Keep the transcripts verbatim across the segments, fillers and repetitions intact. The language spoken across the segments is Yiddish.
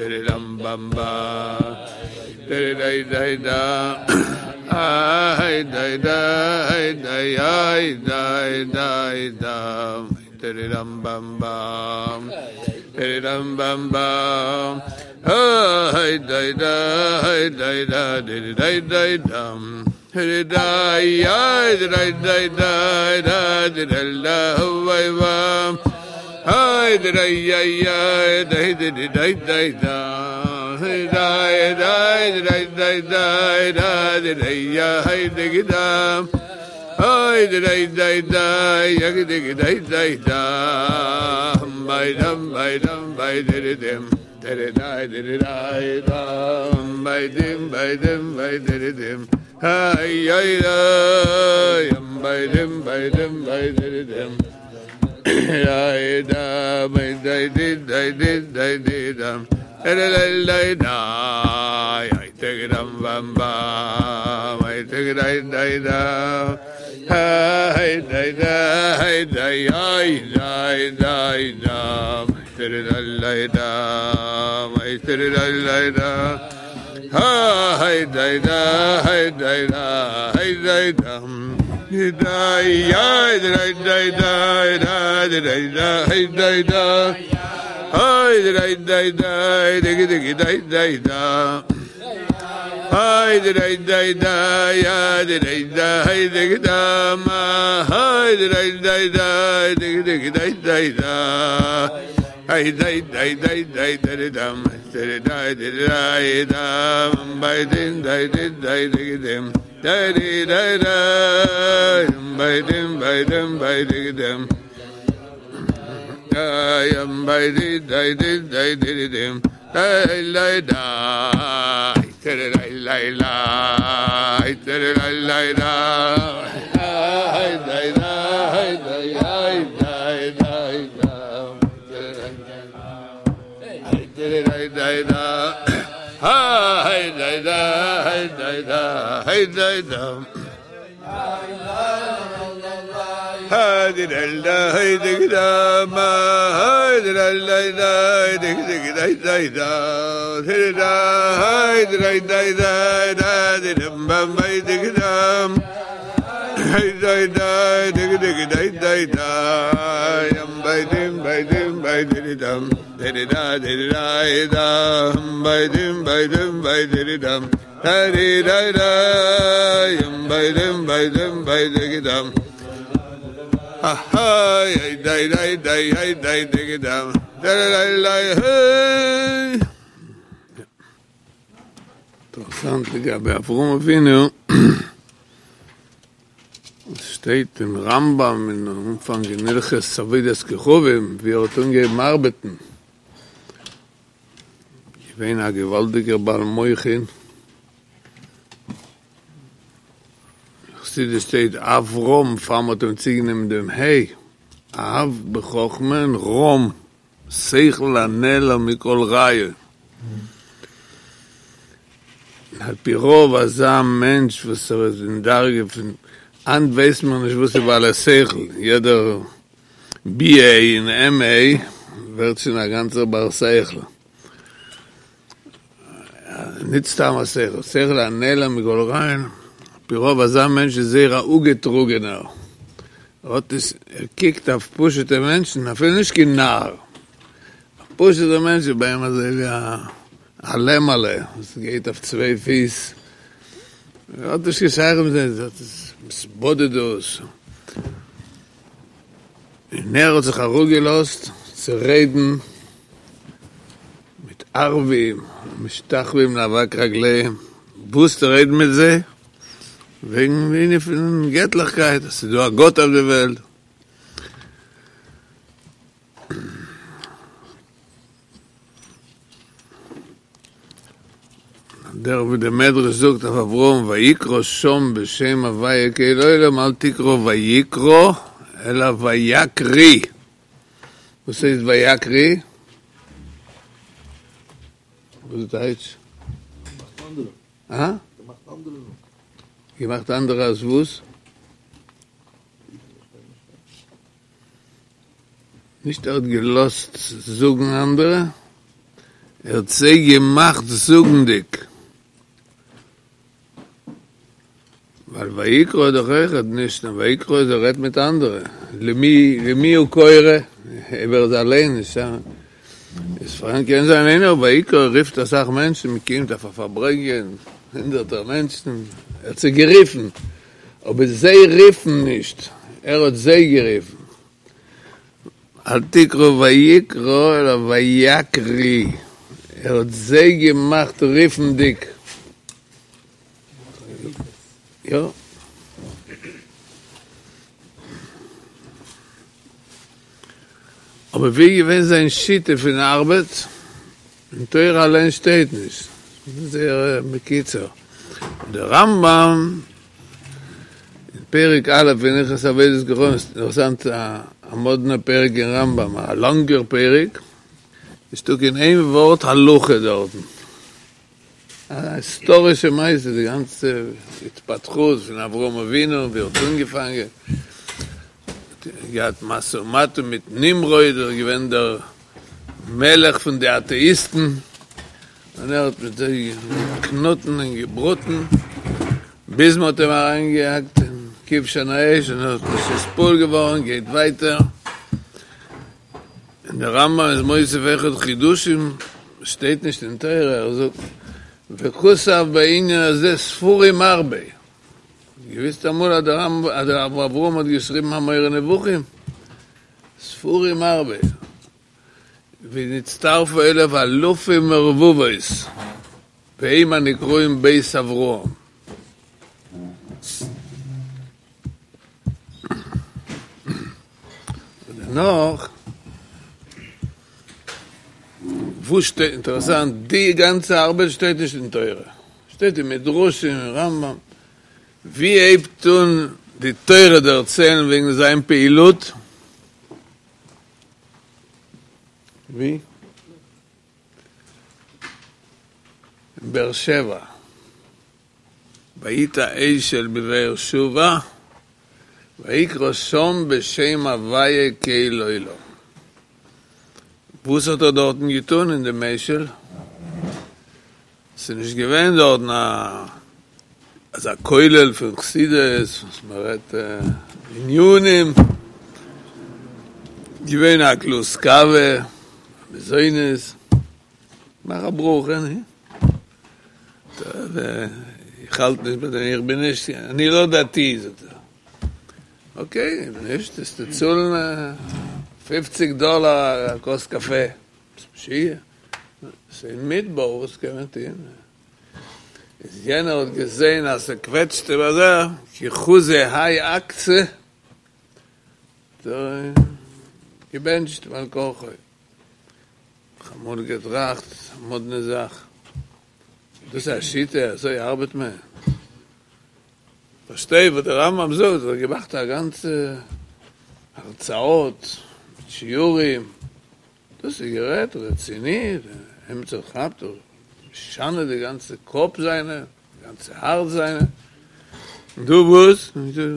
דידם באם בא דידי דיי דא איי דיי דיי דיי איי דיי דיי דא דידם באם באם דידם באם באם איי דיי דיי דיי דא דידי דיי דאם דיי איי דיי דיי דיי דא דידל דא וויי ווא היי דיי איי איי דיי דיי דיי דיי דא דיי דיי דיי דיי דיי דא דיי איי דיי דא היי דיי דיי דיי יג דיי דיי דיי דא ביי דam ביי דam ביי דיי dim דיי דיי דיי דיי דam ביי dim ביי dim ביי דיי dim היי איי איי ביי dim ביי dim ביי דיי dim דיי דא ביי דיי דיי דיי דיי דיי דיי דam דיי דיי דיי איי דיי דam bam bam איי דיי דיי דיי דא היי דיי דיי דיי איי דיי דיי דam דיי דיי דam איי דיי דיי דא היי דיי דיי דיי דיי דיי דam דיי איי דיי דיי דיי דיי דיי דיי דיי דא היי דיי דיי דיי דיי דיי דיי דיי דא היי דיי דיי דיי איי דיי דיי דיי דam היי דיי דיי דיי דיי דיי דיי דיי דא היי דיי דיי דיי דיי דיי דam דיי דיי דיי דam ביי dim דיי דיי דיי דיי dim דיי דיי דיי דיי ביי dim ביי dim ביי דיי dim דיי am ביי דיי דיי דיי דיי דיי dim דיי דיי דיי דיי דיי דיי דיי דיי דיי דיי דיי דיי דיי דיי דיי דיי דיי דיי היי דיי דיי דיי דיי דיי דיי היי דיי דיי דיי דיי מה היי דיי דיי דיי דיי דיי דיי דיי דיי דיי דיי דיי דיי דיי באם ביי דיי דam היי דיי דיי דיי דיי דיי דיי דיי am ביי dim ביי dim ביי דיי dam דיי דיי דיי דיי dam ביי dim ביי dim ביי דיי dam דיי דיי דיי am ביי dim ביי dim ביי דיי dam היי דיי דיי דיי היי דיי דיי dam דיי דיי דיי היי אינטערעסאנט לגבי אברהם אבינו עס שטייט אין רמב"ם אין אנפאנג אין הלכות עבודת כוכבים ווי ער האט אנגעהויבן ארבעטן געווען א געוואלדיגער בעל מוחין חסידות שטייט אברהם פאר מ'האט אים צוגענומען דעם ה' אב בחכמה און רם שכל הנעלם מכל רעיון על פי רוב אזא מענטש וואס ער איז אין דרגה פון היינט ווייסט מען נישט וואס איז בעל השכל יעדער בי עי און עם עי ווערט שוין א גאנצער בר שכל נישט סתם א שכל, שכל הנעלם מכל רעיון, על פי רוב אזא מענטש איז זייער א אפגעטראגענער, ער האט נישט, ער קוקט אויף פשוטע מענטשן, אפילו נישט קיין נאר, א פשוטער מענטש איז ביי אים אזוי ווי א לעמעלע וואס גייט אויף צוויי פיס, ער האט נישט קיין שייכות מיט זיי, דאס איז התבודדות. און ער האט זיך אראפגעלאזט צו רעדן מיט ערבים משתחווים לאבק רגליהם, וואס צו רעדן מיט זיי? וועגן די ענין פון געטליכקייט, אז ס'איז דא א גאט אויף די וועלט. דער ווי דער מדרש זאגט אויף אברהם ויקרא שם בשם הוויה קל עולם אל תקרא ויקרא אלא ויקריא, וואס הייסט ויקריא? וואס איז טייטש? געמאכט אנדערע. אה? געמאכט אנדערע. געמאכט אנדערע אז וואס? נישט ער האט געלאזט זאגן אנדערע, ער האט זיי געמאכט זאגנדיג. ווייל ויקרא איז דאך אויכעט נישט נאר ויקרא איז ער רעדט מיט אנדערע, למי למי הוא קורא, אויב ער איז אליין נישט א, איז פארהאן קען זיין איינער ויקרא רופט אסאך מענטשן מען קומט אויף א פארברענגען הונדערטער מענטשן, ער האט זיי גערופן, אבער זיי רופן נישט, ער האט זיי גערופן. אל תקרא ויקרא אלא ויקריא, ער האט זיי געמאכט רופנדיג. יא. אבער ווי איז געווען זיין שיטה פון ארבעט? אין תורה אליין שטייט נישט. זייער בקיצור. דער רמב ם אין פרק א' אין הלכות עבודת כוכבים, אינטערעסאנט א מאדנע פרק אין רמב ם, א לאנגער פרק, נישטא קיין איין ווארט הלכה דארטן. א היסטארישע מעשה, די גאנצע התפתחות פון אברהם אבינו, ווי ער האט אנגעפאנגען, געהאט משא ומתן מיט נמרוד, ער איז געווען דער מלך פון די אטעאיסטן, און ער האט מיט זיי געקנאטן און געבראטן, ביז מען האט אים אריינגעהאקט אין כבשן האש, און ער האט נישט נתפעל געווארן, גייט ווייטער. און דער רמב ם איז מוסיף אויכעט חידושים, שטייט נישט אין תורה, ער זאגט וכתב בענין הזה ספרים הרבה, געוויסט אמאל אז דער רמב ם אז דער אבן אברהם האט געשריבן א מורה נבוכים? ספרים הרבה, ונצטרפו אליו אלפים ורבבות, והם הנקראים בית אברהם. דערנאך, וואס שטייט, אינטערעסאנט, די גאנצע ארבעט שטייט נישט אין תורה, שטייט אין מדרשים אין רמב ם, ווי הייבט אן די תורה דערציילן וועגן זיין פעילות? ווי? אין באר שבע. ויטע אשל בבאר שבע, ויקרא שם בשם הוויה קל עולם. וואס האט ער דארטן געטון אין דעם אשל? ס'איז נישט געווען דארטן א אזא כולל פון חסידות וואס מען רעדט ענינים, געווען א גלאז קאווע, מזונות, מאך א ברכה, נו. איך האלט נישט ביי דעם, איך בין נישט, אני לא דתי, זאגט ער. אקעי, אויב נישט וועסטו צאלן פופציג דאלאר א כוס קאפע. ביסט משוגע? ס'איז אין מדבר, וואס קען מען טון? איז יענער האט געזען אז ס'קוועטשט אים אזוי, כי חזי האי עקתא, האט ער געבענטשט בעל כרחו. כ'האב אמאל געטראכט, א מאדנע זאך, דאס איז א שיטה? אזוי ארבעט מען? פארשטיי וואס דער רמב ם זאגט, ער האט געמאכט א גאנצע הרצאות מיט שיעורים, דאס איז גערעדט רציני, עמיצער כאפט און משנה די גאנצע קאפ זיינע, די גאנצע הארץ זיינע, און דא וואס?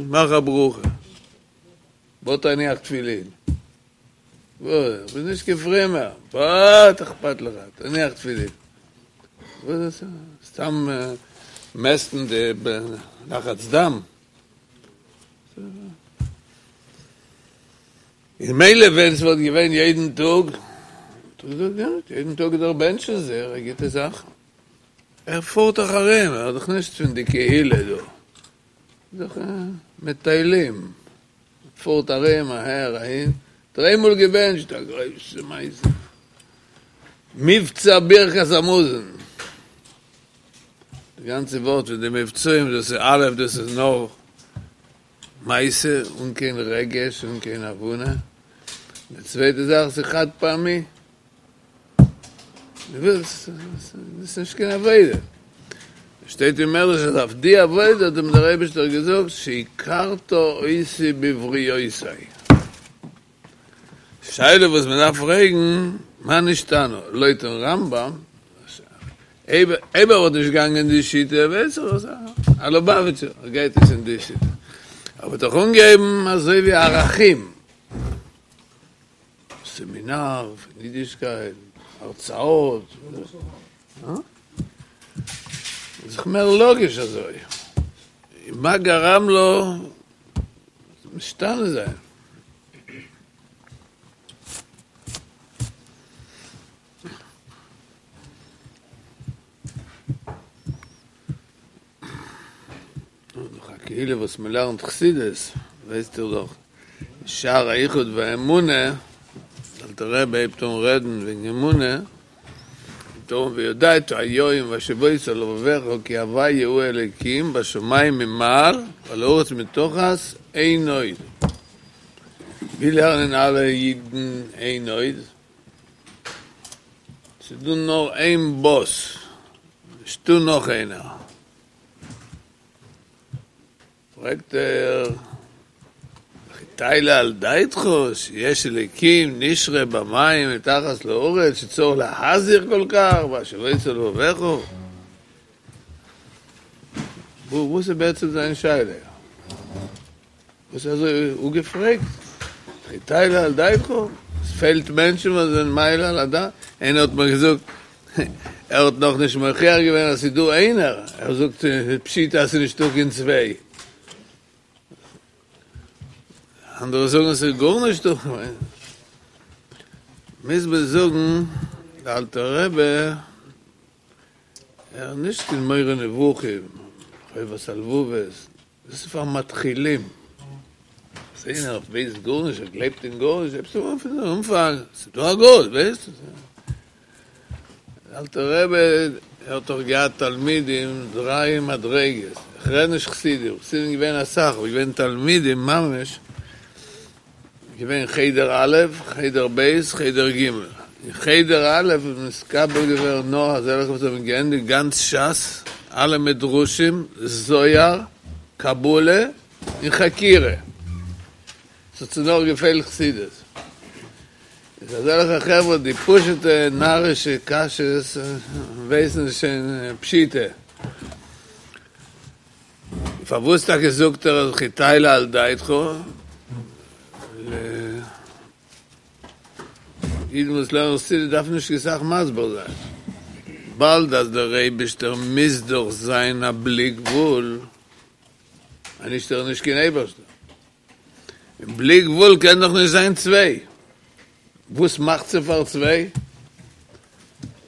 מאך א ברכה, בוא תניח תפילין. וואס? איך בין נישט קיין פרומער. וואס אכפת לך? תניח תפילין. וואס איז דאס? סתם מעסטן די לחץ דם? און מילא ווען ס'וואלט געווען יעדן טאג, וואלט איך געזאגט גוט, יעדן טאג איז דאך בענטשן זייער א גוטע זאך. ער פארט דאך ארום, ער איז דאך נישט פון די קהילה דא. איז דאך מטיילים. פארט ארום אהער אהין, דריי מאל געבענטשט, א גרויסע מעשה, מבצע ברכת המזון, די גאנצע ווארט פון די מבצעים דאס איז א' דאס איז נאר מעשה אן קיין רגש אן קיין הבנה, די צווייטע זאך ס'איז חד פעמי. דאס איז נישט קיין עבודה. שטייט אין מדרש אז אויף די עבודה האט אים דער אייבערשטער געזאגט שהכרת אותי בבריותי. שאלה וואס מען דארף פרעגן, מה נשתנה? לויטן רמב ם, אויב ער וואלט נישט געגאנגען אין די שיטה, ווייס איך וואס, א לובאוויטשער גייט נישט אין די שיטה. ער האט דאך אנגעהויבן אזוי ווי ערכים. סעמינאר פון אידישקייט, הרצאות. איז דאך מער לאגיש אזוי. מה גרם לו משתנה זיין? דאך א קהילה וואס מען לערנט חסידות, ווייסט איר דאך, שער היחוד והאמונה, דער אלטער רבי הייבט אן רעדן וועגן אמונה, הייבט ער אן וידעת היום והשבות אל לבבך כי הוי' הוא האלקים בשמים ממעל ועל הארץ מתחת אין עוד. ווי לערנען אלע אידן אין עוד? ס'איז דא נאר איין באס, נישטא נאך איינער. פרעגט ער, וכי תעלה על דעתך שיש אלוקים נשרה במים מתחת לארץ שצריך להזהיר כל כך והשבות אל לבבך? וואס איז בעצם זיין שאלה? וואס איז אזוי אפגעפרעגט? וכי תעלה על דעתך? עס פעלט מענטשן וואס זענען מעלה על הדעת? איינער האט מיר געזאגט, ער האט נאכנישט מוכיח געווען אז ס'איז דא איינער, ער זאגט פשיטא אז ס'איז נישטא קיין צוויי. אנדערע זאגן ס'איז גארנישט דא. מוז מען זאגן, דער אלטער רבי, ער איז נישט קיין מורה נבוכים, חובת הלבבות, דאס איז פאר מתחילים. אז איינער ווייסט גארנישט, ער גלייבט אין גארנישט, הייבסט אן פון אנפאנג, ס'איז דא א גאט, ווייסט? דער אלטער רבי האט דאך געהאט תלמידים דריי מדריגות, איך רעד נישט חסידים, חסידים געווען אסאך, אבער געווען תלמידים ממש, געווען חדר א', חדר ב', חדר ג', אין חדר א' איז נתקבל געווארן נאר אזעלכע וואס האבן געענדיגט גאנץ ש"ס, אלע מדרשים, זוהר, קבלה, און חקירה. ס'האט זיי נאר געפעלט חסידות. איז אזעלכע חברה די פשוט'ע נארישע קשיות ווייסן שוין פשיטא. פארוואס טאקע זאגט ער אז וכי תעלה על דעתך? אידן וואס לערנען חסידות דארפן נישט קיין סאך מסביר זיין. באלד אז דער אייבישטער מוז דאך זיין א בלי גבול, אנישט איז ער נישט קיין אייבערשטער. און בלי גבול קען דאך נישט זיין צוויי. וואס מאכט זיי פאר צוויי?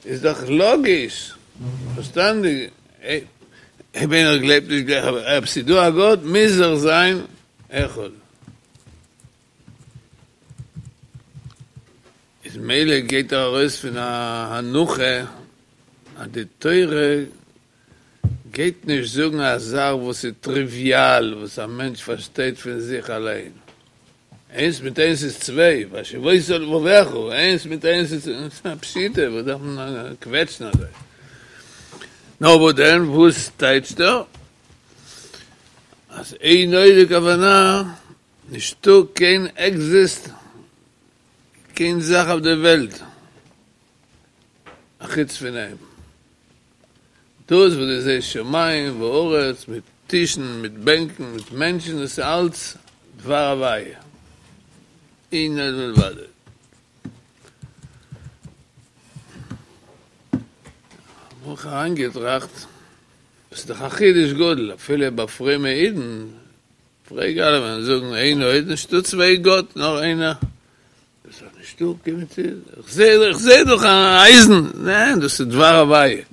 איז דאך לאגיש, פארשטאנדיג, אויב איינער גלייבט נישט גלייך, אבער אויב ס'איז דא א גאט מוז ער זיין אחד. איז מילא גייט ער ארויס פון א הנחה אז די תורה גייט נישט זאגן א זאך וואס איז טריוויאל, וואס א מענטש פארשטייט פון זיך אליין. איינס מיט איינס איז צוויי, והשבות אל לבבך, איינס מיט איינס איז א פשיטא, וואס דארף מען קוועטשן אזוי? נאר וואס דען, וואס טייטשט ער? אז אין עוד די כוונה, נישטא קיין עקזיסט, קיין זאך אויף די וועלט, אחוץ פון אים. דאס וואס דו זעסט שמים וארץ מיט טישן מיט בענקן מיט מענטשן דאס איז אלץ דבר הוויה, אין עוד מלבדו. האב איך אריינגעטראכט, דאס איז דאך א חידוש גדול אפילו ביי פרומע אידן, פרעג אלעמען זאגן אין עוד נישטא צוויי גאט נאר איינער. דאס איז נישטא קיין מציאות, איך זע איך זע דאך א אייזן, ניין דאס איז דבר הוויה.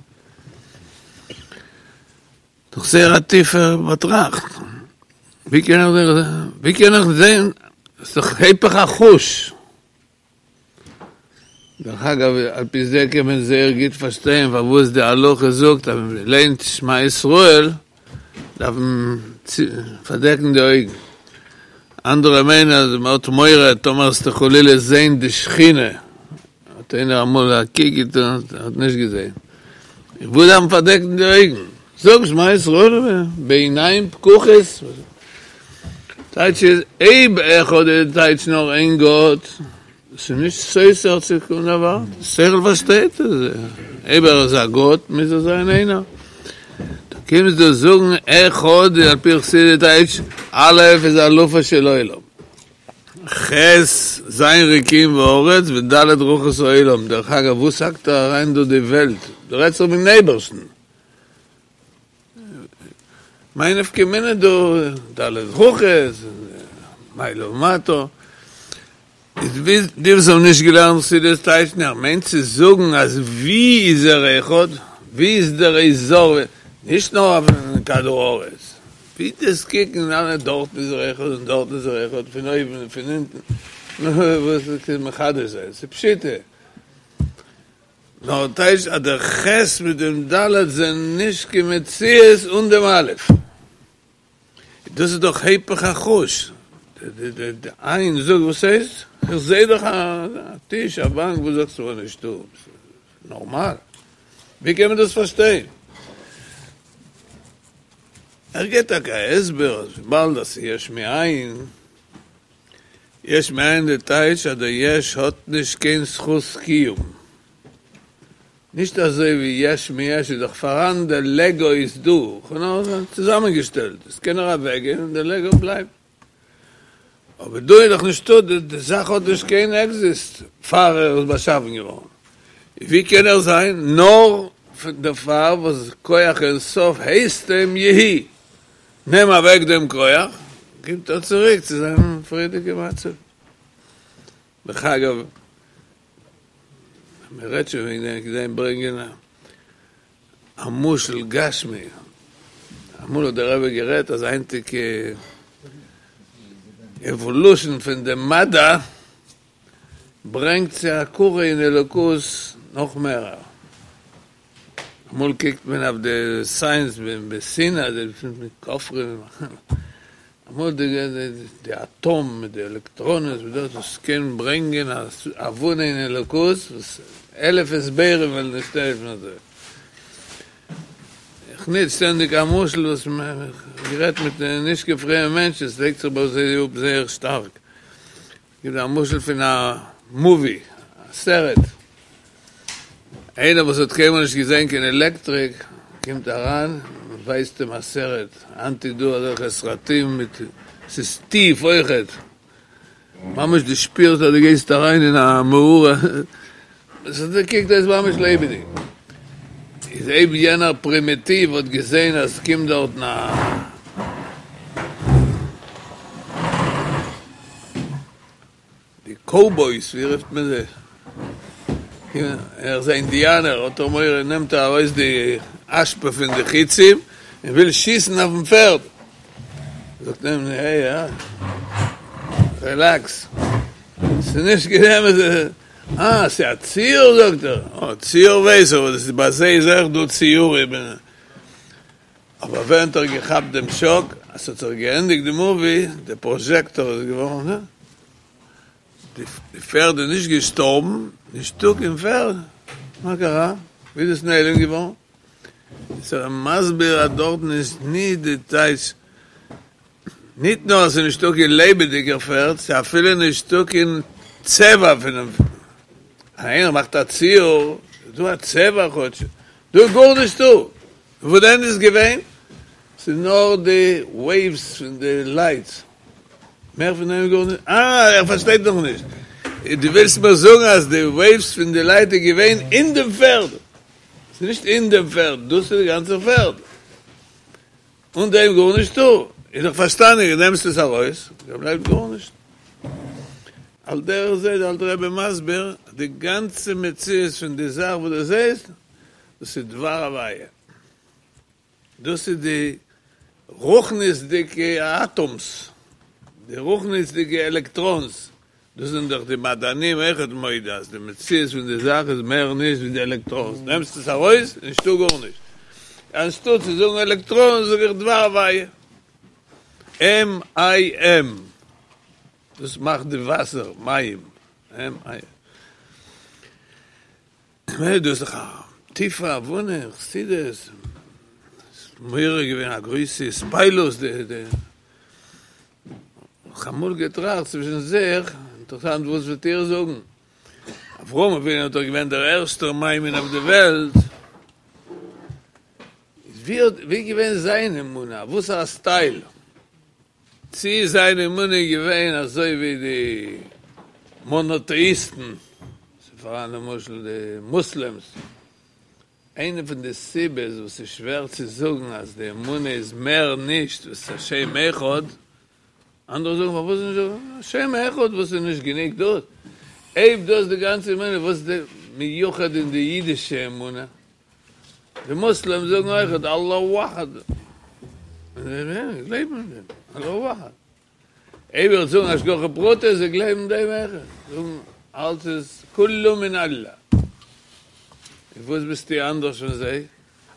דאך זייער א טיפער באטראכט, ווי קען איך ווי קען איך זען, ס'איז דאך היפך החוש. דרך אגב, על פי זה קען מען זייער גוט פארשטיין פארוואס די הלכה זאגט אז ווען מען ליינט שמע ישראל דארף מען פארדעקן די אויגן. אנדערע מיינען אז מען האט מורא טאמער וועסטו חלילה זעהן די שכינה, האט איינער אמאל א קוק געטון, האט נישט געזעהן, וואס דארף מען פארדעקן די אויגן? זאג שמע ישראל בעיניים פקוחות, טייטש איז אויב אחד איז טייטש נאר איין גאט, עס איז נישט סותר צו קיין דבר, די שכל פארשטייט עס, אויב ער איז א גאט מוז ער זיין איינער, דו קומסט דא זאגן אחד על פי חסידות טייטש א' איז אלופו של עולם, ח' ז' רקיעים וארץ וד' רוחות העולם, דרך אגב וואס האקט ער אריין דא די וועלט? דא רעדט זיך וועגן אייבערשטן, מאי נפקא מינה דא ד' רוחות, מעלה ומטה, איז די וואס האבן נישט געלערנט חסידות טייטשן ער מיינט צו זאגן אז ווי איז ער אחד? ווי איז דער אזור? נישט נאר אויפן כדור הארץ, ווי דו'סט קוקן אלע דארטן איז ער אחד און דארטן איז ער אחד, פון אויבן און פון אונטן, וואס איז מחדש זיין? ס'איז פשיטא. נאר טייטש אז דער ח' מיט דעם ד' זענען נישט קיין מציאות אן דעם א'. דאס איז דאך היפך החוש, די עין זאגט וואס הייסט? איך זעה דאך א טיש א באנק וואס זאגסטו מיר נישטא? נארמאל? ווי קען מען דאס פארשטיין? ער געבט טאקע א הסבר אז וויבאלד אז ס'איז יש מאין, יש מאין די טייטש אז דער יש האט נישט קיין זכות קיום, נישט אזוי ווי יש מיש איז דאך פאראן, דער לעגא איז דא, כ'האב נאר צוזאמען געשטעלט, עס קען נאר אוועק גיין און דער לעגא בלייבט, אבער דא איז דאך נישטא, די זאך האט נישט קיין עקזיסט פאר ער איז באשאפן געווארן, ווי קען ער זיין נאר דערפאר וואס כח אין סוף הייסט אים יהי, נעם אוועק דעם כח, קומט ער צוריק צו זיין פריערדיגע מצב. דרך אגב, מען רעדט שוין וועגן דעם, כדי ברענגען א משל גשמי, אמאל האט דער רבי גערעדט אז היינטיגע עוואלושען פון די מדע ברענגט צו הכרה אין אלוקות נאך מערער. אמאל קוקט מען אויף די סייענס בשנאה, די כופרים, אמאל די אטאם מיט די עלעקטראנעס מיט דאס וואס קען ברענגען א הבנה אין אלוקות וואס אלף הסברים וועלן נישט העלפן אזוי. איך נוץ שטענדיג א משל וואס מ'האט גערעדט מיט נישט קיין פרומע מענטשן, עס לייגט זיך ביי זיי אפ זייער שטארק. גיב א משל פון א מאווי, א סרט, איינער וואס האט קיינמאל נישט געזען קיין עלעקטריק קומט אריין, מען ווייזט אים א סרט, היינט איז דא אזעלכע סרטים מיט, ס'איז טיף אויכעט, ממש דו שפירסט אז דו גייסט אריין אין א מערה, ס'קוקט אויס ממש לעבעדיג, איז אויב יענער פרימיטיוו האט געזען אז ס'קומט דארטן א. די קאובויס, ווי רופט מען זיי? ער איז א אינדיאנער, האט ער מורא, נעמט ער ארויס די אשפה פון די חיצים און וויל שיסן אויפן פערד, זאגט אים, העי, אה, רילעקס, ס'איז נישט קיין אמת'ע, אה, ס'איז א ציור זאגט ער, אה, ציור ווייס איך, אבער דאס איז ביי זיי איז אויך דא ציורים. אבער ווען האט ער געכאפט דעם שאק אז ס'האט זיך געענדיגט די מאווי, די פראזשעקטאר איז געווארן, די פערד איז נישט געשטארבן, נישטא קיין פערד, מה קרה? ווי איז עס נעלם געווארן? איז ער מסביר אז דארטן איז נישט די טייטש, ניט נאר אז ס'איז נישטא קיין לעבעדיגער פערד, ס'איז אפילו נישטא קיין צבע פונעם פערד, איינער מאכט א ציור, איז דא א צבע כאטש, דא איז גארנישטא. וואס דען איז געווען? ס'איז נאר די וועיווס פון די לייטס, מער פון דעם גארנישט. אה, ער פארשטייט נאך נישט. דו ווילסט מיר זאגן אז די וועיווס פון די לייט איז געווען אין דעם פערד? ס'איז נישט אין דעם פערד, דאס איז די גאנצע פערד. אן דעם גארנישטא. איז דאך פארשטאנדיג, דו נעמסט עס ארויס, דא בלייבט גארנישט. על דרך זה איז דער אלטער רבי מסביר אז די גאנצע מציאות פון די זאך וואס דו זעסט, דאס איז דבר הוויה, דאס איז די רוחניות'דיגע אטאמס, די רוחניות'דיגע עלעקטראנס, דאס זענען דאך די מדענים אויכעט מודה אז די מציאות פון די זאך איז מער נישט ווי די עלעקטראנס, נעמסט עס ארויס, נישטא גארנישט, אנשטאט צו זאגן עלעקטראנס זאג איך דבר הוויה, M I M, דאס מאכט די וואסער, מים, M I M. דאס איז דאך א טיפע הבנה אין חסידות, ס'איז מעורר געווען א גרויסע התפעלות, די די כ'האב אמאל געטראכט צווישן זיך, אינטערעסאנט וואס וועט איר זאגן, אברהם אבינו איז דאך געווען דער ערשטער מאמין אויף די וועלט, איז ווי האט ווי איז געווען זיין אמונה, וואסערע סטייל? צי איז זיין אמונה געווען אזוי ווי די מאנאטעאיסטן, ס'איז פאראן למשל די מוסלעמס, איינע פון די סיבות וואס איז שווער צו זאגן אז די אמונה איז מער נישט וואס השם אחד, אנדערע זאגן פארוואס נישט השם אחד וואס איז נישט גענוג דאס, אויב דאס די גאנצע אמונה וואס איז די מיוחד אין די אידישע אמונה? די מוסלעמס זאגן אויכעט אללא וואחד, און זיי גלייבן אין דעם, אללא וואחד. אויב איך זאגן השגחה פרטית, זיי גלייבן דעם אויכעט, זאגן אלץ איז כולו מן אללה. און וואס ביסטו אנדערש פון זיי?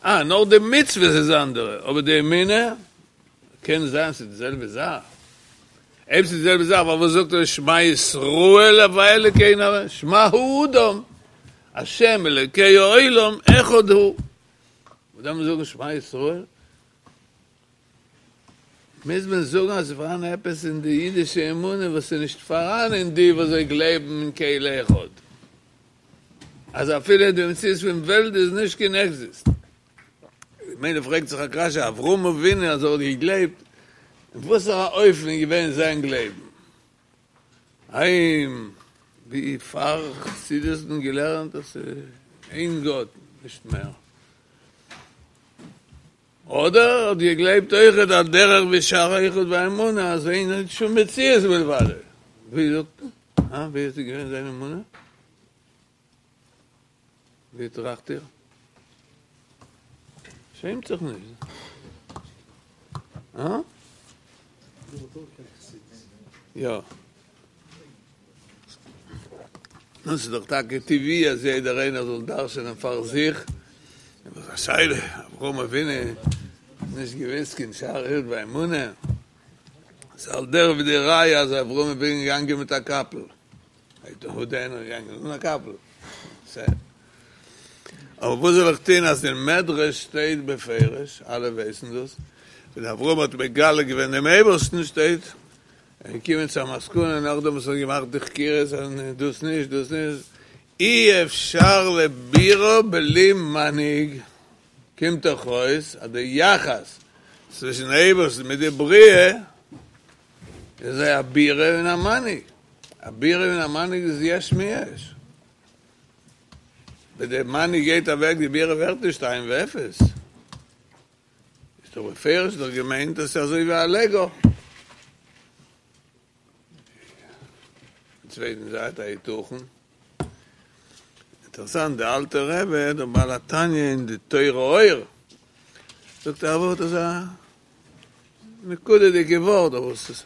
אה, נאר די מצוות איז אנדערע, אבער די אמונה קען זיין ס'איז די זעלבע זאך. אויב ס'איז די זעלבע זאך, פארוואס זאגט ער שמע ישראל הוי' אלוקינו הוי', שמע האדם, השם אלוקי העולם אחד הוא. וואס דארף מען זאגן שמע ישראל? מוז מען זאגן אז ס'איז פארהאן עפעס אין די אידישע אמונה וואס איז נישט פארהאן אין די וואס זיי גלייבן אין קל אחד, אז אפילו די מציאות פון וועלט איז נישט קיין עקזיסט. ממילא פרעגט זיך א קשיא, אברהם אבינו אז ער האט געגלייבט, אין וואסערע אופן איז געווען זיין גלייבן? האם ווי פאר חסידות האט מען געלערנט אז ס'איז איין גאט נישט מער? אדער האט געגלייבט אויכעט על דרך ווי שער היחוד והאמונה אז אין שום מציאות מלבדו? ווי זאגט מען? אה? ווי איז געווען זיין אמונה? ווי טראכט איר? שעמט זיך נישט. אה? יא. נו, ס'איז דאך טאקע טבעי אז יעדער איינער זאל דרש'ענען פאר זיך. און וואס א שאלה, אברהם אבינו האט נישט געוואוסט קיין שער היחוד והאמונה. ס'איז על דרך ווי די ראיה אז אברהם אבינו איז געגאנגען מיט א קאפל. איינער געגאנגען אן א קאפל. אבער וואס זאל איך טון אז אין מדרש שטייט בפירוש, אלע ווייסן דאס, ווען אברהם האט מגלה געווען דעם אייבערשטן שטייט, ער איז געקומען צו א מסקנא נאכדעם וואס ער האט געמאכט די חקירות אז דאס נישט דאס נישט, אי אפשר לבירה בלי מנהיג, קומט דאך אויס אז די יחס צווישן אייבערשטן מיט די בריאה איז א בירה און א מנהיג, א בירה און א מנהיג איז יש מיש. ווען דער מנהיג גייט אוועק די בירה ווערט נישט אין ואפס. איז דאך בפירוש דאך געמיינט אז ס'איז אזוי ווי א לעגא. צווייטן זייט היתכן. אינטערעסאנט די אלטע רבי דער בעל התניא אין די תורה אור זאגט א ווארט אזא נקודה'דיגע ווארט אבער עס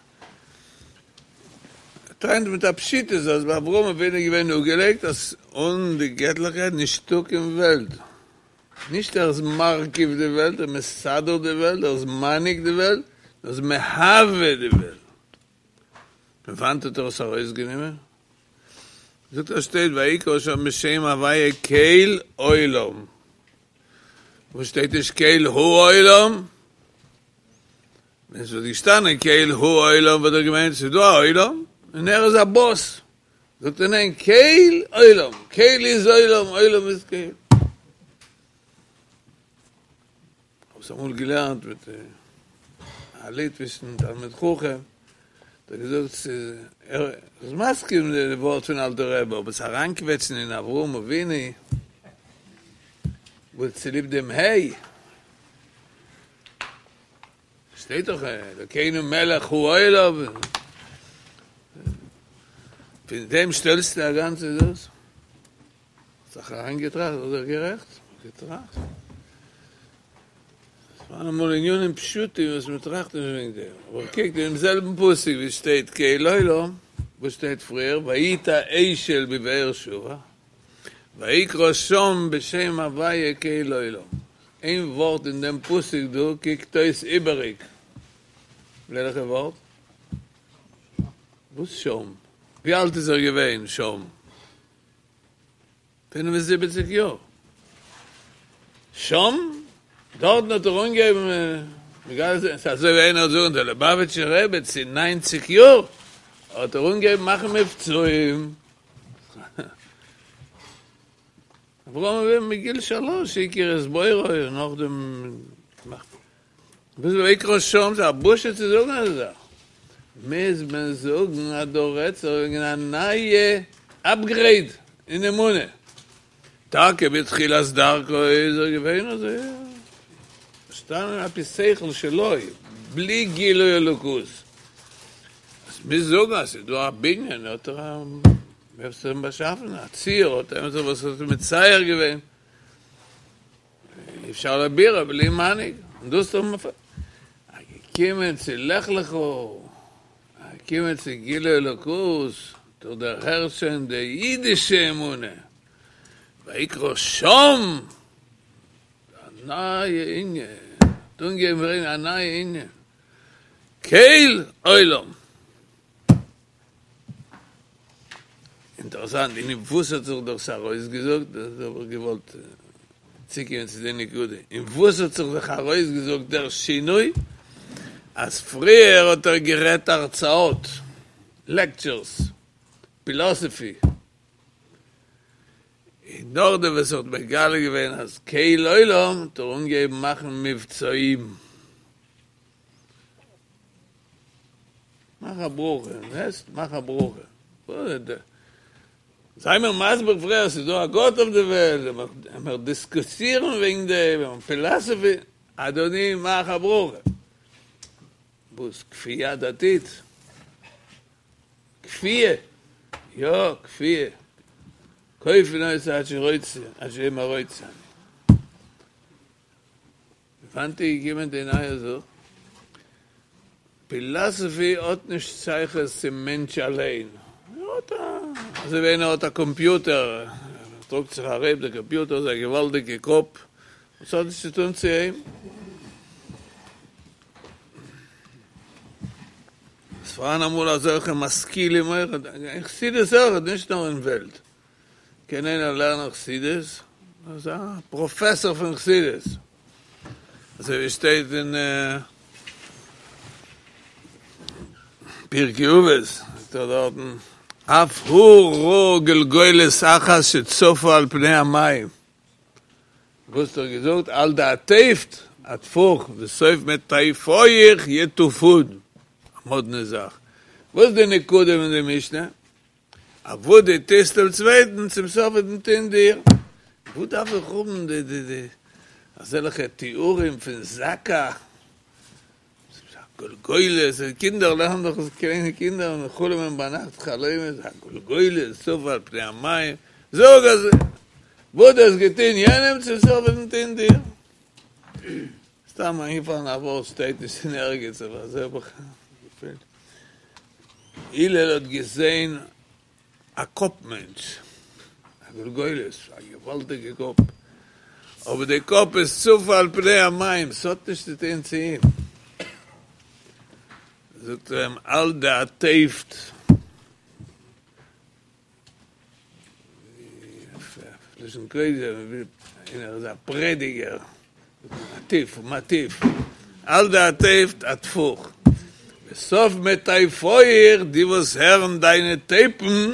טענה'ט מיט א פשיטות אז ביי אברהם אבינו איז געווען אפגעלייגט אז אן די געטליכקייט נישטא קיין וועלט, נישט ער איז מרכיב די וועלט, ער איז מסדר די וועלט, ער איז מנהיג די וועלט, ער איז מהווה די וועלט. פון וואנט האט ער עס ארויסגענומען? זאגט ער שטייט ויקרא שם בשם הוויה קל עולם. וואס שטייט נישט קל העולם? ווען עס וואלט געשטאנען קל העולם וואלט ער געמיינט ס'איז דא א עולם און ער איז א באס. זאגט ער ניין קל עולם, קל איז עולם, עולם איז קל. כ'האב עס אמאל געלערנט מיט א ליטווישן תלמיד חכם, האט ער געזאגט ס'איז ער איז מסכים די ווארט פון אלטער רבי, אבער עס אריינקוועטשן אין אברהם אבינו וואס צוליב דעם ה' שטייט דאך אלוקינו מלך העולם, פון דעם שטעלסטו א גאנצע דאס? האט זיך אריינגעטראכט, איז ער גערעכט? געטראכט. ס'פארהאן אמאל ענינים פשוטים וואס מען טראכט נישט וועגן דעם, אבער קוק אינעם זעלבן פסוק ווי שטייט קל עולם, וואס שטייט פריער ויטע אשל בבאר שבע, ויקרא שם בשם הוויה קל עולם, איין ווארט אין דעם פסוק דא קוקט אויס איבעריג, וועלכע ווארט? וואס שם? ווי אלט איז ער געווען שם? פינף און זיבעציק יאר. שם, דארטן האט ער אנגעהויבן מגלה זיין, ס'איז אזוי ווי איינער וועט זאגן דער ליובאוויטשער רבי צו ניינציג יאר האט ער אנגעהויבן מאכן מבצעים. אברהם אבינו מגיל שלוש הכיר את בוראו און נאכדעם געמאכט. וואס ויקרא שם, ס'איז א בושה צו זאגן אזא זאך. מוז מען זאגן אז דא רעדט זיך וועגן א נייע אפגרעיד אין אמונה. טאקע בתחילת דרכו איז ער געווען אזוי פארשטאנען על פי שכל שלו, בלי גילוי אלוקות. אז מוז זאגן אז ס'איז דא א בנין האט ער א ווער ס'האט אים באשאפן, א ציור האט עמיצער וואס האט אים מצייר געווען. אי אפשר להבירה בלי מנהיג, און דאס האט מען געקומען צו לך לך, געקומען צו גילוי אלוקות, דורך דערהערט שוין די אידישע אמונה, ויקרא שם, א נייע ענין, האט אנגעהויבן ברענגען א נייע ענין, קל עולם. אינטערעסאנט, אין וואס האט זיך דאס ארויסגעזאגט, דאס האב איך געוואלט צוקומען צו די נקודה, אין וואס האט זיך זיך ארויסגעזאגט דער שינוי, אז פריער האט ער גערעדט הרצאות, לעקטשורס, פילאסעפי, און נאכדעם וואס ער האט מגלה געווען אז קל עולם האט ער אנגעהויבן מאכן מבצעים. מאך א ברכה, זעסט? מאך א ברכה. זיי מיר מסביר פריער אז ס'איז דא א גאט אויף די וועלט, עמער דיסקוסירן וועגן דעם, פילאסעפי, אדוני מאך א ברכה. וואס? כפייה דתית? כפייה? יא, כפייה. כופין אותו עד שרוצה, עד שיאמר רוצה אני. וואנעט איז געקומען די נייע זאך? פילאסעפי האט נישט שייכות צום מענטש אליין, ער האט א, אזוי ווי איינער האט א קאמפיוטער, ער טראגט זיך ארום, דער קאמפיוטער איז א געוואלדיגע קאפ, וואס האט נישט צו טון צו אים. עס פארהאן אמאל אזעלכע משכילים אויך, אין חסידות אויך, נישט נאר אין וועלט. קען איינער לערנען חסידות? אזא פראפעסאר פון חסידות, אזוי ווי שטייט אין פרקי אבות, זאגט ער דארטן, אף הוא ראה גולגולת אחת שצפה על פני המים, וואס האט ער געזאגט? על דאטפת אטפוך וסוף מטיפיך יטופון, א מאדנע זאך, וואס איז די נקודה פון די משנה? אז וואס דו טוסט דעם צווייטן, צום סוף וועט מען טון דיר. וואס דארף איך האבן די די די אזעלכע תיאורים פון זכה, גולגולת, קינדער לערנען דאך עס, קליינע קינדער און חלומ'ען ביינאכט חלומות, א גולגולת צפה על פני המים, זאג אז וואס דו האסט געטון יענעם, צום סוף וועט מען טון דיר. סתם איינגעפאלן א ווארט שטייט נישט אין ערגעץ אבער אזוי האב איך געפילט. הלל האט געזען א קאפ מענטש, א גולגולת, א געוואלדיגע קאפ, אבער די קאפ איז צפה על פני המים, ס'האט נישט צו טון צו אים. זאגט ער אים על דאטפת. לשון קודש, איינער איז א פרעדיגער, מטיף, מטיף, על דאטפת אטפוך, וסוף מטיפיך, די וואס הערן דיינע טייפן,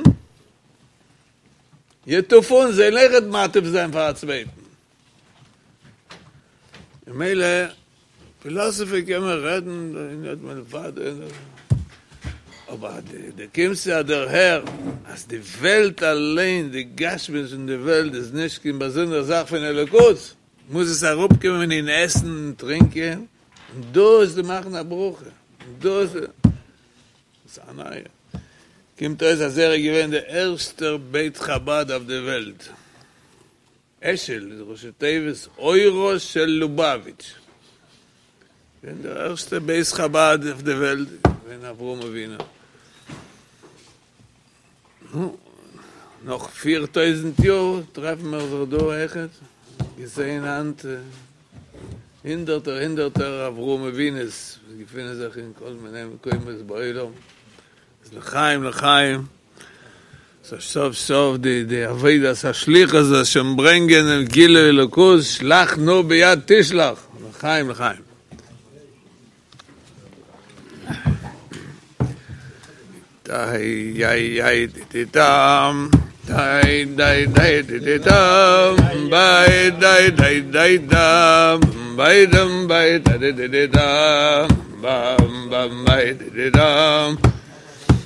יטופון, זיי וועלן אויכעט מטיף זיין פאר א צווייטן. ממילא פילאסעפי קען מען רעדן אבער דו קומסט צו א דערהער אז די וועלט אליין, די גשמיות פון די וועלט איז נישט קיין באזונדערע זאך פון אלוקות, מוז עס אראפקומען אין עסן און טרינקען, און דאס איז מאכן א ברכה, און דאס איז א נייע. קומט אויס אז ער איז געווען דער ערשטער בית חבד אויף די וועלט. אשל איז ראשי תיבות אורו של לובאוויטש. געווען דער ערשטער בית חבד אויף די וועלט געווען אברהם אבינו. נו, נאך פיר טויזנט יאר טרעפן מיר זיך דא אויכעט, געזען היינט הונדערטער הונדערטער אברהם אבינו'ס וואס געפינען זיך אין כל מיני מקומות בעולם. איז לחיים לחיים, סוף סוף סוף די די עבודת השליחות זאל שוין ברענגען דעם גילוי אלוקות, שלח נא ביד תשלח, לחיים לחיים. דיי דיי דיי די דאם דיי דיי דיי די די דאם ביי דיי דיי דיי דאם ביי דאם ביי דיי די די דאם. bam bam bay di dam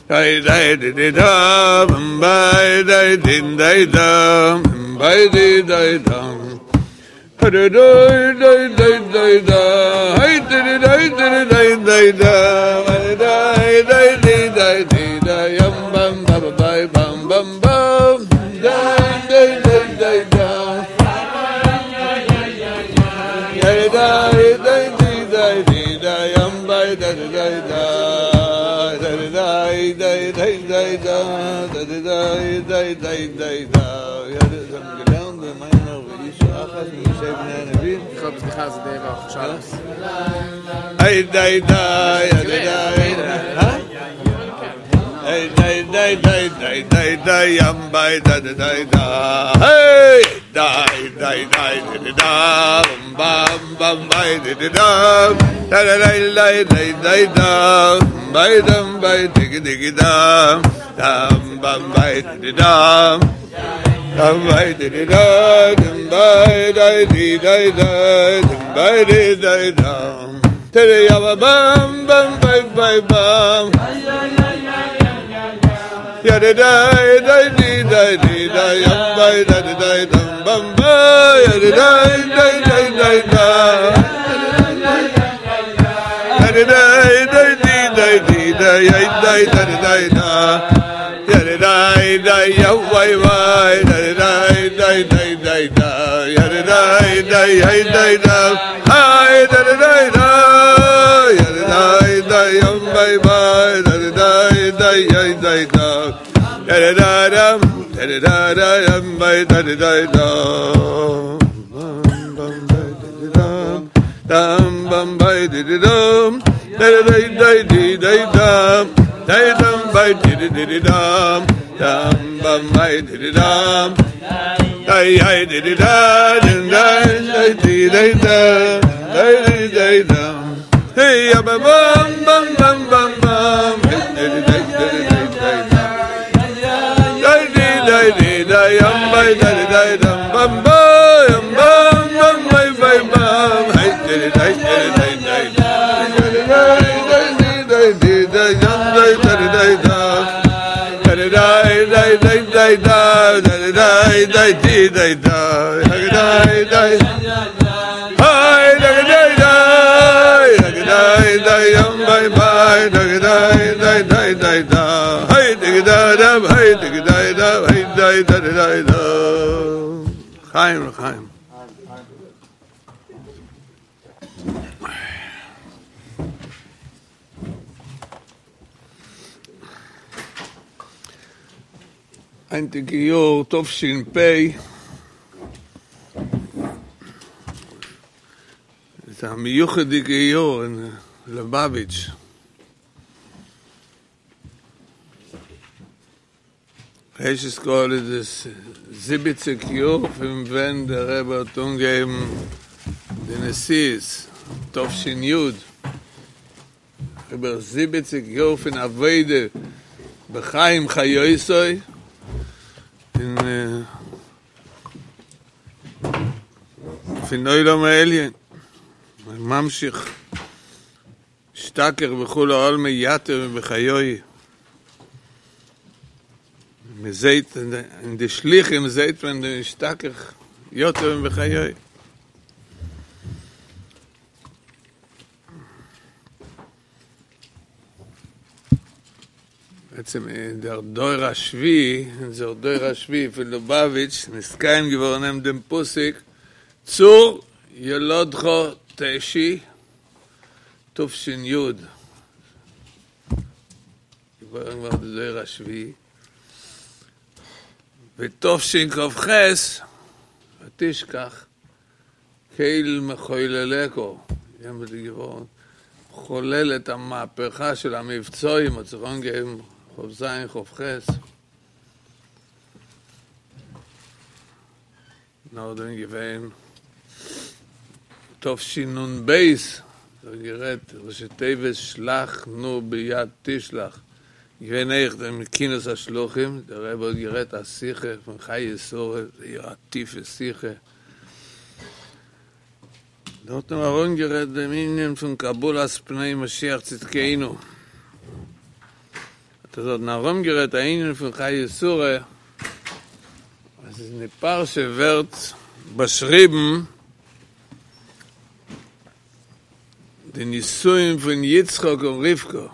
day day di di dam bay day din day dam bay di day dam day day day day day da hey di day di day day da day day di day di da yam bam bam bay bam bam bam day day day day da day day day di day di da yam bay da day da day day day day da day day day day da ja das gelernt in meiner ich achas mit Nevi סליחה, זה די עכשיו. היי די די די די היי די די די די די די ים ביי די די די היי די די די די דם bam bam ביי די די דם די די די די די דם ביי דם ביי די די דם דם bam ביי די דם dam bay di di da dam bay dai di dai dai dam bay di dai dam te ya ba bam bam bay bay bam ya di dai dai di dai di dai yam bay da di dai dam bam bay ya di dai dai dai dai da ya di dai dai di dai di dai dai dai da di dai da ya di dai dai ya wai wai dai dai dai dai dai da ya di dai dai dai dai da hai da di dai da ya di dai dai yam bai bai da di dai dai dai dai da ya di da dam da di da da yam bai da di dai da bam bam bai di di dam dam bam bai di di dam da di dai dai di dai dam dai dam bai di di di di dam dam bam bai di di dam dai dai di di da dum dai dai di dai da dai di dai dam hey ya ba bam bam bam bam bam hey di di dai di dai dai da dai di dai di dai yam bai dai di dai dam bam ba yam bam bam bai bai bam hey di di dai di dai dai da di dai dai di dai di dai yam dai dai dai da dai dai dai dai dai da dai dai dai di dai da dai dai hai dai dai dai dai dai yam bai bai dai dai dai dai dai da hey dai da da hey dai dai da hey dai dai dai da חיים לחיים. היינטיגע יאר תש"פ איז א מיוחד'דיגע יאר אין ליובאוויטש. ראשית כל איז עס זיבעציק יאר פון ווען דער רבי האט אנגעהויבן די נשיאות תש"י, איבער זיבעציק יאר פון עבודה בחיים חיותו, אין פון עולם העליון, ממשיך משתכח בכולי עלמא יתיר מבחיוהי. מ'זעט אין די שליחים זעט מען די משתכח יותר מבחיוהי. בעצם דער דור השביעי, אונזער דור השביעי פון לובאוויטש, נתקיים געווארן אין דעם פסוק צור ילדך תשי תש"י. געבוירן געווארן דער דור השביעי. ותשכ"ח ותשכח קל מחוללך, יעמאלט איז געווארן חולל את המהפכה של המבצעים, האט זיך אנגעהויבן כ"ז כ"ח. נאכדעם געווען תשנ"ב, האט גערעדט ראשי תיבות שלח נא ביד תשלח, געווען אויך דעם כינוס השלוחים, דער רבי האט גערעדט א שיחה פון חיי שרה, זייער א טיפע שיחה. דארט האבן מיר ארומגערעדט דעם ענין פון קבלת פני משיח צדקינו. האט ער דארטן ארומגערעדט א ענין פון חיי שרה, אז אין די פרשה ווערט באשריבן די נישואין פון יצחק און רבקה.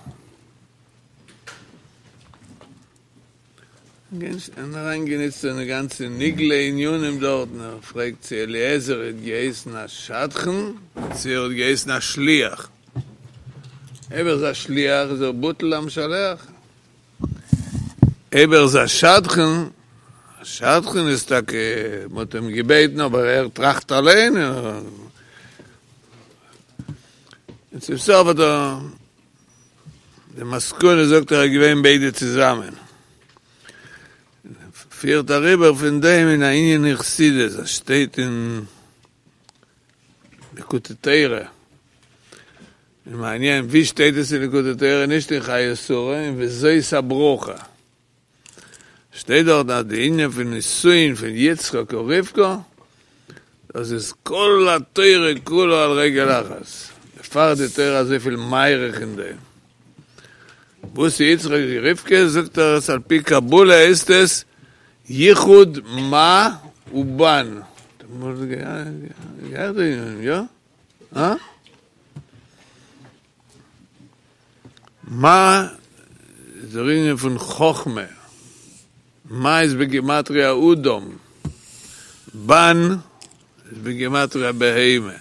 און אריינגענוצט אין די גאנצע נגלה ענינים דארטן, ער פרעגט צו אליעזר האט געהייסן א שדכן, צו ער האט געהייסן א שליח. אויב ער איז א שליח איז ער בטל למשלח, אויב ער איז א שדכן, א שדכן איז טאקע, מען האט אים געבעטן אבער ער טראכט אליין, און צום סוף האט ער, די מסקנא זאגט ער איז געווען ביידע צוזאמען. פירט אריבער פון דעם אין א ענין אין חסידות, עס שטייט אין ליקוטי תורה, און מעניין ווי שטייט עס אין ליקוטי תורה, נישט אין חיי שרה, אין וזאת הברכה, שטייט דארט אז די ענין פון נישואין פון יצחק און רבקה, דאס איז כל התורה כולה על רגל אחת, דערפאר איז די תורה אזויפיל מאריך אין דעם. וואס איז יצחק און רבקה, זאגט ער אז על פי קבלה הייסט עס יחוד מה ובן. יא? אה? מה איז דער ענין פון חכמה, מה איז בגימטריא אדם, בן איז בגימטריא בהמה.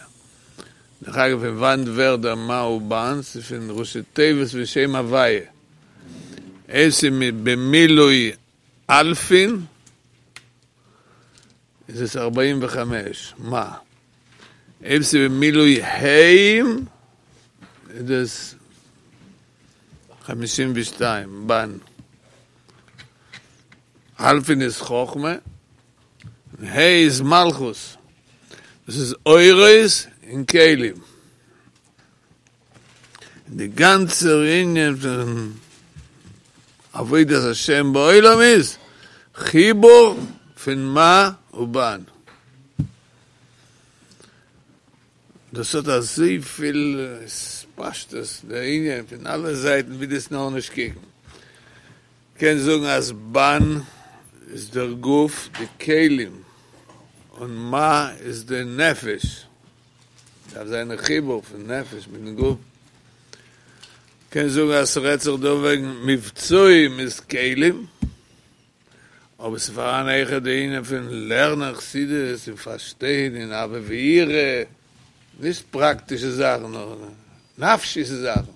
דרך אגב פון וואנט ווערט דער מה ובן? ס'איז פון ראשי תיבות פון שם הוויה. עס איז במילוי אלפין איז עס ארבעים וחמש, מה. אויב ס'איז במילוי היים איז דאס חמישים ושתיים, בן. אלפין איז חכמה, און ה' איז מלכות. דאס איז אורות און כלים. און די גאנצער ענין פון עבודת השם בעולם איז חיבור פון מה ובן. דאס האט אזויפיל פשטות דער ענין פון אלע זייטן ווי דו'סט נאר נישט קוקן. קענסט זאגן אז בן איז דער גוף, די כלים, און מה איז די נפש. דארף זיין א חיבור פון נפש מיטן גוף. קענסט זאגן אז ס'רעדט זיך דא וועגן מבצעים איז כלים, אבער ס'איז פארהאן אויכעט די ענין פון לערנען חסידות און פארשטיין און אהבה ויראה, נישט פראקטישע זאכן נאר נפשיות'ע זאכן.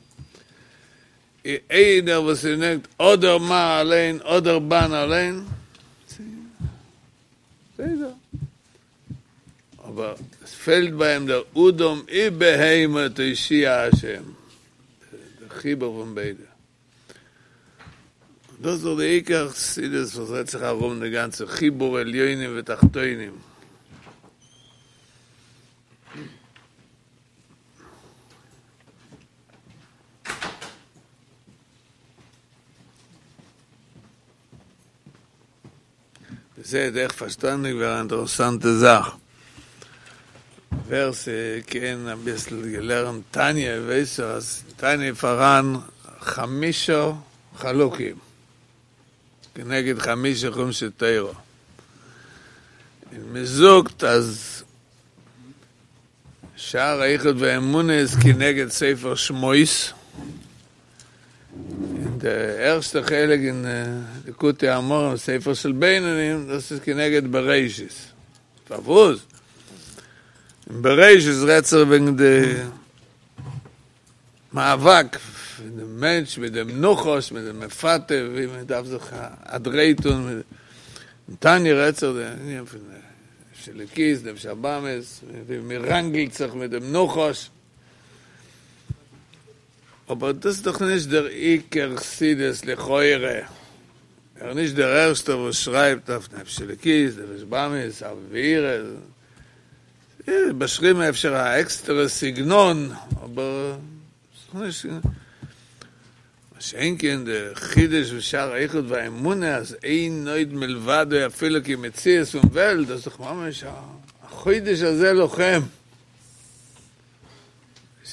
איינער וואס ס'נעמט אדער מה אליין אדער בן אליין, בסדר. אבער עס פעלט ביי אים דער אדם ובהמה תושיע השם, דער חיבור פון ביידע. און דאס איז דאך די עיקר חסידות וואס רעדט זיך ארום די גאנצע חיבור עליונים ותחתונים. זעהט אויך פארשטאנדיג ווערן א אינטערעסאנטע זאך, ווער ס'קען אביסל געלערנט תניא ווייס ער אז אין תניא פאראן חמשה חלקים כנגד חמשה חומשי תורה, און מ'זאגט אז שער היחוד והאמונה איז כנגד ספר שמות, און די ערשטע חלק אין ליקוטי אמרים ספר של בינונים דאס איז כנגד בראשית, פארוואס? אין בראשית רעדט זיך וועגן די מאבק פון דעם מענטש מיט דעם נחש מיט דעם מפתה ווי מען דארף זיך א דריי טון, אין תניא רעדט זיך די ענין פון נפש אלוקית נפש הבהמית ווי מען ראנגלט זיך מיט דעם נחש, אבער דאס איז דאך נישט דער עיקר חסידות לכאורה, ער איז נישט דער ערשטער וואס שרייבט אויף נפש אלוקית, נפש בהמית, אהבה ויראה, באשריבן אפשר א עקסטערע סגנון, אבער ס'איז נישט, מה שאין כן די חידוש פון שער היחוד והאמונה אז אין עוד מלבדו אפילו קיין מציאות פון וועלט, דאס איז דאך ממש החודש הזה לכם.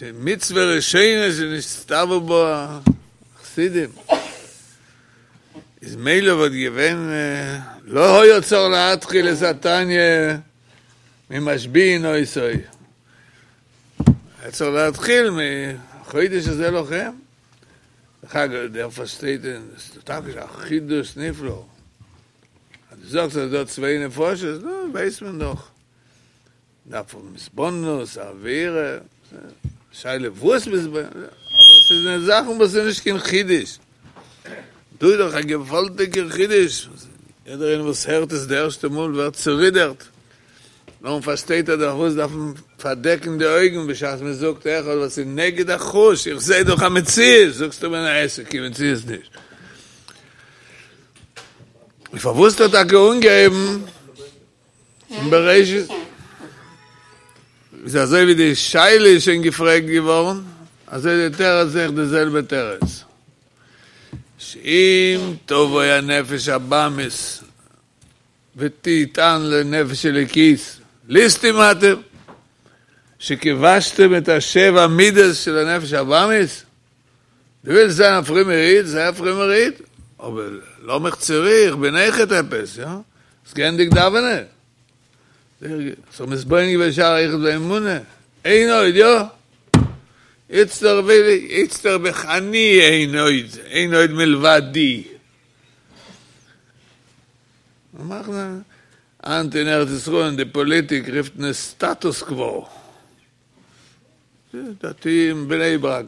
מצוה ראשונה שנצטוו בה החסידים. איז מילא וואלט געווען לא היה צריך להתחיל את התניא ממשביעין אותו. היה צריך להתחיל מחודש הזה לכם. דרך אגב, דער פארשטייט עס טאקע א חידוש נפלא. אז דו זאגסט אז דא צוויי נפשות, נו, ווייסט מען דאך. דארף האבן התבוננות, אווירה, שאלה וואס מתבונן, אבער ס'איז זאכן וואס איז נישט קיין חידוש. דא איז דאך א געוואלדיגער חידוש, יעדער איינער וואס הערט עס די ערשטע מאל ווערט צורידערט, נאכדעם פארשטייט ער דאך וואס דארף מען פארדעקן די אויגן בשעת מען זאגט אחד וואס איז נגד החוש, איך זעה דאך א מציאות, זאגסטו מיר ניין עס איז קיין מציאות נישט. און פארוואס האט ער טאקע אנגעהויבן אין בראשית? איז אזוי ווי די שאלה איז שוין געפרעגט געווארן, אזוי די תירוץ אויך די זעלבע תירוץ. שאם תבוא הנפש הבהמית ותטען לנפש אלוקית, ליסטים אתם, שכבשתם את השבע מידות של הנפש הבהמית, דו ווילסט זיין א פרומער איד, זיי א פרומער איד, אבער לאמיך צורו, איך בין אויכעט עפעס, יא? האסט געענדיגט דאווענען? זיך מתבונן געווען שער היחוד והאמונה, אין עוד, יא? איצטער וויל איך, איצטער בין איך אני אין עוד, אין עוד מלבדי. מאכן היינט אין ארץ ישראל אין די פאליטיק רופט מען עס סטאטוס קווא. דתיים בני ברק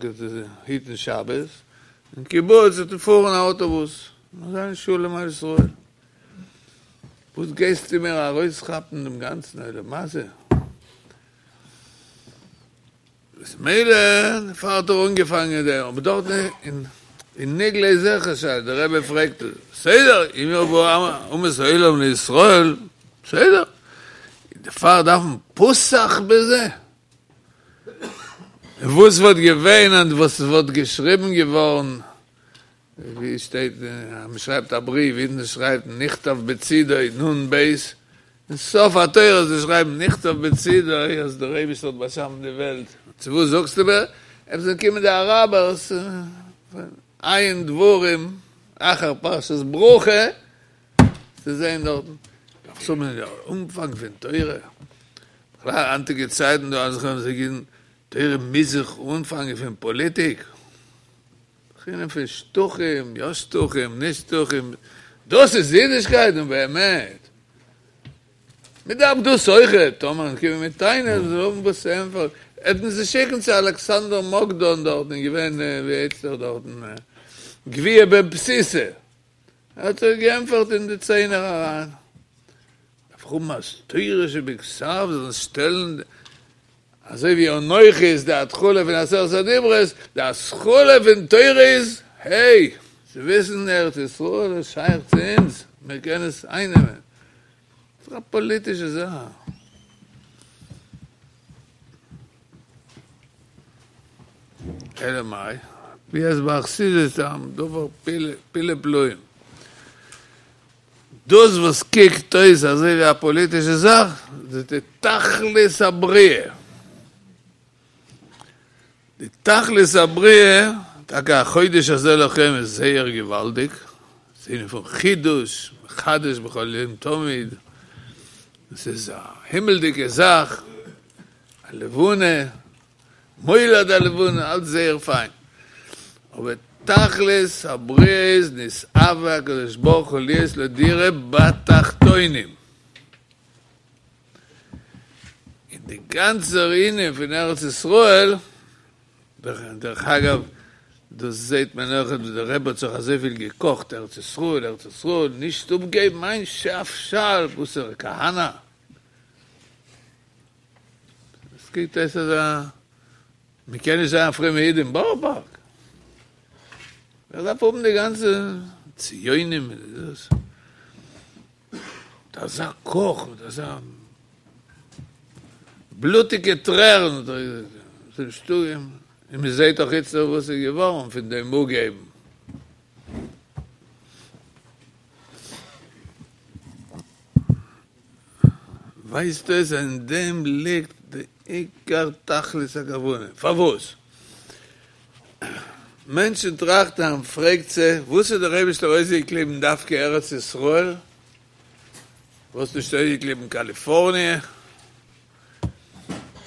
היטן שבת, אין קיבוץ וועט מען פארן א אוטובוס, און זיין שלום על ישראל. וואס גייסטו מיר ארויסכאפן דעם גאנצן עולם הזה? איז מילא דערפאר האט ער אנגעפאנגען דעם, אבער דארט אין אין נגלה איז זיכער שאלה, דער רבי פרעגט בסדר, אם יבואו אומות העולם לישראל, בסדר, דערפאר דארף מען פתח בזה? וואס וואלט געווען און וואס וואלט געשריבן געווארן, ווי שטייט אז מען שרייבט א בריוו, אידן שרייבט נכתב בצידו נ ב, אין סוף התורה זיי שרייבן נכתב בצידו אז דער אייבישטער האט באשאפן די וועלט, צו וואס זאגסטו מיר? עפעס זענען קומען די אראבערס עיין דברים אחר פרשת ברכה צו זעהן דארטן, דארפסט האבן די אנפאנג פון תורה, בכלל היינטיגע צייטן דא אז זיי גיבן תורה מוז זיך אנפאנגען פון פאליטיק. בחינה פון שטחים, יא שטחים, נישט שטחים, דאס איז אידישקייט? נו באמת. מען דארף דאס אויכעט, טאמער קומען מיט טענות זאל האבן וואס צו ענטפערן, עט מען זיי שיקן צו אלכסנדר מוקדון דארטן איז געווען ווי הייסט ער דארטן גביהא בן פסיסא, ער האט זיי געענטפערט אין די ציינער אריין. דארף איך האבן אז תורה שבכתב זאל שטעלן אזוי ווי אנכי איז די התחלה פון עשרת הדיברות, די התחלה פון תורה איז היי, צו וויסן ארץ ישראל איז שייך צו אונז, מיר קענען עס אייננעמען. ס'איז א פאליטישע זאך. אלא מאי, ווי אז ביי חסידות איז א דבר פלאי פלאים. דאס וואס קוקט אויס אזוי ווי א פאליטישע זאך, איז די תכלית הבריאה. די תכלית הבריאה, טאקע החודש הזה לכם איז זייער געוואלדיג, ס'איז ענין פון חידוש, מחדש בכל יום תמיד, עס איז א הימל'דיגע זאך, א לבנה, מולד הלבנה, אלץ זייער פיין, אבער תכלית הבריאה איז נתאווה הקדוש ברוך הוא להיות לו דירה בתחתונים. און די גאנצער ענין פון ארץ ישראל, דרך אגב דאס זעהט מען אויך ווי דער רבי האט זיך אזויפיל געקאכט ארץ ישראל ארץ ישראל, נישט אפגעבן איין שפשל בתר כהנא. עס קוקט אויס אז מען קען נישט זיין א פרומע איד אין בארא פארק. ווער דארף האבן די גאנצע ציונים מיט דאס? מיט אזא קאך, מיט אזא בלוטיגע טרערן, און מען זעט דאך איצטער וואס איז געווארן פון דעם אפגעבן. ווייזט אויס אז אין דעם ליגט די עיקר תכלית הכוונה. פארוואס? מענטשן טראכטן, פרעגט זיך, וואס האט דער אייבערשטער אויסגעקליבן דווקא ארץ ישראל? וואס נישט אויסגעקליבן קאליפארניע?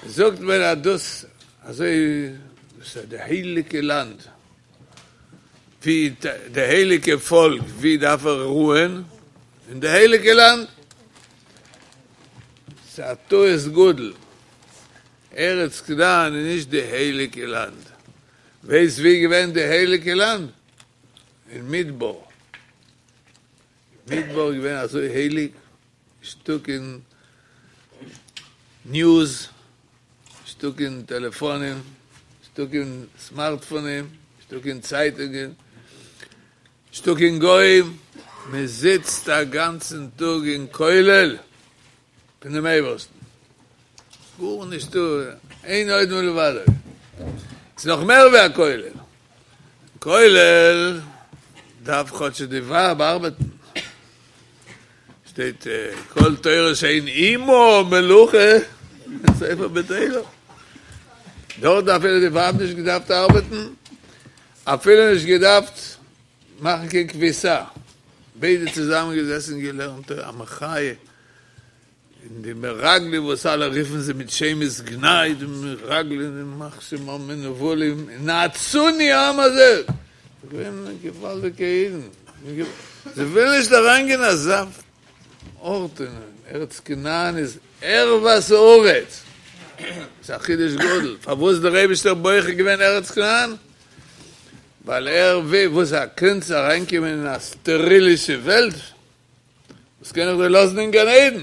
זאגט מען אז דאס אזוי דאס איז די הייליגע לאנד, ווי די הייליגע פאלק, ווי דארף ער רוען? אין די הייליגע לאנד. ס'איז א טעות גדול, ארץ כנען איז נישט די הייליגע לאנד. ווייסט ווי געווען די הייליגע לאנד? אין מדבר. מדבר איז געווען אזוי הייליג, נישטא קיין ניוז, נישטא קיין טעלעפאנים, נישטא קיין סמארטפאנים, נישטא קיין צייטונגען, נישטא קיין גוים, מען זיצט א גאנצן טאג אין כולל פון דעם אייבערשטן, גארנישטא, אין עוד מלבדו, ס'איז נאך מער ווי א כולל, כולל דארף כאטש די ווייב ארבעטן, שטייט כל תורה שאין עמה מלאכה סופה בטלה, דארט אפילו די ווייב נישט געדארפט ארבעטן, אפילו נישט געדארפט מאכן קיין כביסה, ביידע צוזאמען געזעסן און געלערנט תורה, א מחיה, און די מרגלים וואס אלע רופן זיי מיט שמות גנאי, די מרגלים ימח שמם מנוולים, נאצוני העם הזה, געווען געוואלדיגע אידן, זיי ווילן נישט אריינגיין אין אזא ארט, אין ארץ כנען איז ערוות הארץ, ס'איז א חידוש גדול, פארוואס איז דער אייבישטער בוחר געווען ארץ כנען? ווייל ער וויל, וואס א קונץ אריינקומען אין א סטערילישע וועלט? וואס קען איך דיר לאזן אין גן עדן?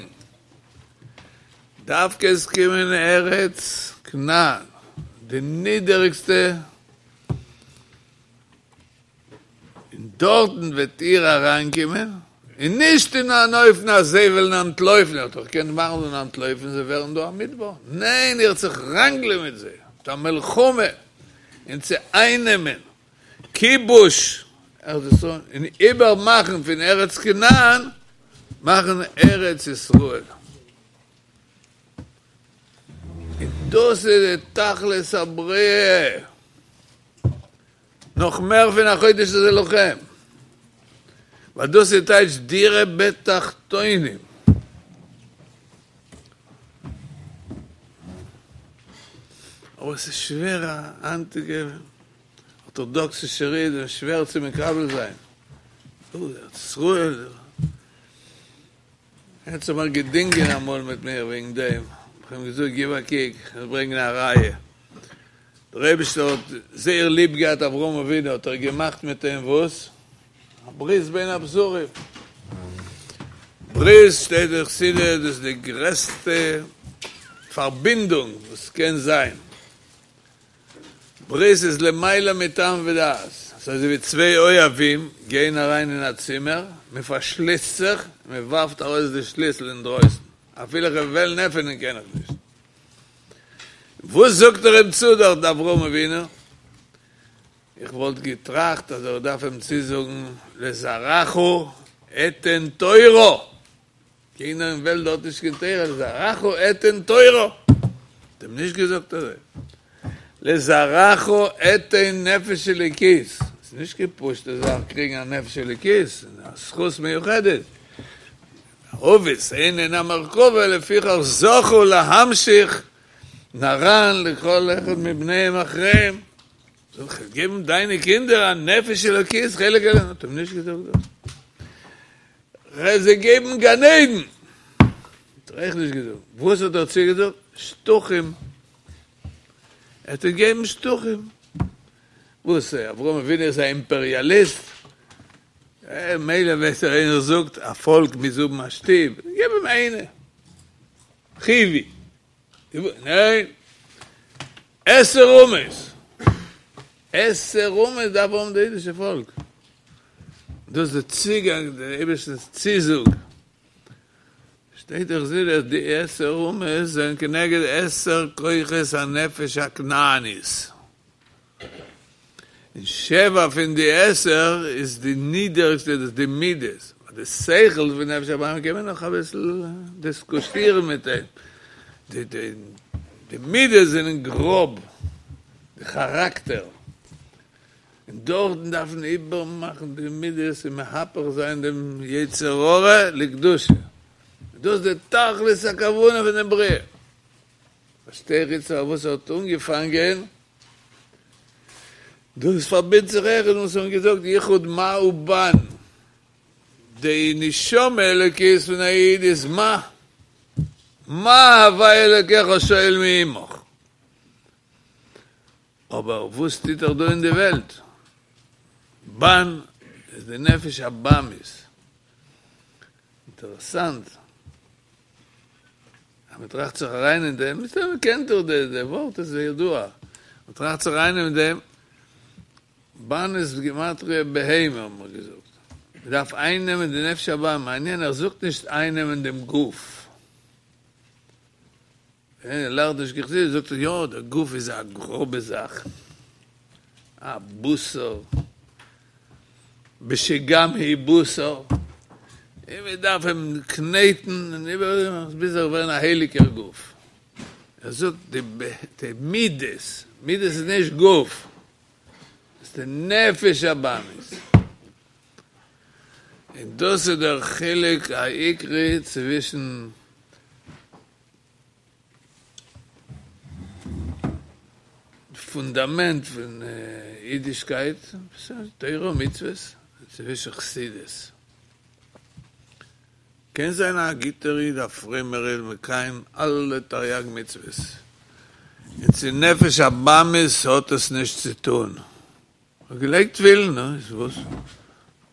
דווקא עס קומען ארץ כנען, די נידעריגסטע, און דארטן וועט איר אריינקומען, און נישט אין אן אופן אז זיי וועלן אנטלויפן, איר האט דאך געקענט מאכן זיי זאלן אנטלויפן, זיי ווערן דא א מדבר, ניין, איר וועט זיך ראנגלען מיט זיי, מיט א מלחמה, און צו אייננעמען, כיבוש ארץ ישראל, און איבערמאכן פון ארץ כנען, מאכן ארץ ישראל. און דאס איז די תכלית הבריאה, נאך מער פון החודש הזה לכם, ווייל דאס איז טייטש דירה בתחתונים. אבער עס איז שווער א היינטיגע ארטאדאקסישער איד איז שווער צו מקבל זיין. ארץ ישראל. ער האט זיך אמאל געדינגען אמאל מיט מיר וועגן דעם, איך האב אים געזאגט גיב א קוק, איך וועל ברענגען א ראיה, דער אייבערשטער האט זייער ליב געהאט אברהם אבינו, האט ער געמאכט מיט אים וואס? א ברית בין הבתרים. ברית שטייט אין חסידות דאס איז די גרעסטע פארבינדונג וואס קען זיין. ברית איז למעלה מטעם ודעת, ס'איז אזוי ווי צוויי אוהבים גייען אריין אין א צימער, מען פארשליסט זיך, מען ווארפט ארויס די שליסל אינדרויסן, אפילו איך וועל וועלן עפענען קען איך נישט. וואס זאגט ער אים צו דארט אברהם אבינו? איך וואלט געטראכט אז ער דארף אים צוזאגן לזרעך אתן תורה. קיינער אין וועלט האט נישט קיין תורה, לזרעך אתן תורה, האט אים נישט געזאגט אזוי, לזרעך אתן נפש אלוקית, ס'איז נישט קיין פשוטע זאך קריגן א נפש אלוקית, ס'איז א זכות מיוחדת, אבות הן הן המרכבה לפיכך זכו להמשיך נר"ן לכל אחד מבניהם אחריהם, זאל איך געבן דיינע קינדער א נפש אלוקית חלק אלוקה, האט אים נישט געזאגט דאס. כ'וועל זיי געבן גן עדן! האט ער אויך נישט געזאגט. וואס האט ער צוגעזאגט? שטחים. ער האט אים געגעבן שטחים. וואס, אברהם אבינו איז א אימפעריאליסט? מילא ווייסט ער איינער זאגט א פאלק מוז האבן א שטוב, געב אים איינע. חיווי. ניין. עשר אומות. עשר אומות דארף האבן די אידישע פאלק. דאס איז די צוגאנג, די אייבערשטנ'ס צוזאג. שטייט דאך זיכער אז די עשר אומות זענען כנגד עשר כוחות הנפש הכנענית. און שבע פון די עשר איז די נידעריגסטע, דאס איז די מידות. די שכל פון נפש הבהמית קען מען נאך אביסל דיסקוסירן מיט אים. די די די מידות זענען גראב, די כאראקטער, און דארטן דארף מען איבערמאכן די מידות און מהפך זיין דעם יצר הרע לקדושה, דאס איז די תכלית הכוונה פון דעם בריאה. פארשטיי איך איצט פארוואס ער האט אנגעפאנגען, דאס פארבינדט זיך אויכעט וואס מיר האבן געזאגט יחוד מה ובן, די נשמה אלוקית פון א איד איז מה, מה הוי' אלוקיך שואל מעמך, אבער וואס טוט ער דא אין די וועלט? בן איז די נפש הבהמית. אינטערעסאנט אז מען טראכט זיך אריין אין דעם, מסתמא קענט איר די די ווארט איז ידוע, מען טראכט זיך אריין אין דעם, בן איז בגימטריא בהמה האבן מיר געזאגט, מען דארף אייננעמען די נפש הבהמית, מעניין ער זאגט נישט אייננעמען דעם גוף, ווען איינער לערנט נישט קיין חסידות זאגט ער יא דער גוף איז א גראבע זאך, א בשר, בשגם הוא בשר, און מען דארף אים קנעטן און איבער ביז ער ווערן א הייליגער גוף. ער זאגט די די מידות, מידות איז נישט גוף, עס איז די נפש הבהמית. און דאס איז דער חילוק העיקרי צווישן פונדאמענט פון אידישקייט, תורה ומצוות, צווישן חסידות. קען זיין א גוטער איד, א פרומער איד, מקיים אלע תריג מצוות, און צו נפש הבהמית האט עס נישט צו טון. האט געלייגט תפילין, נו, איז וואס?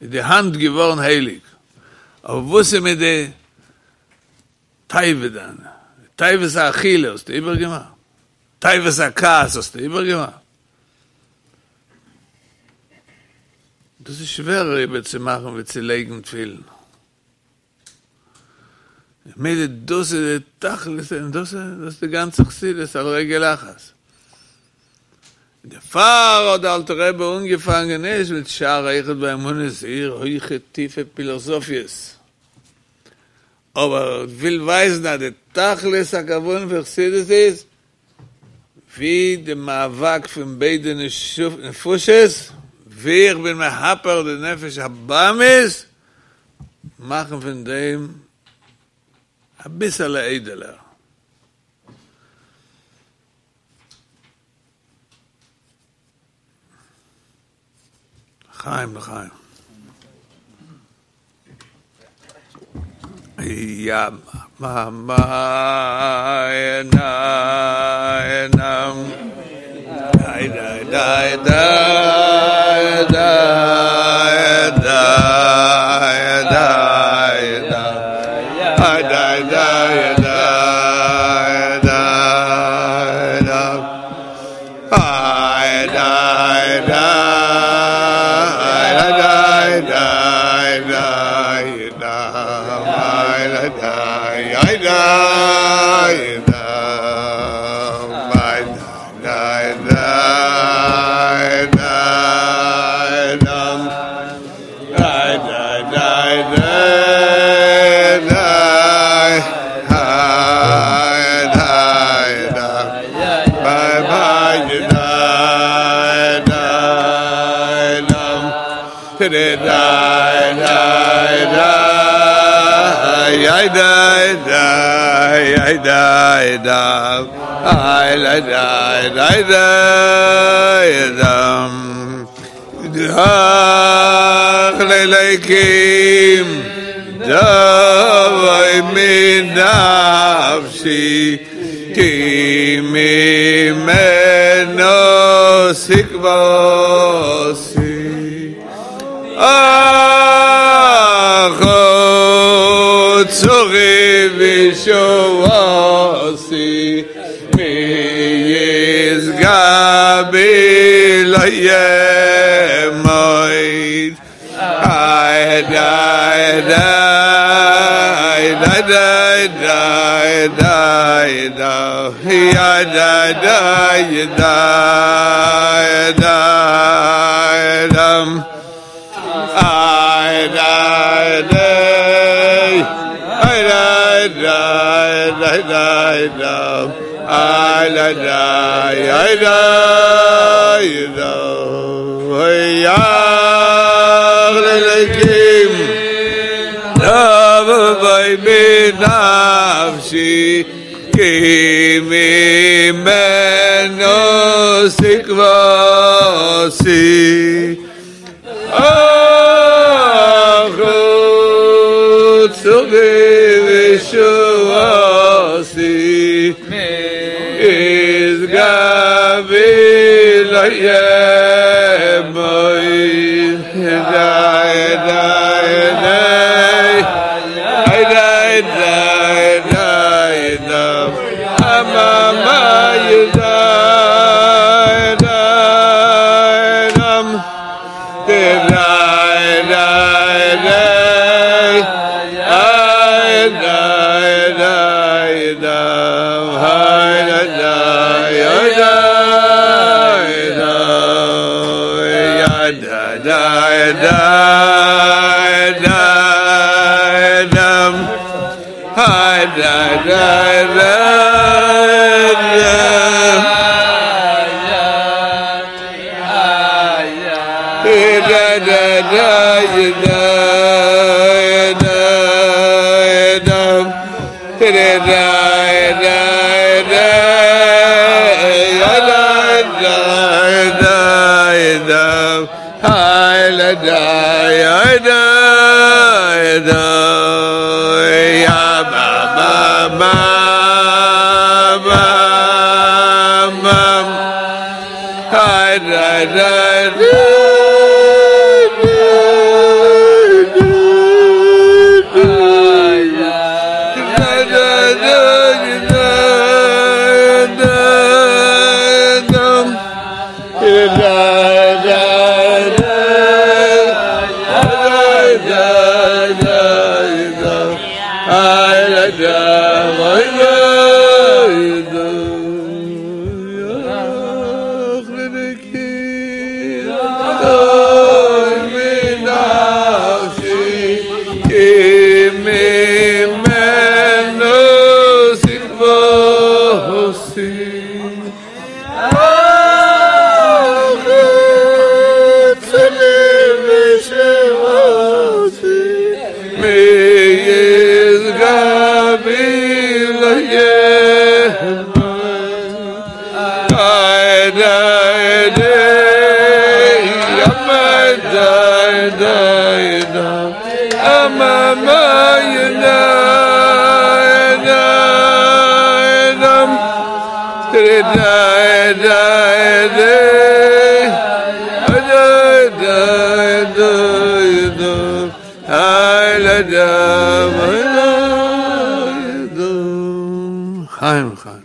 איז די האנט געווארן הייליג? אבער וואס איז מיט די תאווה דיינע, תאוות האכילה האסטו איבערגעמאכט? תאוות הכעס האסטו איבערגעמאכט? דאס איז שווערער איבערצומאכן ווי צו לייגן תפילין. ממילא דאס איז די תכלית און דאס איז די גאנצע חסידות על רגל אחת. דערפאר האט דער אלטער רבי אנגעפאנגען נישט מיט שער היחוד והאמונה, זייער הויכע טיפע פילאזאפיעס, אבער ער וויל ווייזן אז די תכלית הכוונה פון חסידות איז ווי די מאבק פון ביידע נפשות, ווי איך בין מהפך די נפש הבהמית, מאכן פון דעם אביסעלע איידעלער. לחיים לחיים. יא מא מא נא נא דיי דיי דיי דיי דיי דיי דיי דיי דיי דיי דיי דיי דיי איי דיי דיי דיי דיי דיי דיי דיי דיי דיי דיי דיי דיי דיי דיי דיי דיי דיי ביי ביי דיי דיי דיי דיי דיי דיי דיי דיי דיי דיי דיי דיי דיי דך לליקים דוי מנפשי כי ממנו תקוותי אך צורי וישועתי מי ישגה בי לא ימוט איי דיי דיי דיי דיי דיי דיי דיי דיי דיי דיי דם איי דיי דיי איי דיי דיי דיי דיי דם איי la da ya da ya ya lekim Davay benafshi ki mimeno sikvasi Achut vishuasi Is gavi layemoy Dai dai dai Dai dai dai dai Amama yudai dai dam Dai dai dai Ai dai dai dam Hai dai dai dai dai Ya dai dai dai dam Hai dai dai dai dam Da da da da da da da da da da da da da Hai la da ya da da ya ba ba ba ba ba Hai da da da Chaim, Chaim.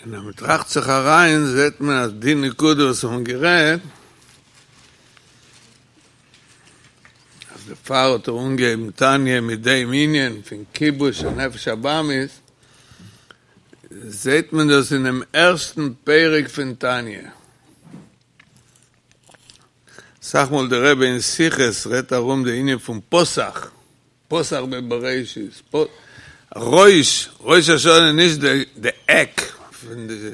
אין דעם טראכט זיך אריין, זעט מען, אז די נקודה, וואס האבן גערעדט, אז דער פאר האט ער אנגעהויבן תניא מיט דעם ענין פון כיבוש הנפש הבהמית, זעט מען דאס אין דעם ערשטן פרק פון תניא. אסאך מאל דער רבי אין שיחות רעדט ארום די ענין פון פתח, פתח בבראשית, ראש, ראש השנה נישט די די עק פון די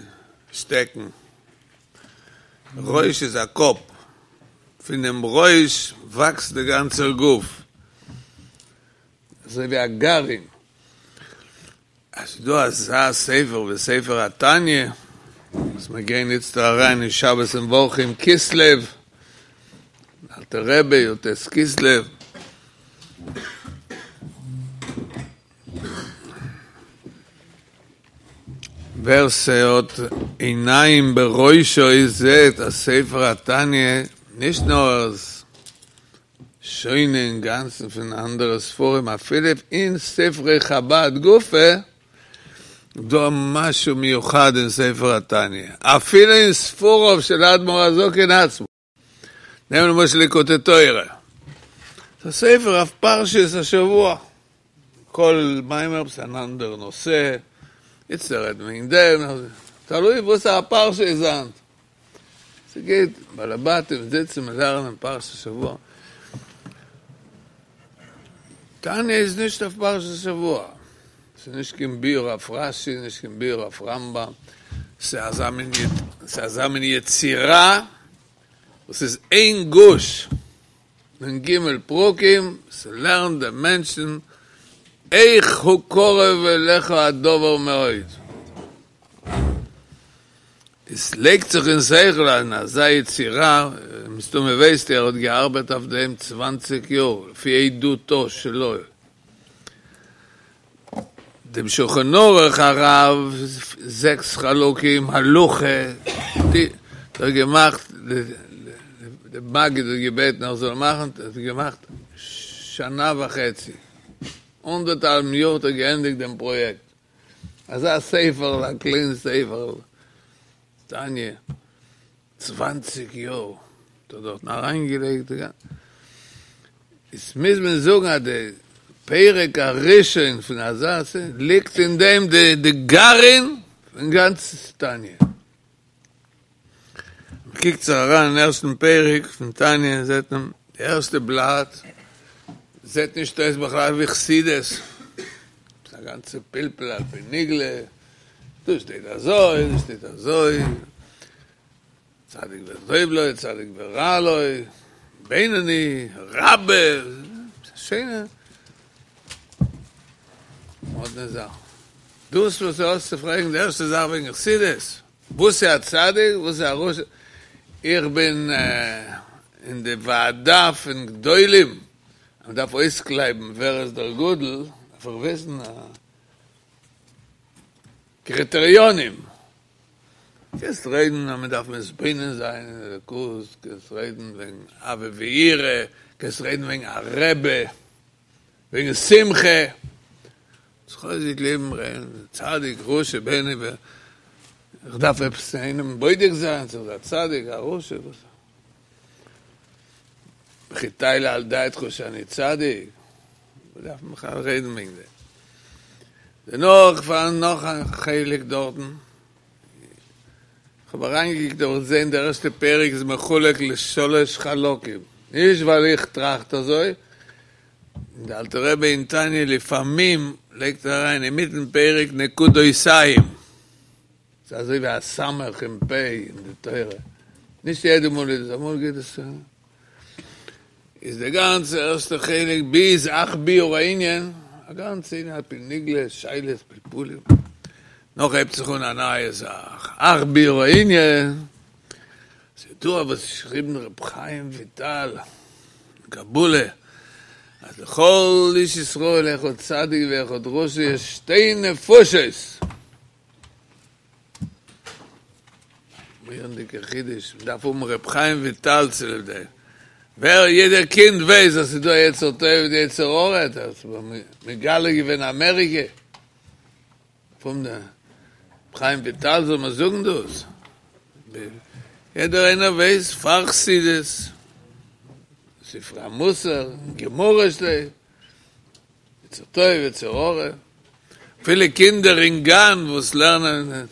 שטעקן, ראש איז א קאפ, פון דעם ראש וואקסט די גאנצער גוף, אזוי ווי א גרעין. אז ס'איז דא אזא ספר ווי ספר התניא, וואס מיר גייען איצטער אריין אין שבת מברכים כסלו, אלטער רבי י"ט כסלו, ווער ס'האט עיניים בראשו זעהט אז ספר התניא נישט נאר איז שונה אינגאנצן פון אנדערע ספרים, אפילו אין ספרי חבד גופא דא משהו מיוחד אין ספר התניא, אפילו אין ספריו של אדמו"ר הזקן עצמו. נעם למשל ליקוטי תורה. זה ספר אויף פרשת השבוע. כל מאמר איז אן אנדער נושא, איצטער רעדט מען וועגן דעם, תלוי וואס א פרשה איז היינט. ס'גייט בעלי בתים זיצן און לערנען פרשת השבוע. תניא איז נישט אויף פרשת השבוע. ס'איז נישט קיין ביאור אויף רש"י, נישט קיין ביאור אויף רמב"ם, ס'איז אזא מין ס'איז אזא מין יצירה וואס איז איין גוש פון ג' פרקים, ס'לערנט דעם מענטשן איך הוא קרוב אליך הדבר מאוד. עס לייגט זיך אין שכל אז אין אזא יצירה, מסתמא ווייסט איר ער האט געארבעט אויף דעם צוואנציג יאר, לפי עדותו שלו. דעם שולחן ערוך הרב, זעקס חלקים, הלכה, די, האט געמאכט, די מגיד האט געבעטן ער זאל מאכן, האט ער געמאכט שנה וחצי, אנדערטהאלבן יאר האט ער געענדיגט דעם פראיעקט, אזא ספר, א קליין ספר, תניא, צוואנציג יאר האט ער דארטן אריינגעלייגט, איז מוז מען זאגן אז די פרק הראשון פון אזא ס ליגט אין דעם די די גרעין פון גאנץ תניא. מען קוקט זיך אריין אין ערשטן פרק פון תניא זעט מען די ערשטע בלאט זעט נישט אויס בכלל ווי חסידות, ס'איז א גאנצע פלפול על פי נגלה, דא שטייט אזוי, דא שטייט אזוי, צדיק וטוב לו, צדיק ורע לו, בינוני, רבה, שיינע מאדנע זאך. דאס וואס דו האסט צו פרעגן די ערשטע זאך וועגן חסידות, וואס איז א צדיק, וואס איז א רשע, איך בין אין די ועדה פון גדולים, אז מען דארף אויסקלייבן ווער איז דער גדול, דארף איך וויסן קריטעריונים. קענסט רעדן אז מען דארף מתבונן זיין אין אלוקות, קענסט רעדן וועגן אהבה ויראה, קענסט רעדן וועגן א רבי, וועגן שמחה, זיך לעבן רעדן צדיק רשע בינוני, איך דארף עפעס איינעם בודק זיין צו ער איז א צדיק א רשע, וואס? וכי תעלה על דעתך שאני צדיק? וואס דארף מען בכלל רעדן וועגן דעם? דערנאך פארהאן נאך א חלק דארטן, איך האב אריינגעקוקט האב איך געזען די ערשטע פרק איז מחולק לשלש חלקים, נישט ווייל איך טראכט אזוי, די אלטע רבי אין תניא לפעמים לייגט ער אריין אינמיטן פרק נקודותיים, ס'איז אזוי ווי א סמך און פ' אין די תורה, נישט יעדע מאל איז עס, אמאל גייט עס איז די גאנצע ערשטע חלק ביז אך ביאור הענין, א גאנצע ענין על פי נגלה, שאלות, פלפולים, נאך הייבט זיך אן א נייע זאך, אך ביאור הענין, ס'איז דא וואס געשריבן ר' חיים וויטאל אין קבלה, אז לכל איש ישראל אחד צדיק ואחד רשע יש שתי נפשות. מורא'דיגע חידוש, מען דארף האבן ר' חיים וויטאל צוליב דעם, ווער יעדער קינד ווייסט אז ס'איז דא יצר טוב און יצר הרע, האט ער מגלה געווען אמעריקע, פון ר' חיים וויטאל זאל מען זאגן דאס, יעדער איינער ווייסט פאר חסידות, ספרי המוסר, גמרא שטייט. יצר טוב, יצר הרע, אפילו קינדער אין גן וואס לערנען אין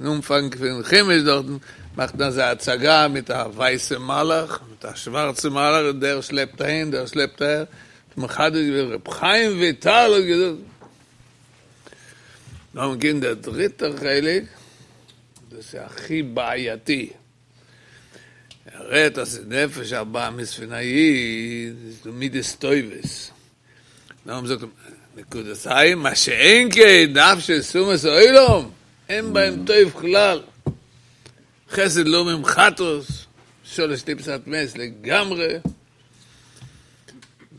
אנפאנג פון חומש דארטן, מאכט מען אזא הצגה מיט א ווייסע מלאך, מיט א שווארצע מלאך, און דער שלעפט אהין, דער שלעפט אהער, האט מחדש געווען ר' חיים וויטאל האט געזאגט. נאכדעם קומט דער דריטער חלק, דאס איז הכי בעייתי, ער רעדט אז די נפש הבהמית פון א איד איז דא מידות טובות, נאכדעם זאגט ער נקודתיים, מה שאין כן נפשות אומות העולם, אין בהם טוב כלל, חסד לאומים חטאת, שלש טיפות הטמאות לגמרי,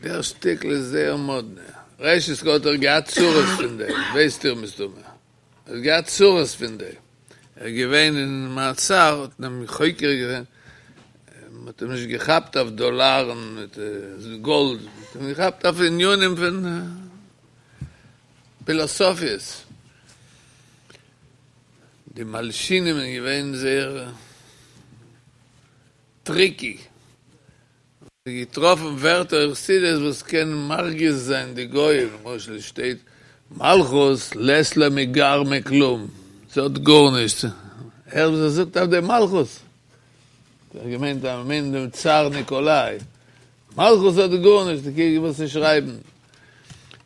דער שטיקל איז זייער מאדנע, ראשית כל האט ער געהאט צרות פון דעם, ווייסט איר מסתמא, ער האט געהאט צרות פון דעם, ער איז געווען אין מעצר, האט מען אים חוקר געווען, מען האט אים נישט געכאפט אויף דאלארן מיט גאלד, מען האט אים געכאפט אויף ענינים פון פילאסאפיעס, די מלשינים זענען געווען זייער טריקי, זיי געטראפן ווערטער אין חסידות וואס קען מרגיז זיין די גויים, למשל שטייט מלכות לית לה מגרמה כלום, זי האט גארנישט, הער וואס ער זאגט אויף די מלכות, ער האט געמיינט אז מ'מיינט דעם צאר ניקאליי, מלכות האט גארנישט, קוק וואס זיי שרייבן,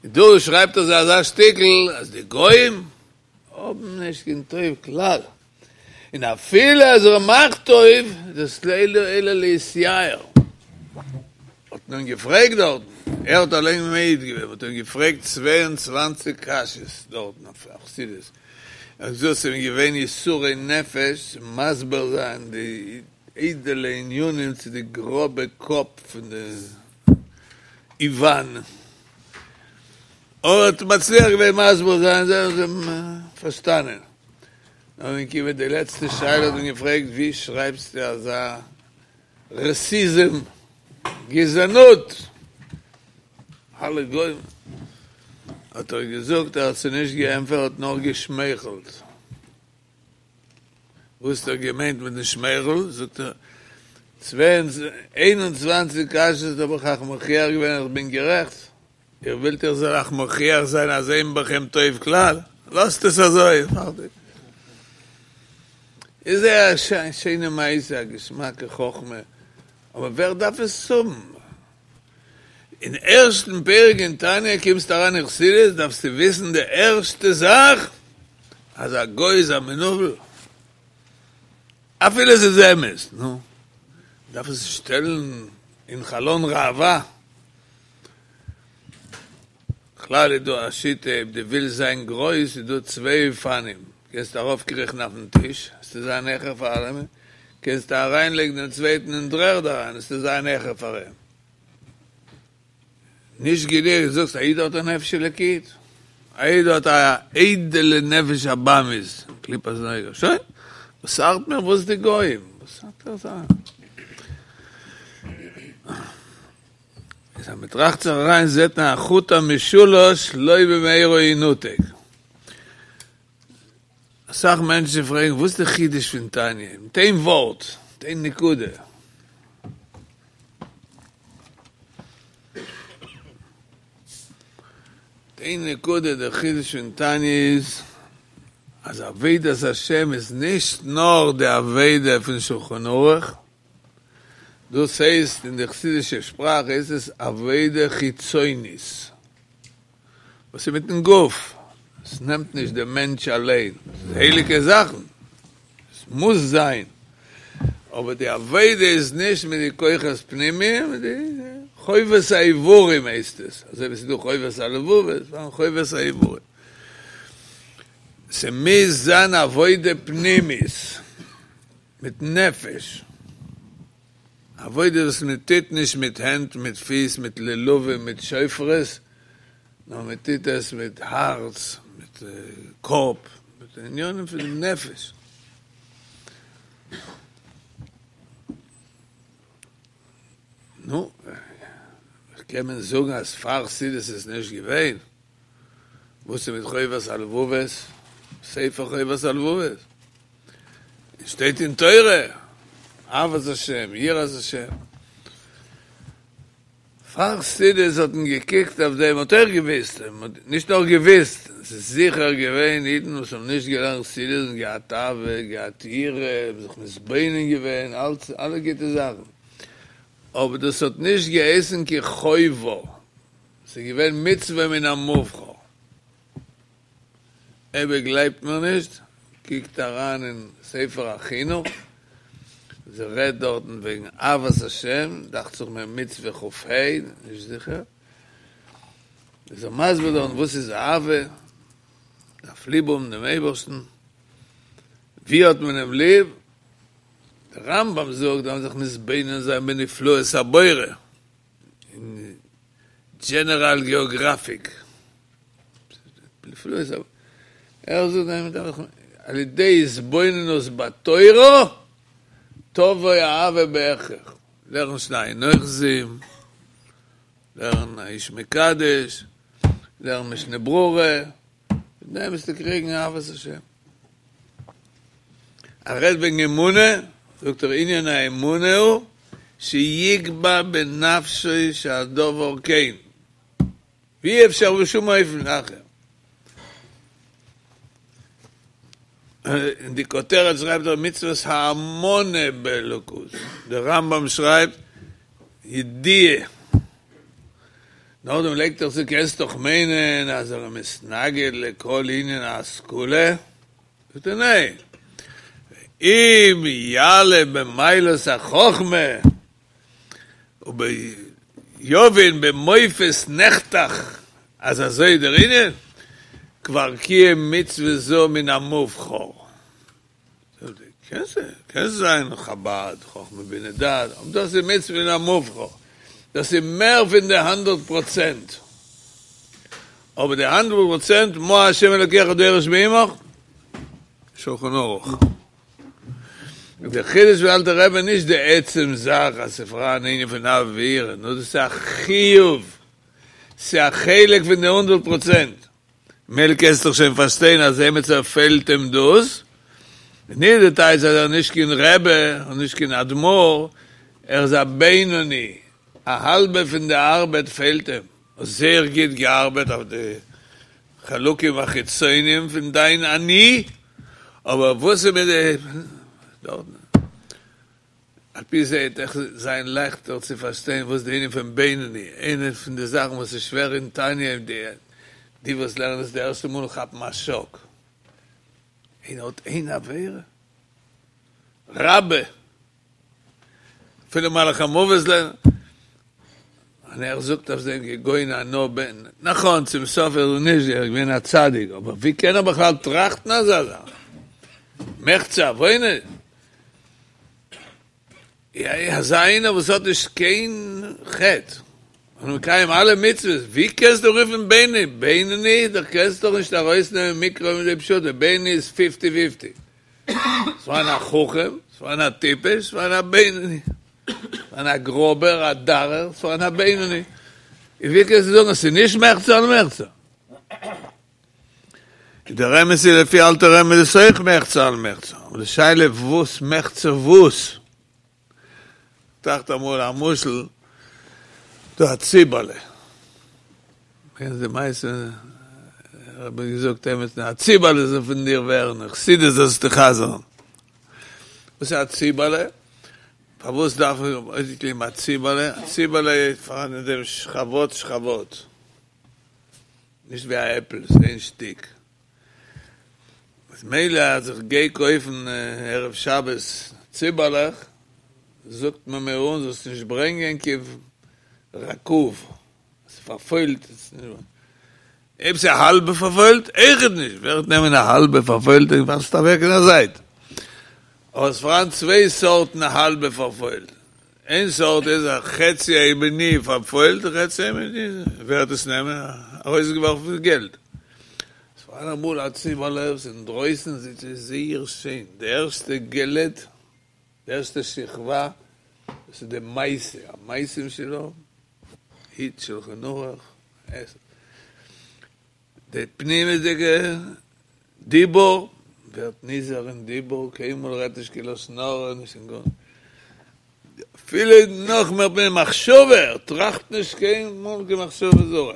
דא שרייבט ער זיי אזא שטיקל אז די גויים האבן נישט קיין טוב כלל, און אפילו אז ער מאכט טוב, איז דאס לא אלא להתייער. האט מען אים געפרעגט דארטן, ער האט אליין מעיד געווען, מ'האט אים געפרעגט צוויי און צוואַנציק קשיות דארטן אויף חסידות, ער האט געזאגט ס'איז אים געווען יסורי נפש צו מסביר זיין די איידעלע ענינים צו די גראבע קאפ פון די איוואן. ער האט מצליח געווען מסביר זיין, זיי האבן פארשטאנען. נאכדעם געקומען די לעצטע שאלה האט מען געפרעגט ווי שרייבסטו אזא ראסיזם, גזענות, אלע גוים, האט ער געזאגט ער האט זיי נישט געענטפערט ער האט נאר געשמייכלט. וואס האט ער געמיינט מיטן שמייכל? זאגט ער, צוויי איין און צוואַנציק קשיות האב איך אייך מוכיח געווען איך בין גערעכט, איר ווילט איך זאל אייך מוכיח זיין אז אין בכם טוב כלל? לאזט עס אזוי, פארטיג. איז זייער א שיינע מעשה, א געשמאקע חכמה, אבער ווער דארף עס האבן? אין ערשטן פרק אין תניא קומסטו אריין אין חסידות דארפסטו וויסן די ערשטע זאך אז א גוי איז א מנוול, אפילו עס איז אמת, נו, דארף עס שטעלן אין חלון ראווה. בכלל איז דא א שיטה אויב דו ווילסט זיין גרויס איז דא צוויי אופנים, קענסט ארויפקריכן אויפן טיש וועסטו זיין העכער פאר אלעמען, קענסטו אריינלייגן דעם צווייטן אין דר'ערד אריין וועסטו זיין העכער פאר אים. נישט גענוג זאגסט א איד האט א נפש אלוקית, א איד האט א איידעלע נפש הבהמית, קליפת נוגה, שוין, וואס ארט מיר וואס די גוים, וואס ארט דיר זיי? איז אז מען טראכט זיך אריין זעט מען החוט המשולש לא במהרה ינותק. אסאך מענטשן פרעגן וואס איז די חידוש פון תניא? מיט איין ווארט, מיט איין נקודה. מיט איין נקודה, דער חידוש פון תניא איז אז עבודת השם איז נישט נאר די עבודה פון שולחן ערוך, דאס הייסט אין די חסידישע שפראך הייסט עס עבודה חיצונית, וואס איז מיטן גוף, עס נעמט נישט דעם מענטש אליין, עס איז הייליגע זאכן, עס מוז זיין, אבער די עבודה איז נישט מיט די כוחות פנימיים, מיט די חובת האיברים הייסט עס, אזוי ווי עס איז דא חובת הלבבות, פארהאן חובת האיברים, ס'מוז זיין עבודה פנימית. מיט נפש, עבודה וואס מען טוט נישט מיט הענט, מיט פיס, מיט לולבים, מיט שופרות, נאר מען טוט עס מיט הארץ, מיט קאפ, מיט ענינים פון דעם נפש. נו, קען מען זאגן אז פאר חסידות איז נישט געווען? וואס איז מיט חובת הלבבות? ספר חובת הלבבות. שטייט אין תורה, אהבת השם, יראת השם. פאר חסידות האט מען געקוקט אויף דעם, מ'האט אויך געוויסט, נישט נאר געוויסט, עס איז זיכער געווען אידן וואס האבן נישט געלערנט חסידות און געהאט אהבה, געהאט יראה, זיך מתבונן געווען, אלץ, אלע גוטע זאכן. אבער דאס האט נישט געהייסן קיין חובה, ס'איז געווען מצוה מן המובחר. אויב איר גלייבט מיר נישט, קוקט אריין אין ספר החינוך, זי רעדט דארטן וועגן אהבת השם, דאכט זיך מיר מצוה כ"ה, נישט זיכער, איז ער מסביר דארטן וואס איז אהבה, דארף ליב האבן דעם אייבערשטן, ווי האט מען אים ליב? דער רמב"ם זאגט דארף מען זיך מתבונן זיין בנפלאות הבורא, אין דזשענעראל געאגראפיק, ער זאגט על ידי התבוננות בתורה תבוא אהבה בהכרח, לערן שנים אוחזים, לערן האיש מקדש, לערן משנה ברורה, מיט דעם וועסטו קריגן אהבת השם. ער רעדט וועגן אמונה, זאגט ער ענין האמונה הוא שיקבע בנפשו שהדבר כן, ואי אפשר בשום אופן אחר. אין די כותרת שרייבט ער מצוות האמונה באלוקות, דער רמב"ם שרייבט ידיעה, נאכדעם לייגט ער צו קענסט דאך מיינען אז ער איז מתנגד לכל ענין ההשכלה, זאגט ער ניין, אם יעלה במעלות החכמה וביבין במופת נחתך אז אזוי איז דער ענין, כבר קיים מצוה זו מן המובחר. קען זיין חבד, חכמה בינה דעת, אבער דאס איז מצוה מן המובחר, דאס איז מער פון די הונדערט פראצענט, אבער די הונדערט פראצענט מה ה' אלוקיך דורש מעמך, שולחן ערוך. דער חידוש פון אלטער רבי איז נישט די עצם זאך אז ס'איז פאראן ענין פון אהבה ויראה, נאר דאס איז א חיוב, ס'איז א חלק פון די הונדערט פראצענט. מילא קענסט דאך שוין פארשטיין אז עמיצער פעלט אים דאס, נישט די טייטש אז ער איז נישט קיין רבי און נישט קיין אדמו"ר, ער איז א בינוני, א האלבע פון די ארבעט פעלט אים, האסט זייער גוט געארבעט אויף די חלקים החיצונים פון דיין אני, אבער וואס איז מיט די דארטן? על פי זה וועט אויך זיין לייכטער צו פארשטיין וואס די ענין פון בינוני, איינע פון די זאכן וואס איז שווער אין תניא, די די וואס לערנען עס די ערשטע מאל כאפן א שאק, איינער האט איין עבירה? רבי! אפילו מלאך המוות לערנט, און ער זאגט אויף דעם כגון אנא בן, נכון צום סוף איז ער נישט געווען א צדיק, אבער ווי קען ער בכלל טראכטן אזא זאך? מחצה עוונות? אזא איינער וואס האט נישט קיין חטא און מקיים אלע מצוות, ווי קענסטו רופן בינוני? בינוני? דו קענסט דאך נישט ארויסנעמען מקרא מידי פשוטו, בינוני איז פיפטי פיפטי. ס'פארהאן א חכם, ס'פארהאן א טיפש, ס'פארהאן א בינוני. ס'פארהאן א גראבער, א דארער, ס'פארהאן א בינוני. און ווי קענסטו זאגן אז ס'איז נישט מחצה על מחצה? דער אמת איז לפי אלטער רבי איז עס אויך מחצה על מחצה, אבער די שאלה וואס מחצה וואס? טראכט אמאל א משל, דא א ציבעלע, קענסט די מעשה, האב איך געזאגט עמיצן, א ציבעלע זאל פון דיר ווערן, חסידות זאלסטו חזר'ן. וואס איז א ציבעלע? פארוואס דארף מען אויסגעקליבן א ציבעלע? א ציבעלע איז פארהאן אין דעם שכבות שכבות. נישט ווי א עפל, ס'איז איין שטיק. אז מילא אז איך גיי קויפן ערב שבת ציבעלעך, זאגט מען מיר אן זאלסט נישט ברענגען קיין רקוב, ס'איז פארפוילט. אויב ס'איז האלבע פארפוילט, אויכעט נישט, ווער וועט נעמען א האלבע פארפוילטע און ווארפסט אוועק אין א זייט. אבער ס'איז פארהאן צוויי סארטן האלבע פארפוילט. איין סארט איז א חצי הימני פארפוילט און חצי הימני ווער וועט עס נעמען ארויסגעווארפן געלט. ס'פארהאן אמאל א ציבעלע וואס אינדרויסן זעט אויס זייער שיין, די ערשטע געלד, די ערשטע שכבה, דאס איז די מעשה, המעשים שלו, היט שלחן ערוך, עס. די פנימיות'דיגע דיבור, ווערט נזהר אין דיבור, קיינמאל רעדט נישט קיין לשון הרע, נישט קיין גארנישט, אפילו נאך מער פון מחשבה, ער טראכט נישט קיינמאל קיין מחשבה זרה,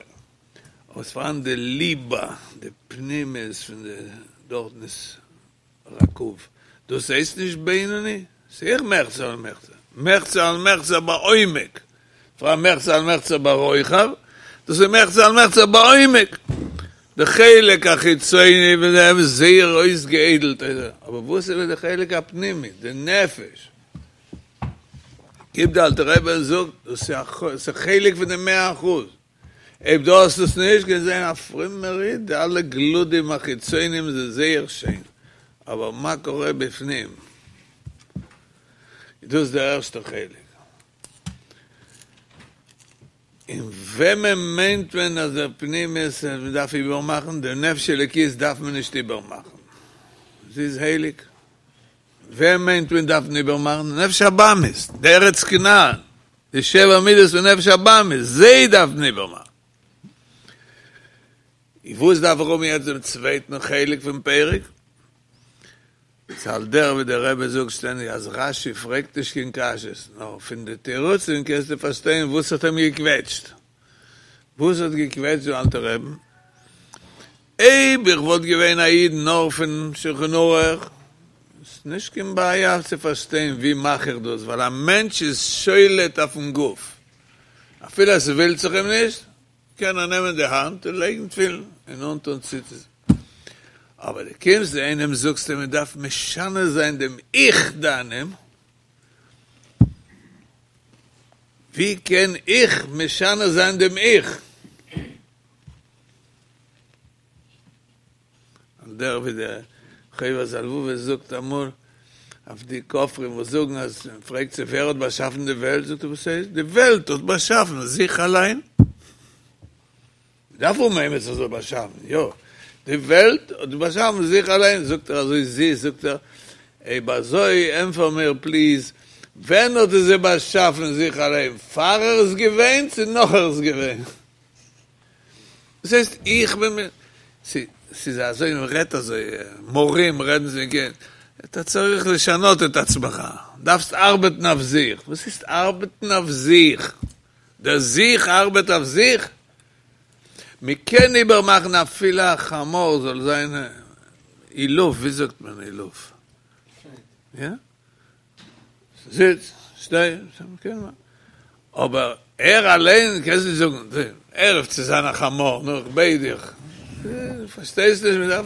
אבער ס'פארהאן די ליבה, די פנימיות פון די, דארטן איז רקוב, דאס הייסט נישט בינוני? ס'איז אויך מחצה על מחצה, מחצה על מחצה בעומק, פארהאן מחצה על מחצה ברוחב, דאס איז מחצה על מחצה בעומק, די חלק החיצוני פון דעם איז זייער אויסגעאיידלט, אבער וואס איז מיט די חלק הפנימי, די נפש? קומט די אלטער רבי און זאגט, דאס איז א חלק פון די מאה אחוז, אויב דו האסט עס נישט, קענסט זיין א פרומער איד, די אלע גלודים החיצונים זענען זייער שיין, אבער מה קורה בפנים? דאס איז דער ערשטער חלק. און וועמען מיינט מען אז דער פנימיות מען דארף איבערמאכן? די נפש אלוקית דארף מען נישט איבערמאכן, זי איז הייליג. וועם מיינט מען דארף מען איבערמאכן? די נפש הבהמית, די ארץ כנען, די שבע מידות פון נפש הבהמית, זיי דארף מען איבערמאכן. און וואס דארף איך האבן יעצט דעם צווייטן חלק פון פרק? ס'איז על דרך ווי דער רבי זאגט שטענדיג אז רשי פרעגט נישט קיין קשיות, נאר פון די תירוצים קענסטו פארשטיין וואס האט אים געקוועטשט. וואס האט געקוועטשט דעם אלטן רעבן? אויב איך וואלט געווען א איד נאר פון שולחן ערוך, איז נישט קיין בעיה צו פארשטיין ווי מאך איך דאס, ווייל א מענטש איז שולט אויפן גוף, אפילו עס ווילט זיך אים נישט, קען ער נעמען די האנט און לייגן תפילין און אנטון ציצית. אבער דו קומסט צו איינעם זאגסט אים מען דארף משנה זיין דעם 'איך' דיינעם, ווי קען איך משנה זיין דעם 'איך'? על דרך ווי דער חובת הלבבות זאגט אמאל אויף די כופרים וואס זאגן אז מען פרעגט זיי ווער האט באשאפן די וועלט, זאגט ער וואס הייסט די וועלט האט באשאפן זיך אליין? מ'דארף האבן עמיצער זאל באשאפן, יא, די וועלט האט באשאפן זיך אליין, זאגט ער אזוי זיס, זאגט ער, אויב אזוי ענפער מיר פליז, ווען האט עס זיך באשאפן זיך אליין, פאר ער איז געווען צו נאך ער איז געווען? דאס הייסט איך בין מיר, ס'איז אזוי מען רעדט אזוי, מורים רעדן זיי כן, אתה צריך לשנות את עצמך, דארפסט ארבעטן אויף זיך, וואס הייסט ארבעטן אויף זיך? דער זיך ארבעט אויף זיך? מען קען איבערמאכן אפילו א חמור זאל זיין אילוף, ווי זאגט מען אילוף? יא? זיץ, שטיי, קען מען. אבער ער אליין קענסט נישט זאגן, הער אויף צו זיין א חמור, נו איך בעט דיך. פארשטייסט נישט, מען דארף,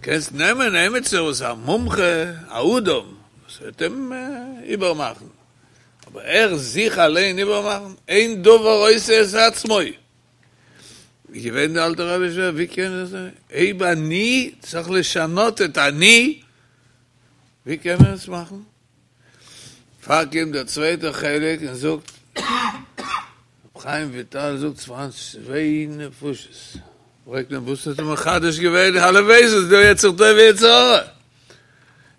קענסט נעמען עמיצער וואס איז א מומחה, א אדם, וואס וועט אים איבערמאכן. אבער ער זיך אליין איבערמאכן, אין דבר עושה את עצמו. ווי געווען די אלטע רבי שווער, ווי קען ער זיין? אויב אני צריך לשנות את אני, ווי קען מען עס מאכן? פאר קומט דער צווייטער חלק און זאגט, רבי חיים וויטאל זאגט ס'פארהאן צוויי נפשות, פרעגט מען וואס האט ער מחדש געווען, הלוואי ס'איז דא יצר טוב ויצר הרע.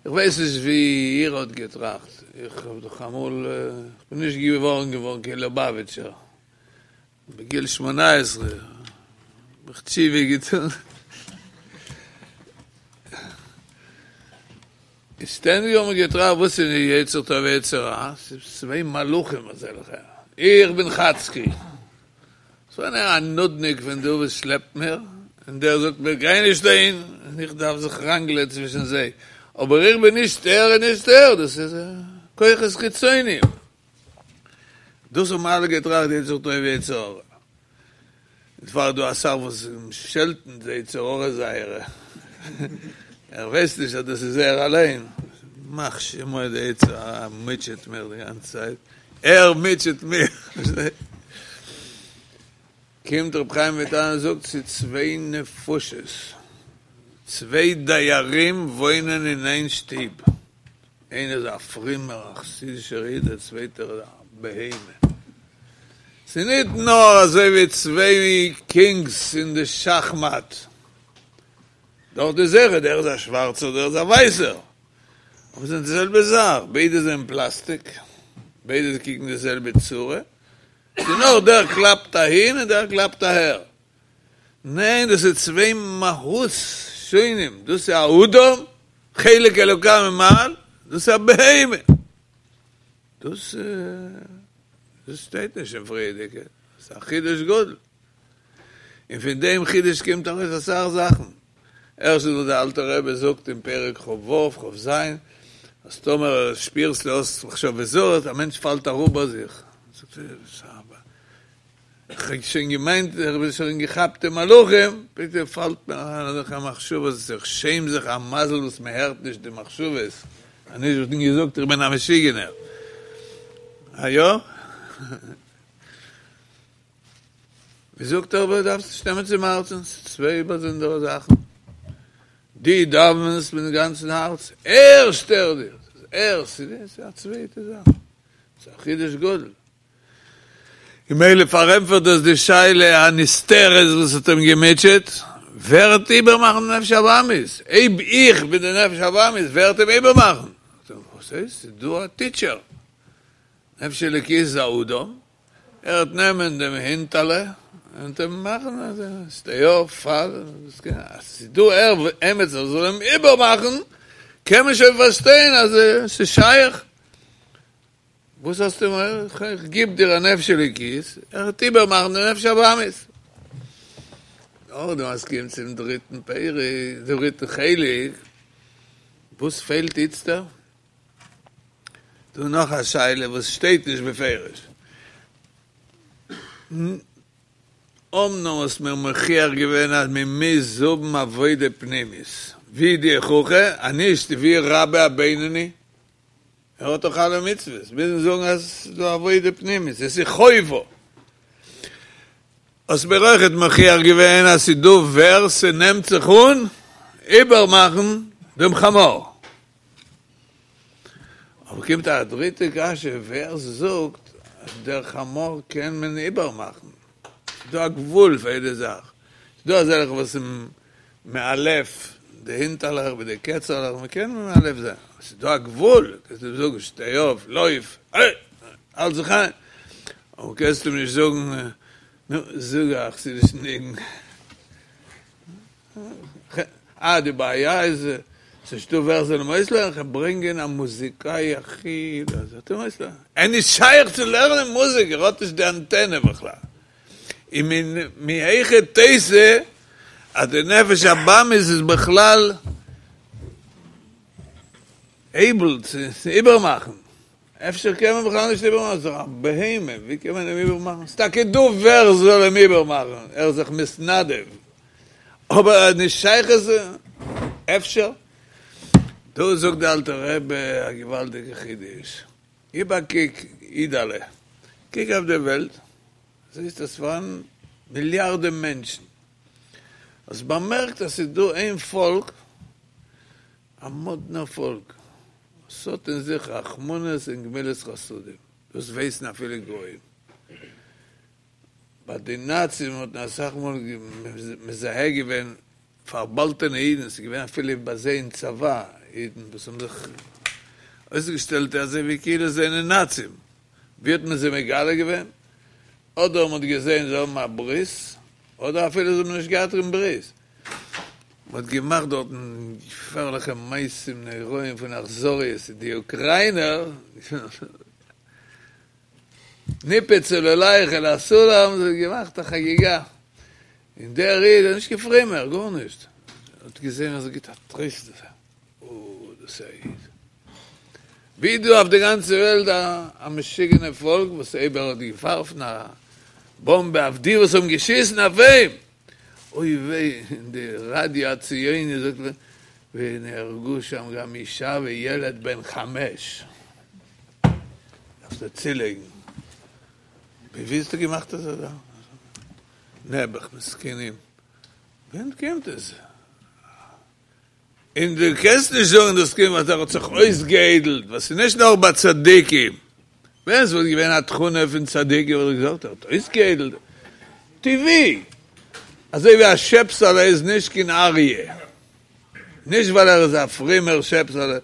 איך ווייס נישט ווי איר האט געטראכט, איך האב דאך אמאל, איך בין נישט געווארן געווארן קיין ליובאוויטשער, בגיל שמונה עשרה האב איך תשובה געטון, און שטענדיג האב מיר געטראכט וואס איז יצר טוב ויצר רע, ס'איז צוויי מלאכים אזעלכע, איך בין חאצקי, ס'איז א נודניק פון דא וואס שלעפט מיר, און דער זאגט מיר גיי נישט אהין, און איך דארף זיך ראנגלען צווישן זיי, אבער איך בין נישט ער און נישט ער, דאס איז כוחות חיצוניים. דאס האבן אלע געטראכט יצר טוב ויצר הרע. דערפאר איז דא אסאך וואס שעלטן די יצר הרע זייערע, ער ווייסט נישט אז דאס איז ער אליין, ימח שמו די יצר הרע מוטשעט מיר די גאנצע צייט, ער מוטשעט מיר. קומט רבי חיים וויטאל און זאגט ס'איז צוויי נפשות, צוויי דיירים וואוינען אין איין שטוב, איינער איז א פרומער א חסידישער איד, דער צווייטער איז א בהמה. ס'איז ניט נאר אזוי ווי צוויי קינגס אין די שאכמאט, דארט איז זיכער דער איז א שווארצער דער איז א ווייסער, אבער ס'זענען די זעלבע זאך, ביידע זענען פלאסטיק, ביידע קוקן די זעלבע צורה, ס'איז נאר דער קלאפט אהין און דער קלאפט אהער. ניין, דאס איז צוויי מהות שונים, דאס איז א אדם, חלק אלוקה ממעל, דאס איז א בהמה. דאס דאס שטייט נישט אין פריערדיגע, דאס איז א חידוש גדול. און פון דעם חידוש קומט ארויס אסאך זאכן. ערשטנס וואס דער אלטער רבי זאגט אין פרק כ"ו, כ"ז, אז טאמער שפירסטו האסט מחשבות זרות, א מענטש פאלט אראפ ביי זיך, זאגט ער, איך האב שוין געמיינט איך בין שוין געכאפט אין מלאכים, פתאום פאלט מיר אריין אזעלכע מחשבות, איך שעם זיך א מזל וואס מען הערט נישט די מחשבות, אנישט וואלט מען געזאגט איך בין א משוגענער. א יא? ווי זאגט ער אבער דארפסט נישט נעמען צום הארצן, ס'איז צוויי באזונדערע זאכן, דו דאווענסט מיטן גאנצן הארץ, ער שטערט דיר, ס'איז ער, ס'איז א צווייטע זאך, ס'איז א חידוש גדול. ממילא פארענטפערט דאס די שאלה הנסתרת וואס האט אים געמוטשעט, ווער וועט איבערמאכן די נפש הבהמית? אויב איך בין די נפש הבהמית, ווער וועט אים איבערמאכן? וואס הייסט? ס'איז דא א טיטשער, נפש אלוקית איז א אדם, ער וועט נעמען דעם הינטעלע און אים מאכן אז שטיי אויף, פאל, אז ס'איז דא ער עמיצער זאל אים איבערמאכן, קען מען שוין פארשטיין אז ס'איז שייך. וואס האסטו מורא? איך גיב דיר א נפש אלוקית, ער וועט איבערמאכן די נפש הבהמית. נאכדעם אז ס'קומט צום דריטן פרק, דריטן חלק, וואס פעלט איצטער? דא נאך א שאלה וואס שטייט נישט בפירוש. אמנם האסט מיר מוכיח געווען אז מען מוז האבן עבודה פנימית, ווי די הוכחה? אז נישט ווי רבה הבינוני? ער האט דאך אלע מצוות, מוז מען זאגן אז עס איז דא עבודה פנימית, עס איז חובה. האסט מיר אויכעט מוכיח געווען אז ס'איז דא ווער ס'נעמט זיך אן איבערמאכן דעם חמור. אבער קומט א דריטע קשיא, ווער זאגט אז דער חמור קען מען איבערמאכן? ס'איז דא א גבול פאר יעדע זאך. ס'איז דא אזעלכע וואס מאלף די הינטעלעך מיט די קעצעלעך, מען קען מאלף זיין, אבער ס'איז דא א גבול, קענסט אים זאגן שטיי אויף, לויף, האלט זיך איין, אבער קענסט אים נישט זאגן נו, זאג א חסידישן ניגון. אה, די בעיה איז ס'נישטא ווער זאל אים אויסלערנען, כ'וועל ברענגען א מוזיקאי הכי, זאל אים אויסלערנען. ער איז נישט שייך צו לערנען מוזיק, ער האט נישט די אנטענע בכלל. און מהיכי תיתי אז די נפש הבהמית איז בכלל עיבל צו איבערמאכן. אפשר קען מען בכלל נישט איבערמאכן, ס'איז דאך א בהמה, ווי קען מען אים איבערמאכן? ס'איז טאקע דא ווער זאל אים איבערמאכן, ער איז זיך מתנדב, אבער נישט שייך עס, אפשר? דא זאגט די אלטע רבי א געוואלדיגע חידוש, גיב א קוק אידעלע, קוק אויף די וועלט, זעסט אז ס'פארהאן מיליארדען מענטשן, האסט באמערקט אז ס'איז דא איין פאלק, א מאדנער פאלק, ס'האט אין זיך רחמנות און גמילות חסדים, דאס ווייסן אפילו גוים. ביי די נאצים האט מען אסאך מאל מזהה געווען פארבאהאלטענע אידן, ס'איז געווען אפילו ביי זיי אין צבא אידן וואס האבן זיך אויסגעשטעלט אזוי ווי כאילו זיי זענען נאצים, ווי האט מען זיי מגלה געווען? אדער מען האט געזען זיי האבן א ברית, אדער אפילו זיי האבן נישט געהאט קיין ברית. מען האט געמאכט דארטן געפערליכע מעשים נוראים פון אכזריות, די אוקריינער, ניפץ עולליך אל הסולם, זיי האבן געמאכט א חגיגה, און דער איד איז נישט קיין פרומער, גארנישט, האט געזען אז ער גיבט א טריסט, אוי דאס איז א איד. ווי דא אויף די גאנצע וועלט א משוגענע פאלק וואס אויב ער האט געווארפן א באמבע אויף די וואס האבן געשיסן אויף אים, אוי וויי, אין די ראדיא הציוני זאגט מען ונהרגו שם גם אישה וילד בן חמש. דארפסטו צולייגן. ווי האסטו געמאכט אזא זאך? נעבעך מסכנים. ווען קומט עס? און דו קענסט נישט זאגן דאס קומט ווייל ער האט זיך אויסגעאיידלט, ווייל ס'איז נישט נאר ביי צדיקים. ווען ס'וואלט געווען א תכונה פון צדיקים וואלט איך געזאגט ער האט אויסגעאיידלט. טבעי. אזוי ווי א שעפסעלע איז נישט קיין אריה. נישט ווייל ער איז א פרומער שעפסעלע,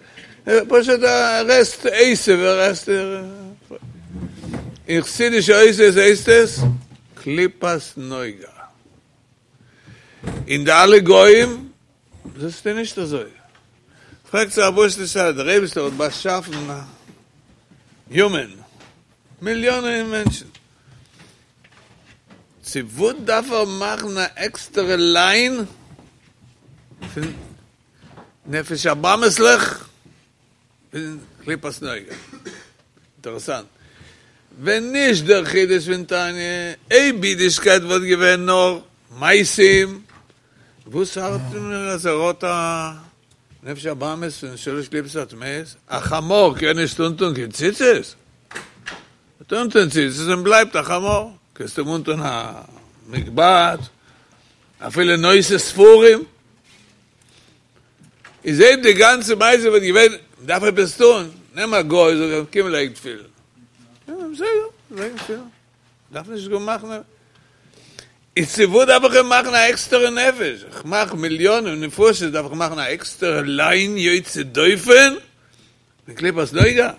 פשוט ער עסט עשב, ער עסט אין חסידישע אותיות הייסט עס קליפת נוגה. און די אלע גוים זעסטו נישט אזוי. פרעגט זיך א פשוטע שאלה, דער אייבערשטער האט באשאפן ימען, מיליאנען מענטשן, צו וואס דארף ער מאכן א עקסטערע ליין פון נפש הבהמית'לעך און קליפת נוגה? אינטערעסאנט. ווען נישט דער חידוש פון תניא, אויב אידישקייט וואלט געווען נאר מעשים, וואס ארט מיר אז ער האט א נפש הבהמית פון שלש קליפות הטמאות? א חמור קען נישט אנטון קיין ציצית? ער טוט אן ציצית און בלייבט א חמור, קענסט אים אנטון א מגבעת, אפילו נושא ספרים, איז אויב די גאנצע מעשה וואלט געווען מ'דארף עפעס טון, נעם א גוי זאג אים קום לייג תפילין, בסדר, לייג תפילין, דארף נישט גאר מאכן, איז צו וואס דארף איך אים מאכן א עקסטערע נפש, איך מאך מיליאנען נפשות דארף איך מאכן א עקסטערע ליין יוצא דופן? פון קליפת נוגה?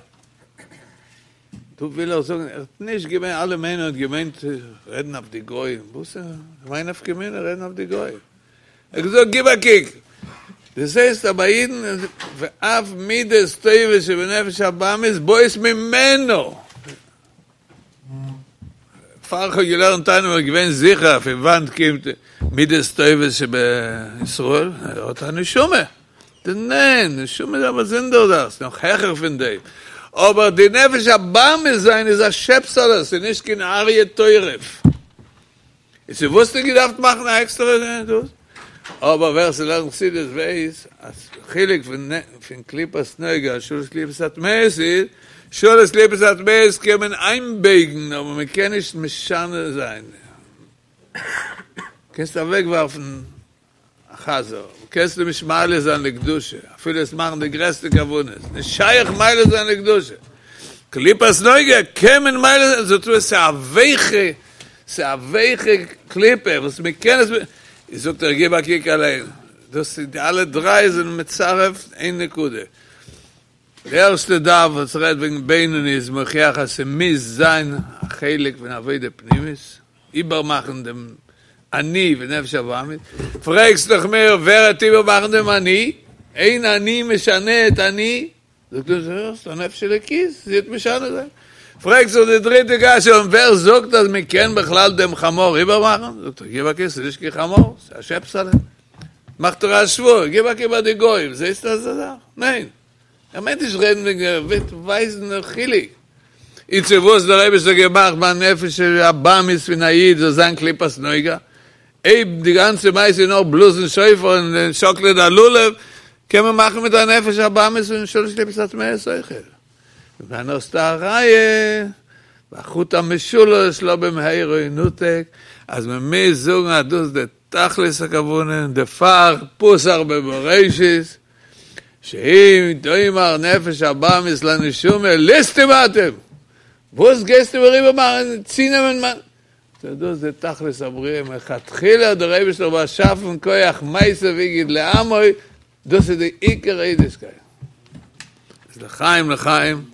דא וויל ער זאגן, ער האט נישט געמיינט, אלע מיינען ער האט געמיינט רעדן אויף די גוים, וואס איז מיין נפקא מינה רעדן אויף די גוים? ער האט געזאגט גיב א קוק, דאס הייסט אז ביי אידן ואף מידות טובות שבנפש הבהמית באות ממנו. פאר איך האב געלערנט תניא בין איך געווען זיכער פון וואנט קומט מידות טובות שבישראל, ער האט א נשמה. ניין, נשמה איז א באזונדערע זאך, ס'איז נאך העכער פון דעם. אבער די נפש הבהמית זיין איז א שעפסעלע, ס'איז נישט קיין אריה טורף. איז צו וואס האט געדארפט מאכן א עקסטערע דאס? אבער ווער ס'לערנט חסידות ווייס אז חילוק פון פון קליפת נוגה שלש קליפות הטמאות איז, שלש קליפות הטמאות קען מען איינבייגן אבער מען קען נישט משנה זיין, קענסט אוועקווארפן א חזיר, קענסט אים נישט מעלה זיין לקדושה, אפילו עס מאכן די גרעסטע כוונות, נישט שייך מעלה זיין לקדושה. קליפת נוגה קען מען מעלה זיין, זאת אומרת ס'איז א ווייכע, ס'איז א ווייכע קליפה וואס מען קען עס, זאגט ער גיב א קוק אליין, דאס איז די אלע דריי זענען מצרף איין נקודה. די ערשטע דף וואס רעדט וועגן בינוני איז מוכיח אז ס'מוז זיין א חלק פון עבודה פנימית, איבערמאכן דעם אני ונפש הבהמית, פרעגסט דאך מיר ווער העט איבערמאכן דעם אני? אין אני משנה את אני, זאגט ער זאגסט א נפש אלוקית, זי העט משנה זיין, פרעגסט דאך די דריטע קשיא און ווער זאגט אז מען קען בכלל דעם חמור איבערמאכן, זאגט ער גיב א קוק ס'איז נישט קיין חמור ס'איז א שעפסעלע, מאכט ער א השוואה, גיב א קוק ביי די גוים זעסטו אזא זאך? ניין. ער מיינט נישט רעדן וועגן ער וויל ווייזן דעם חילוק. איז צו וואס דער אייבערשטער האט געמאכט ביי נפש הבהמית פון א איד זאל זיין קליפת נוגה, אויב די גאנצע מעשה איז נאר בלאזן שופר און שאקלען א לולב, קען מען מאכן מיט א נפש הבהמית און שלש קליפות הטמאות אויכעט. דאן האסטו א ראיה, והחוט המשולש לא במהרה ינותק, אז מען מוז זאגן אז דאס איז די תכלית הכוונה, און דערפאר פתח בבראשית, שאם תאמר נפש הבהמית לנשמה ליסטים אתם! וואס גייסטו מיר איבערמאכן צונעמען מיין. סאו דאס איז די תכלית הבריאה מלכתחילה האט דער אייבערשטער באשאפן כח מעשה והגיד לעמו, דאס איז די עיקר אידישקייט. איז לחיים לחיים.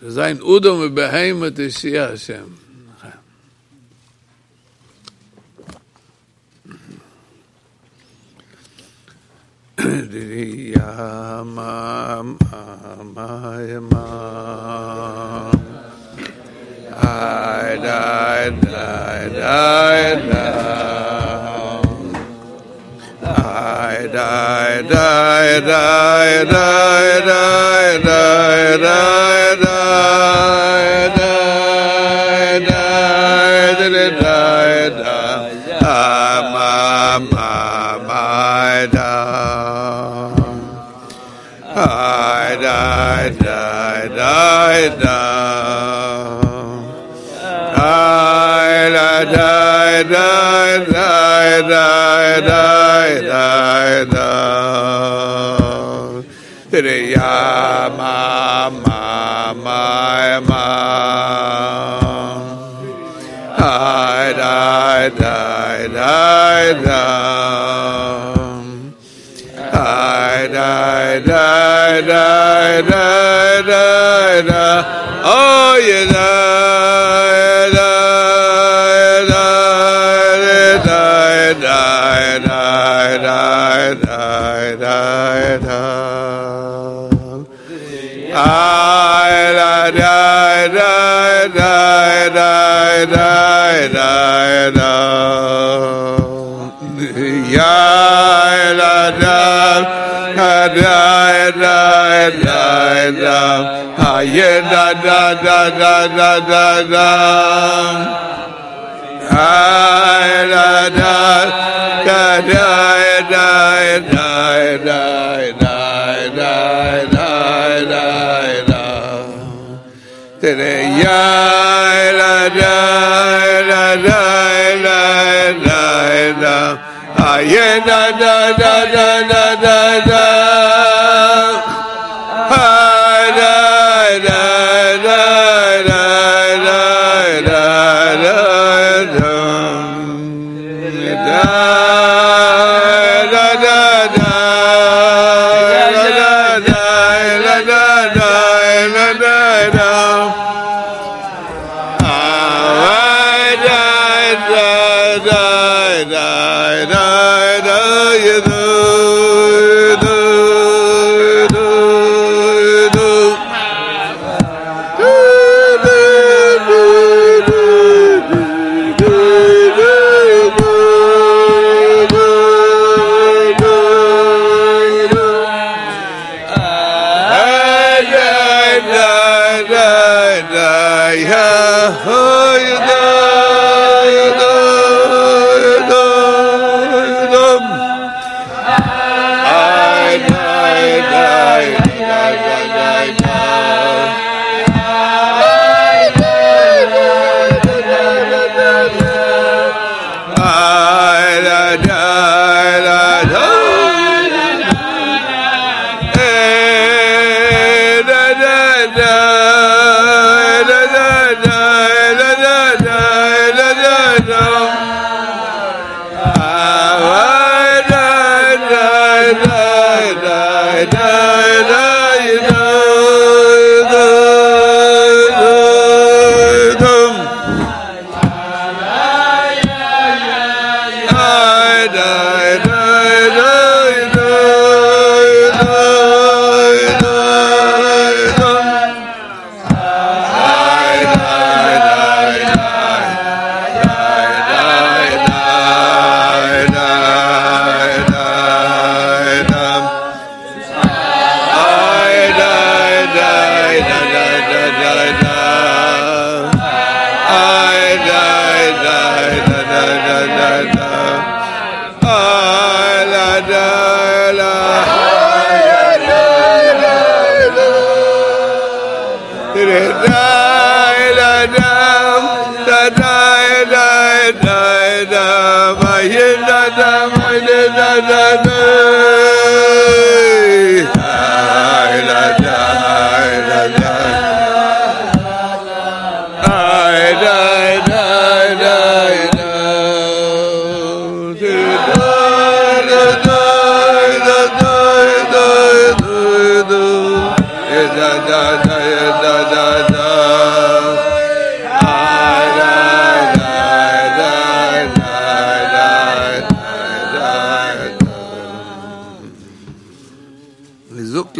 זאל זיין אדם ובהמה תושיע השם. Da da da da.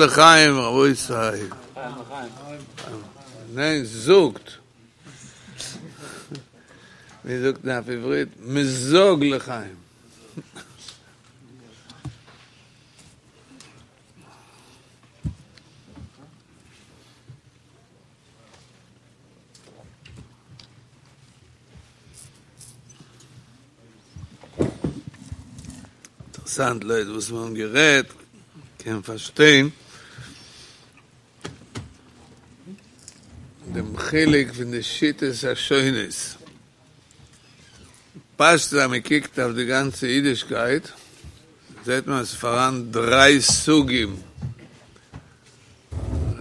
לחיים, רבותי. ניין, זאגט. ווי זאגט מען אויף עברית? מזוג לחיים. אינטערעסאנט, לויט וואס מיר האבן גערעדט, קען מען פארשטיין דעם חילוק פון די שיטות השונות. פשט אז מען קוקט אויף די גאנצע אידישקייט, זעט מען אז עס איז פאראן דריי סוגים,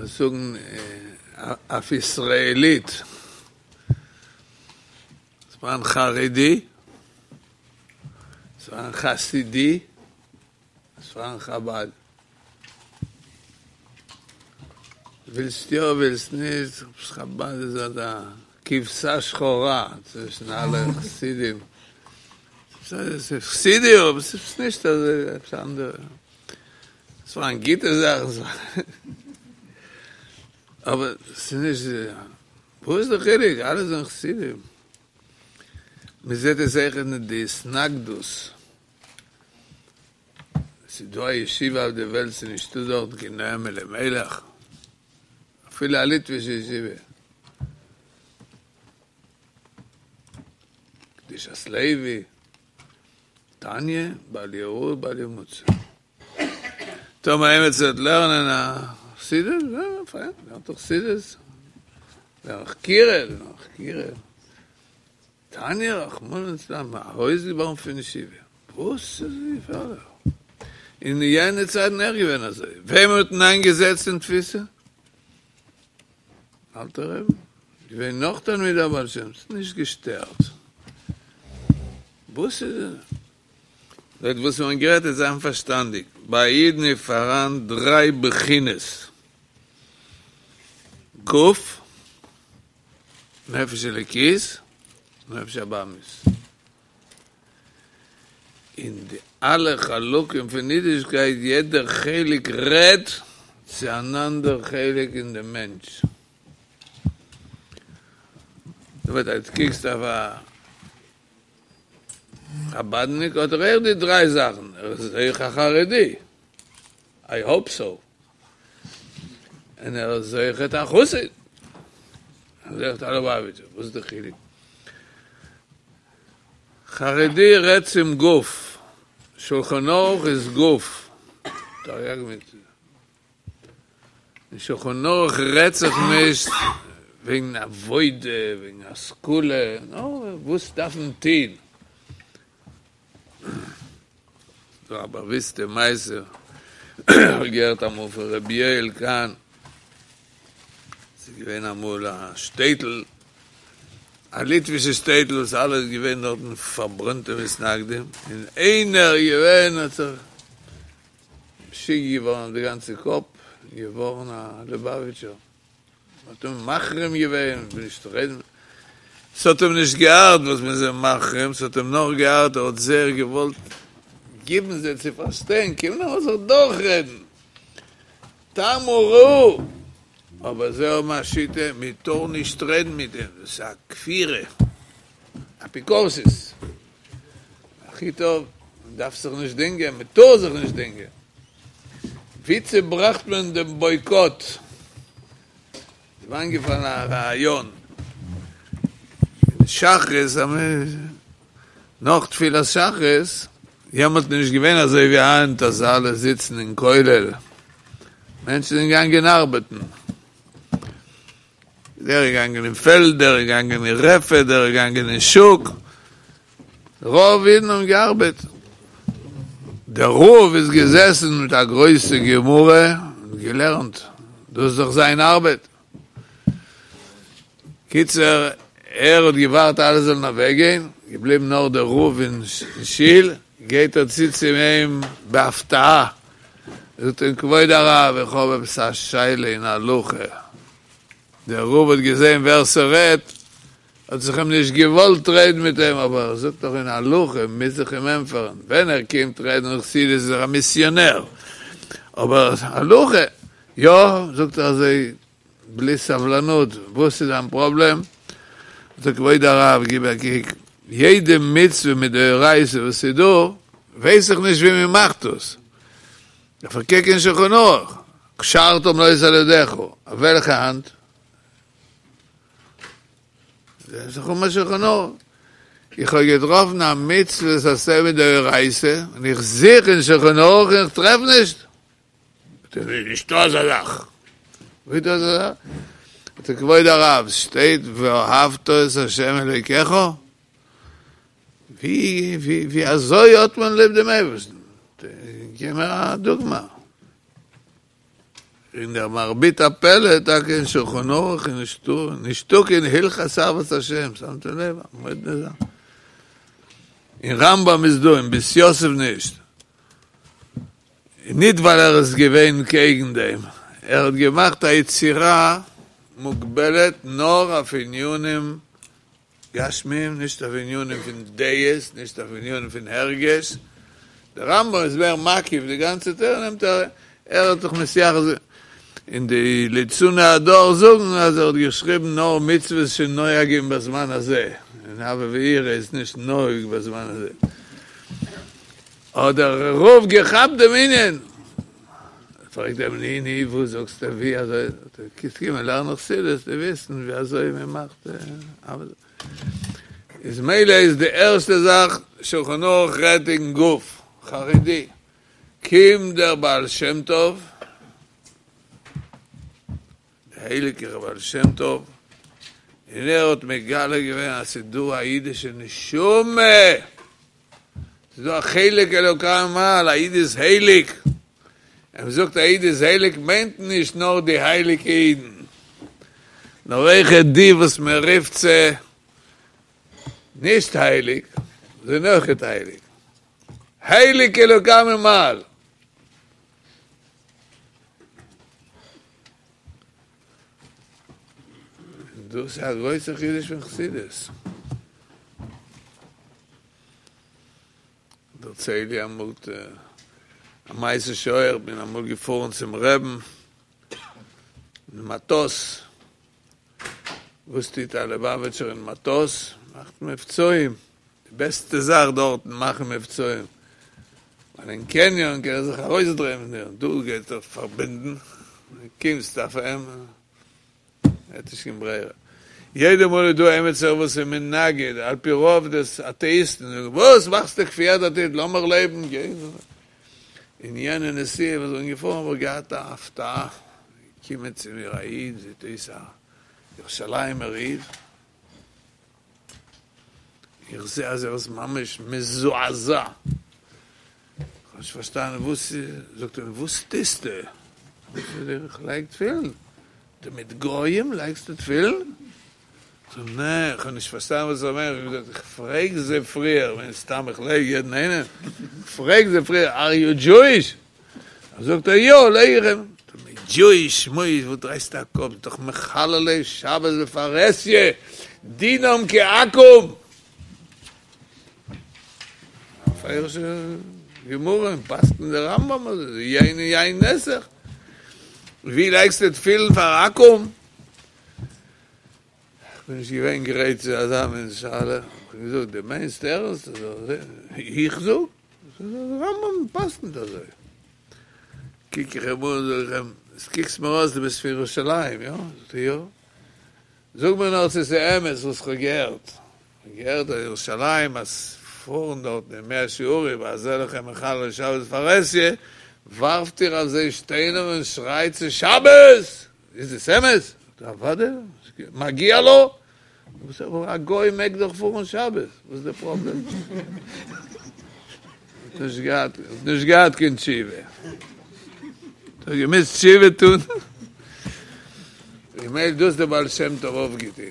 זאגן אויף ישראלית, עס איז פאראן חרדי, עס איז פאראן חסידי, עס איז פאראן חבד. ווילסט יא ווילסט נישט, חבד איז אזא כבשה שחורה צווישן אלע חסידים. ס'איז חסידי אבער ס'איז נישט אזוי עפעס אנדערע. ס'איז פאראן גוטע זאכן, אבער ס'איז נישט, וואס איז די חילוק? אלע זענען חסידים. מ'זעט עס אויך אין די התנגדות. ס'איז דא א ישיבה אויף די וועלט ס'איז נישטא דארט קיין נועם אלימלך, אפילו א ליטווישע ישיבה, קדושת לוי, תניא, בל יראה בל ימצא. טאמער עימיצער וועט לערנען א חסידות, יא, פיין, לערנט ער חסידות, לערנט חקירה, לערנט חקירה. תניא רחמנא ליצלן ארויס געווארפן פון ישיבה, וואס איז געפערליך? אין יענע צייטן אויך געווען אזוי, וועמען האט מען איינגעזעצט אין תפיסה? אלטער רבי, געווען נאך תלמידי הבעל שם, ס'האט נישט געשטערט. וואס איז לויט וואס מיר האבן גערעדט איז זיין פארשטאנדיג, ביי א אידן איז פאראן דריי בחינות, גוף, נפש אלוקית, נפש הבהמית. אין די אלע חלקים פון אידישקייט, יעדער חלק רעדט צו אן אנדער חלק אין דעם מענטש. זאת אומרת, אז דו קוקסט אויף א חבדניק האט ער אויך די דריי זאכן, ער איז אויך א חרדי, איי האופ סאו, און ער איז אויכעט א חסיד. איז אויכעט א לובאוויטשער, וואס איז די חילוק? חרדי רעדט צום גוף, שולחן ערוך איז גוף, תרי"ג מצוות. אין שולחן ערוך רעדט זיך נישט וועגן עבודה, וועגן השכלה, נאר וואס דארף מען טוהן. ס'דא א באוויסטע מעשה, כ'האב געהערט אמאל פון ר' יואל קאהן, ס'איז געווען אמאל א שטעטל, א ליטווישע שטעטל וואס אלע איז געווען דארטן פארברענטע מתנגדים, און איינער איז געווען האט זיך משוגע געווארן אויף די גאנצע קאפ, געווארן א ליובאוויטשער. מ'האט אים מחרים געווען, מ'וויל נישט רעדן, ס'האט אים נישט געארט וואס מ'איז אים מחרים, ס'האט אים נאר געארט ער האט זייער געוואלט גיבן זיי צו פארשטיין, קום לאמיר זיך דורכרעדן, טעמו וראו, אבער זיי האבן א שיטה מ'טאר נישט רעדן מיט אים, דאס איז א כפירה, אפיקורסות, הכי טוב, מ'דארף זיך נישט דינגען, מ'טאר זיך נישט דינגען. ווי צעבראכט מען דעם בויקאט? איז מיר איינגעפאלן א רעיון, אין שחרית, נאך תפילת שחרית, יעמאלט איז נישט געווען אזוי ווי היינט אז אלע זיצן אין כולל, מענטשן זענען געגאנגען ארבעטן, דער איז געגאנגען אין פעלד, דער איז געגאנגען אין רפת, דער איז געגאנגען אין שוק, רוב אידן האבן געארבעט, דער רב איז געזעסן מיט א גרויסע גמרא און געלערנט, דאס איז דאך זיין ארבעט. קיצור, ער האט געווארט אלע זאלן אוועק גיין, געבליבן נאר דער רב אין שול, גייט ער צו צו אים בהפתעה, זאגט אים כבוד הרב איך האב עפעס א שאלה אין הלכה, דער רב האט געזען ווער ס'רעדט, האט זיך אים נישט געוואלט רעדן מיט אים, אבער ער זאגט דאך אין הלכה מוז איך אים ענטפערן, ווען ער קומט רעדן חסידות איז ער א מיסיאנער, אבער הלכה, יא, זאגט ער אזוי בלי סבלנות, וואס איז דיין פראבלעם? זאגט ער כבוד הרב גיב א קוק, יעדע מצוה מדאורייתא וואס איז דא, ווייס איך נישט ווי מען מאכט דאס, דארף איך קוקן אין שולחן ערוך, קשרתם לאות על ידך, אויף וועלכע האנט? זעט זיך אן שולחן ערוך. איך האב געטראפן א מצוות עשה מדאורייתא, און איך זוך אין שולחן ערוך און איך טרעף נישט. זאגט ער, נישטא אזא זאך. ווי איז דא אזא זאך? זאגט ער, כבוד הרב, ס'שטייט ואהבת את ה' אלוקיך? ווי ווי אזוי האט מען ליב דעם אייבערשטן? גיב מיר א דוגמא. און דער מרבית הפלא טאקע אין שולחן ערוך איז נישטא, נישטא קיין הלכות אהבת השם, שמתם לב? א מאדנע זאך. אין רמב"ם איז דא, אין בית יוסף נישט. ניט ווייל ער איז געווען קעגן דעם, ער האט געמאכט א יצירה מוגבלת נאר אויף ענינים גשמיים, נישט אויף ענינים פון דעות, נישט אויף ענינים פון הרגש, דער רמב"ם איז מער מקיף, די גאנצע תורה נעמט ער, ער האט זיך מתייחס, און די ליצני הדור זאגן אז ער האט געשריבן נאר מצוות שנוהגים בזמן הזה, און אהבה ויראה איז נישט נוהג בזמן הזה. האט דער רב געכאפט דעם ענין, פרעגט אים ני ני וואס זאגסטו ווי אזוי, קענסט קומען לערנען חסידות וועסטו וויסן ווי אזוי מען מאכט אהבה, איז מילא איז די ערשטע זאך שולחן ערוך רעדט אין גוף חרדי, קומט דער בעל שם טוב, דער הייליגער בעל שם טוב, און ער האט מגלה געווען אז ס'איז דא א אידישע נשמה, ס'איז דא א חלק אלוקי ממעל, א איד איז הייליג, ווען מ'זאגט א איד איז הייליג מיינט נישט נאר די הייליגע אידן, נאר אויכעט די וואס מען רופט זיי נישט הייליג, זענען אויכעט הייליג, חלק אלוקי ממעל. דאס איז א גרויסע חידוש פון חסידות. דערצייל איך אמאל א מעשה שהיה, איך בין אמאל געפארן צום רעבן אין מטוס, וואס טוט א ליובאוויטשער אין מטוס? מאכט מבצעים, די בעסטע זאך דארטן מאכן מבצעים, ווייל אין קעניאן קען ער זיך ארויסדרייען פון דיר, דא גייט ער פארבינדן, קומסט אויף אים, ער האט נישט קיין ברירה. יעדע מאל איז דא עמיצער וואס איז מנגד, על פי רוב דאס אטעאיסטן, זאגן, וואס מאכסטו כפייה דתית, לאמיך לעבן, גיי. אין יענע נסיעה וואס איך בין געפארן האב איך געהאט א הפתעה, געקומען צו מיר א איד, זעט אויס א ירושלימ'ער איד, איך זע אז ער איז ממש מזועזע, איך האב נישט פארשטאנען וואס איז, זאגט ער מיר וואס טוסטו? זאג איך איך לייג תפילין, זאגט ער מיט גוים לייגסטו תפילין? זאג איך נע, איך האב נישט פארשטאנען וואס ער מיינט, איך האב געזאגט איך פרעג זיי פריער, מן הסתם איך לייג יעדן איינעם, איך פרעג זיי פריער אר יו דזשואיש? זאגט ער יא, לייג איך אים. דזשואיש שמואיש וואס דרייסטו א קאפ, דאך מחללי שבת בפרהסיא, דינם כעכו"ם. א בפירוש'ע גמרא און פסק'נט דער רמב"ם אזוי, יין און יין נסך. ווי לייגסטו תפילין פאר עכו"ם? כ'בין נישט געווען גרייט צו אזא מין שאלה, כ'האב געזאגט, דו מיינסט ערנסט אזוי? איך זאג? דער רמב"ם פסק'נט אזוי. קוק איך אים אן, זאג איך אים, עס קוקסט מיר אויס דו ביסט פון ירושלים, יא? זאגט ער, יא. זאג מיר נאר צו עס איז אמת וואס כ'האב געהערט. כ'האב געהערט אז ירושלים אז פארן דארטן אין מאה שערים אזעלכע מחללי שבת בפרהסיא, ווארפט איר אויף זיי שטיינער און שרייט ס'איז שבת! איז עס אמת? זאגט ער אוודאי, מגיע לו! אבער א גוי מעג דאך פארן שבת, וואס איז די פראבלעם? האט נישט געהאט, האט נישט געהאט קיין תשובה, האט געמוזט תשובה טון, ממילא דאס דער בעל שם טוב אויפגעטון,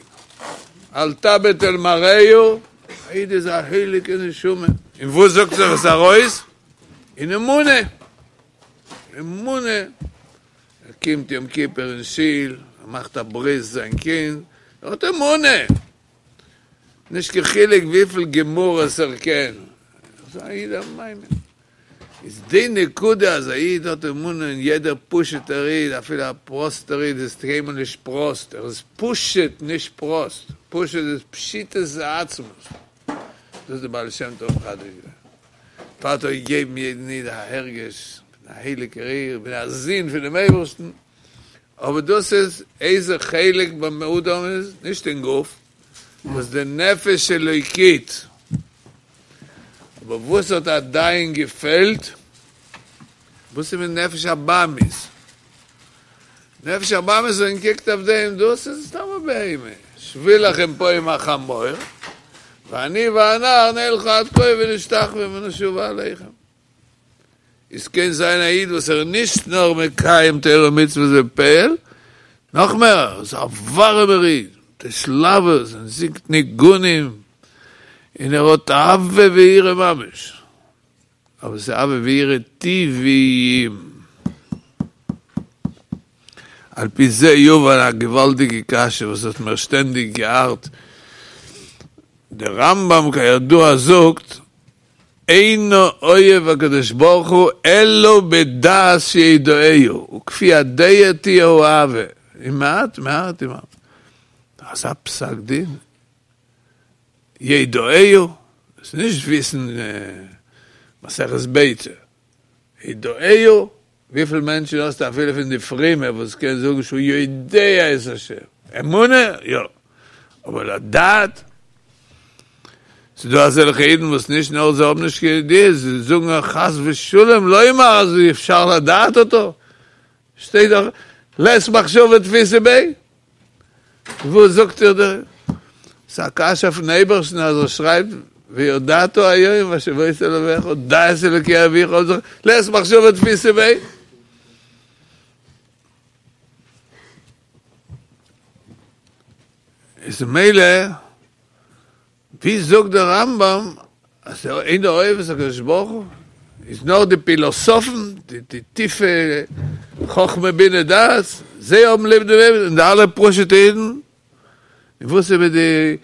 אל תביט אל מראהו, א איד איז א הייליגע נשמה, און וואס זאגט זיך עס ארויס? אין אמונה, אמונה. ער קומט יום כיפור אין שול, ער מאכט א ברית זיין קינד, ער האט אמונה! נישט קיין חילוק וויפיל גמרות ער קען, ער איז א איד א מאמין. איז די נקודה אז א איד האט אמונה און יעדער פשוט'ער איד, אפילו א פראסטער איד איז קיינמאל נישט פראסט, ער איז פשוט נישט פראסט, פשוט איז פשיטות העצמות. דאס איז די בעל שם טוב מחדש געווען. דערפאר האט ער געגעבן יעדן איד א הרגש פון א הייליגער איד, איך בין א זון פונעם אייבערשטן, אבער דאס איז איזה חלק ביים אדם איז, נישט אין גוף, וואס די נפש אלוקית, אבער וואס האט עדיין געפעלט, וואס איז מיט נפש הבהמית? נפש הבהמית ווען קוקט אויף דעם, דאס איז סתם א בהמה, שבו לכם פה עם החמור, ואני והנער נלכה עד כה ונשתחוה ונשובה אליכם. איז קען זיין א איד וואס ער איז נישט נאר מקיים תורה ומצוות בפועל, נאך מער, ער איז א ווארעמער איד, מיט התלהבות און זינגט ניגונים, און ער האט אהבה ויראה ממש. אבער ס'איז אהבה ויראה טבעיים. על פי זה יובן א געוואלדיגע קשיא וואס האט מיר שטענדיג געארט, דער רמב"ם כידוע זאגט, אינו אוהב הקדוש ברוך הוא אלא בדעת שידעהו, וכפי הדעה תהיה האהבה, און מעט מעט עם אזא פסק דין, ידעהו, דאס איז נישט וויסן מסכת ביצה, ידעהו, וויפיל מענטשן האסטו אפילו פון די פרומע וואס קען זאגן שהוא יודע את השם, אמונה יא, אבער לדעת? ס'איז דא אזעלכע אידן וואס נישט נאר זיי האבן נישט קיין ידיעה, זיי זאגן חס ושלום לומר אז אי אפשר לדעת אותו, שטייט דאך לית מחשבה תפיסא ביה. וואס זאגט איר דא? ס'איז א קשיא אויפן אייבערשטן אז ער שרייבט וידעת היום והשבות אל לבבך דע את אלוקי אביך לית מחשבה תפיסא ביה. איז מילא ווי זאגט דער רמב"ם אז אינו אוהב את הקדוש ברוך הוא איז נאר די פילאסאפן, די טיפע חכמה בינה דעת, זיי האבן ליב דעם אייבערשטן, און די אלע פשוטע אידן, און וואס איז מיט די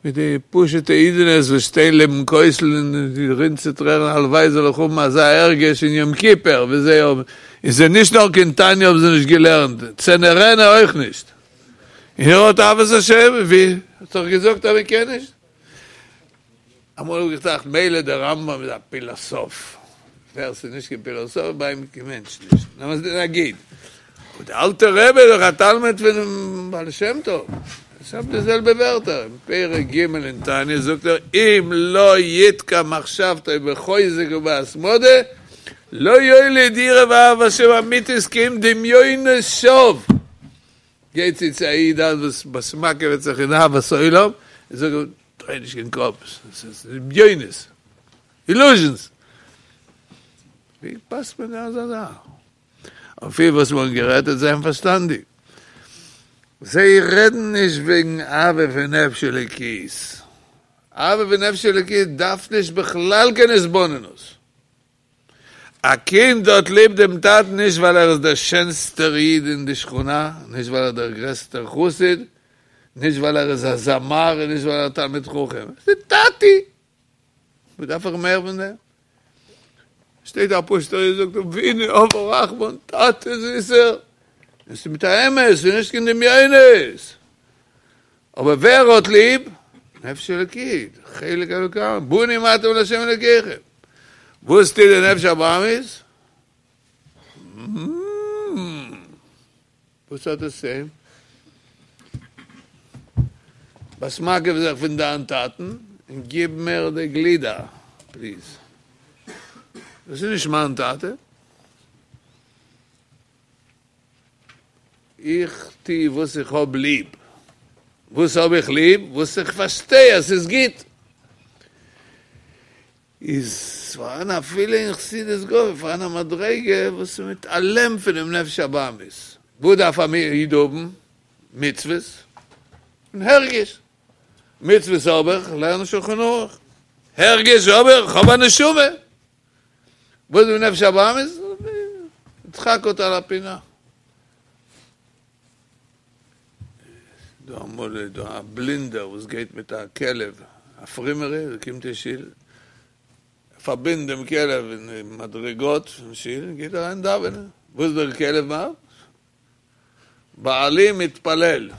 מיט די פשוטע אידענעס וואס שטיין לעבן כותל און רינט צו טרערן הלוואי זאל איך האבן אזא הרגש אין יום כיפור ווי זיי האבן, און זיי נישט נאר קיין תניא האבן זיי נישט געלערנט, צאינה וראינה אויך נישט. און ער האט אהבת השם, ווי האט דאך געזאגט אז מען קען נישט. אמאל האב איך געטראכט מילא דער רמב"ם איז א פילאסאף, ווער ס'איז נישט קיין פילאסאף ביי אים קיין מענטש נישט, נאר נגיד, אבער דער אלטער רבי איז דאך א תלמיד פונעם בעל שם טוב, איך האב די זעלבע ווערטער, אין פרק ג' אין תניא זאגט ער אם לא יתקע מחשבתו בחוזק ובהתמדה לא יוליד יראה ואהבה השם אמיתית כי אם דמיונות שווא. גייט צו צו א איד היינט וואס באסמאקעוועט זיך אין אהבת עולם און זאגט אים דריי נישט קיין קאפ, ס'איז דמיונות, אילוזשענס. ווי פאסט מען אזא זאך? אפי' וואס מ'האט גערעדט וועט זיין פארשטאנדיג. זיי רעדן נישט וועגן אהבה פון נפש אלוקית. אהבה פון נפש אלוקית דארף נישט בכלל קיין התבוננות. א קינד האט ליב דעם טאטן נישט ווייל ער איז דער שענסטער איד אין די שכונה, נישט ווייל ער איז דער גרעסטער חסיד, נישט ווייל ער איז א זמר און נישט ווייל ער איז א תלמיד חכם. ס'איז טאטי! וואס דארף איך מער פון דעם? שטייט א פשוטער איד זאגט אבינו אב הרחמן, טאטע זיסער, און ס'איז מיט א אמת, ס'איז נישט קיין דמיונות. אבער ווער האט ליב? נפש אלוקית, חלק אלוקה, בנים אתם לה' אלוקיכם. וואס טוט די נפש הבהמית? וואס האט עס צו אים? באסמאקעווע זיך פון דיין טאטן און גיב מיר די גלידה פליז. דאס איז נישט מיין טאטע. איך טו וואס איך האב ליב. וואס האב איך ליב? וואס איך פארשטיי אז ס'איז גוט. איז פארהאן אפילו אין חסידות גופא פארהאן א מדריגה וואס איז מתעלם פונעם נפש הבהמית. וואס דארף א איד האבן? מצוות און הרגש. מצוות האב איך, לערן שולחן ערוך. הרגש האב איך, כ'האב א נשמה. וואס איז נפש הבהמית? דחק אותה לפינה. דא אמאל איז דא א בלינדער וואס גייט מיט א כלב, א פרומער איד, ער קומט אין שול, ער פארבינדט דעם כלב אין די מדריגות פון שול און גייט אריין דאווענען. וואס דער כלב מאכט? בעלי מתפלל.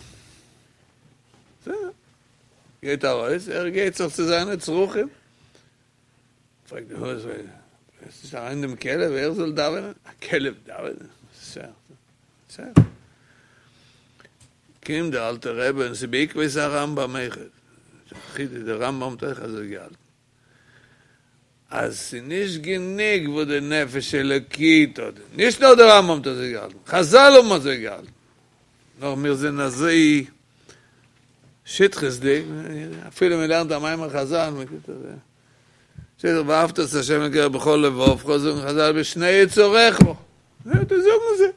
בסדר. גייט ארויס, ער גייט זיך צו זיינע צרכים. פרעגט די הויז ווער עס איז אריין דעם כלב ער זאל דאווענען? א כלב דאווענען? בסדר. קומט דער אלטער רבי און ס'איז בעקבות הרמב"ם אויכעט, דער רמב"ם האט אויך אזוי געהאלטן, אז ס'איז נישט גענוג וואס די נפש אלוקית האט, נישט נאר דער רמב"ם האט אזוי געהאלטן, חז"ל האבן אזוי געהאלטן, נאר מיר זענען אזוי שטחיות'דיג, אפילו מען לערנט א מאמר חז"ל, מען טוט אזוי, שטייט דאך ואהבת את ה' אלקיך בכל לבבך, זאגן חז"ל בשני יצריך, נו, דאס זאגן זיי,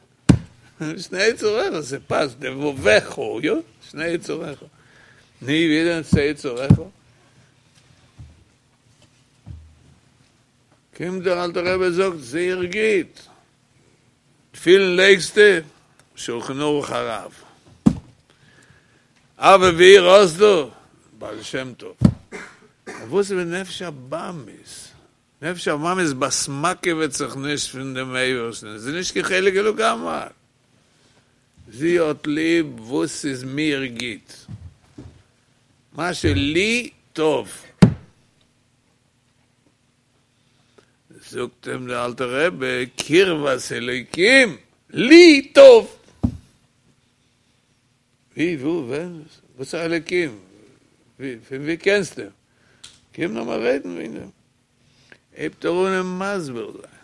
בשני יצריך, ס'פאסט, לבבך, יא, שני יצריך, נו, ווי איז דען שני יצריך? קומט דער אלטער רבי זאגט, זייער גוט, תפילין לייגסטו? שולחן ערוך הרב. אהבה ויראה האסטו? בעל שם טוב. אבער וואס איז מיט נפש הבהמית? נפש הבהמית באסמאקעוועט זיך נישט פון דעם אייבערשטן, עס איז נישט קיין חלק אלוקה ממעל. זי האט ליב וואס איז מיר גוט, מה שלי טוב. זאגט אים דער אלטער רבי, קרבת אלוקים לי טוב! ווי, וואו, ווען, וואס איז אלוקים? ווי, פון ווי קענסטו אים? קום לאמיר רעדן וועגן דעם. הייבט ער אן אים מסביר זיין.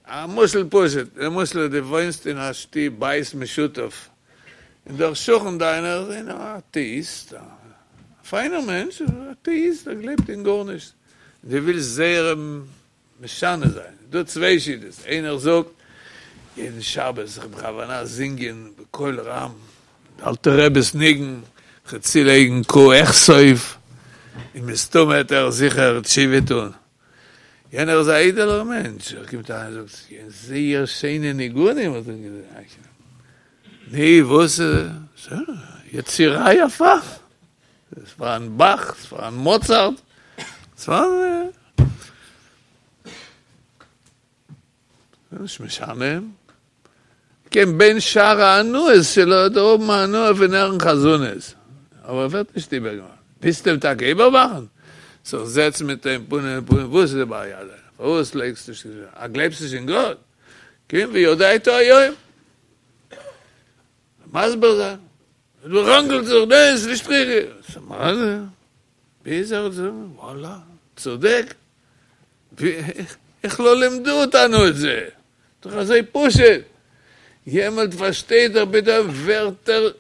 א משל פשוט, למשל דו וואוינסט אין א שטוב בית משותף, און דער שכן דיינער איז איינער א אטעאיסט, א פיינער מענטש, אטעאיסט, ער גלייבט אין גארנישט, און דו ווילסט זייער אים משנה זיין, איז דא צוויי שיטות, איינער זאגט, יעדן שבת זיך בכוונה זינגען בקול רם די אלטע רבי'ס ניגון, כ'וועל צולייגן קה אכסוף, און מסתמא וועט ער זיכער תשובה טון. יענער איז א איידעלער מענטש, ער קומט אריין און זאגט, זייער שיינע ניגונים האט ער געזאגט, נו וואס איז, יצירה יפה, ס'איז פארהאן באך, ס'איז פארהאן מאצארט, ס'איז פארהאן, נישט משנה, כן בין שאר ההנאות שלו וועט ער האבן הנאה פון הערן חזנות, אבער ער ווערט נישט איבערגעמאכט, ווילסט אים טאקע איבערמאכן? זיך זעצן מיט אים פנים אל פנים, וואס איז די בעיה דיינע? פארוואס לייגסטו נישט אה גלייבסט נישט אין גאט? קום וידעת היום. מסביר זיין. ראנגלט זיך, ניין, ס'איז נישט ריכטיג. מה זה? ביז ער זאגט, וואלה, צודק. איך לא לימדו אותנו את זה? דאך אזוי פשוט. יעמאלט פארשטייט ער פתאום ווערטער,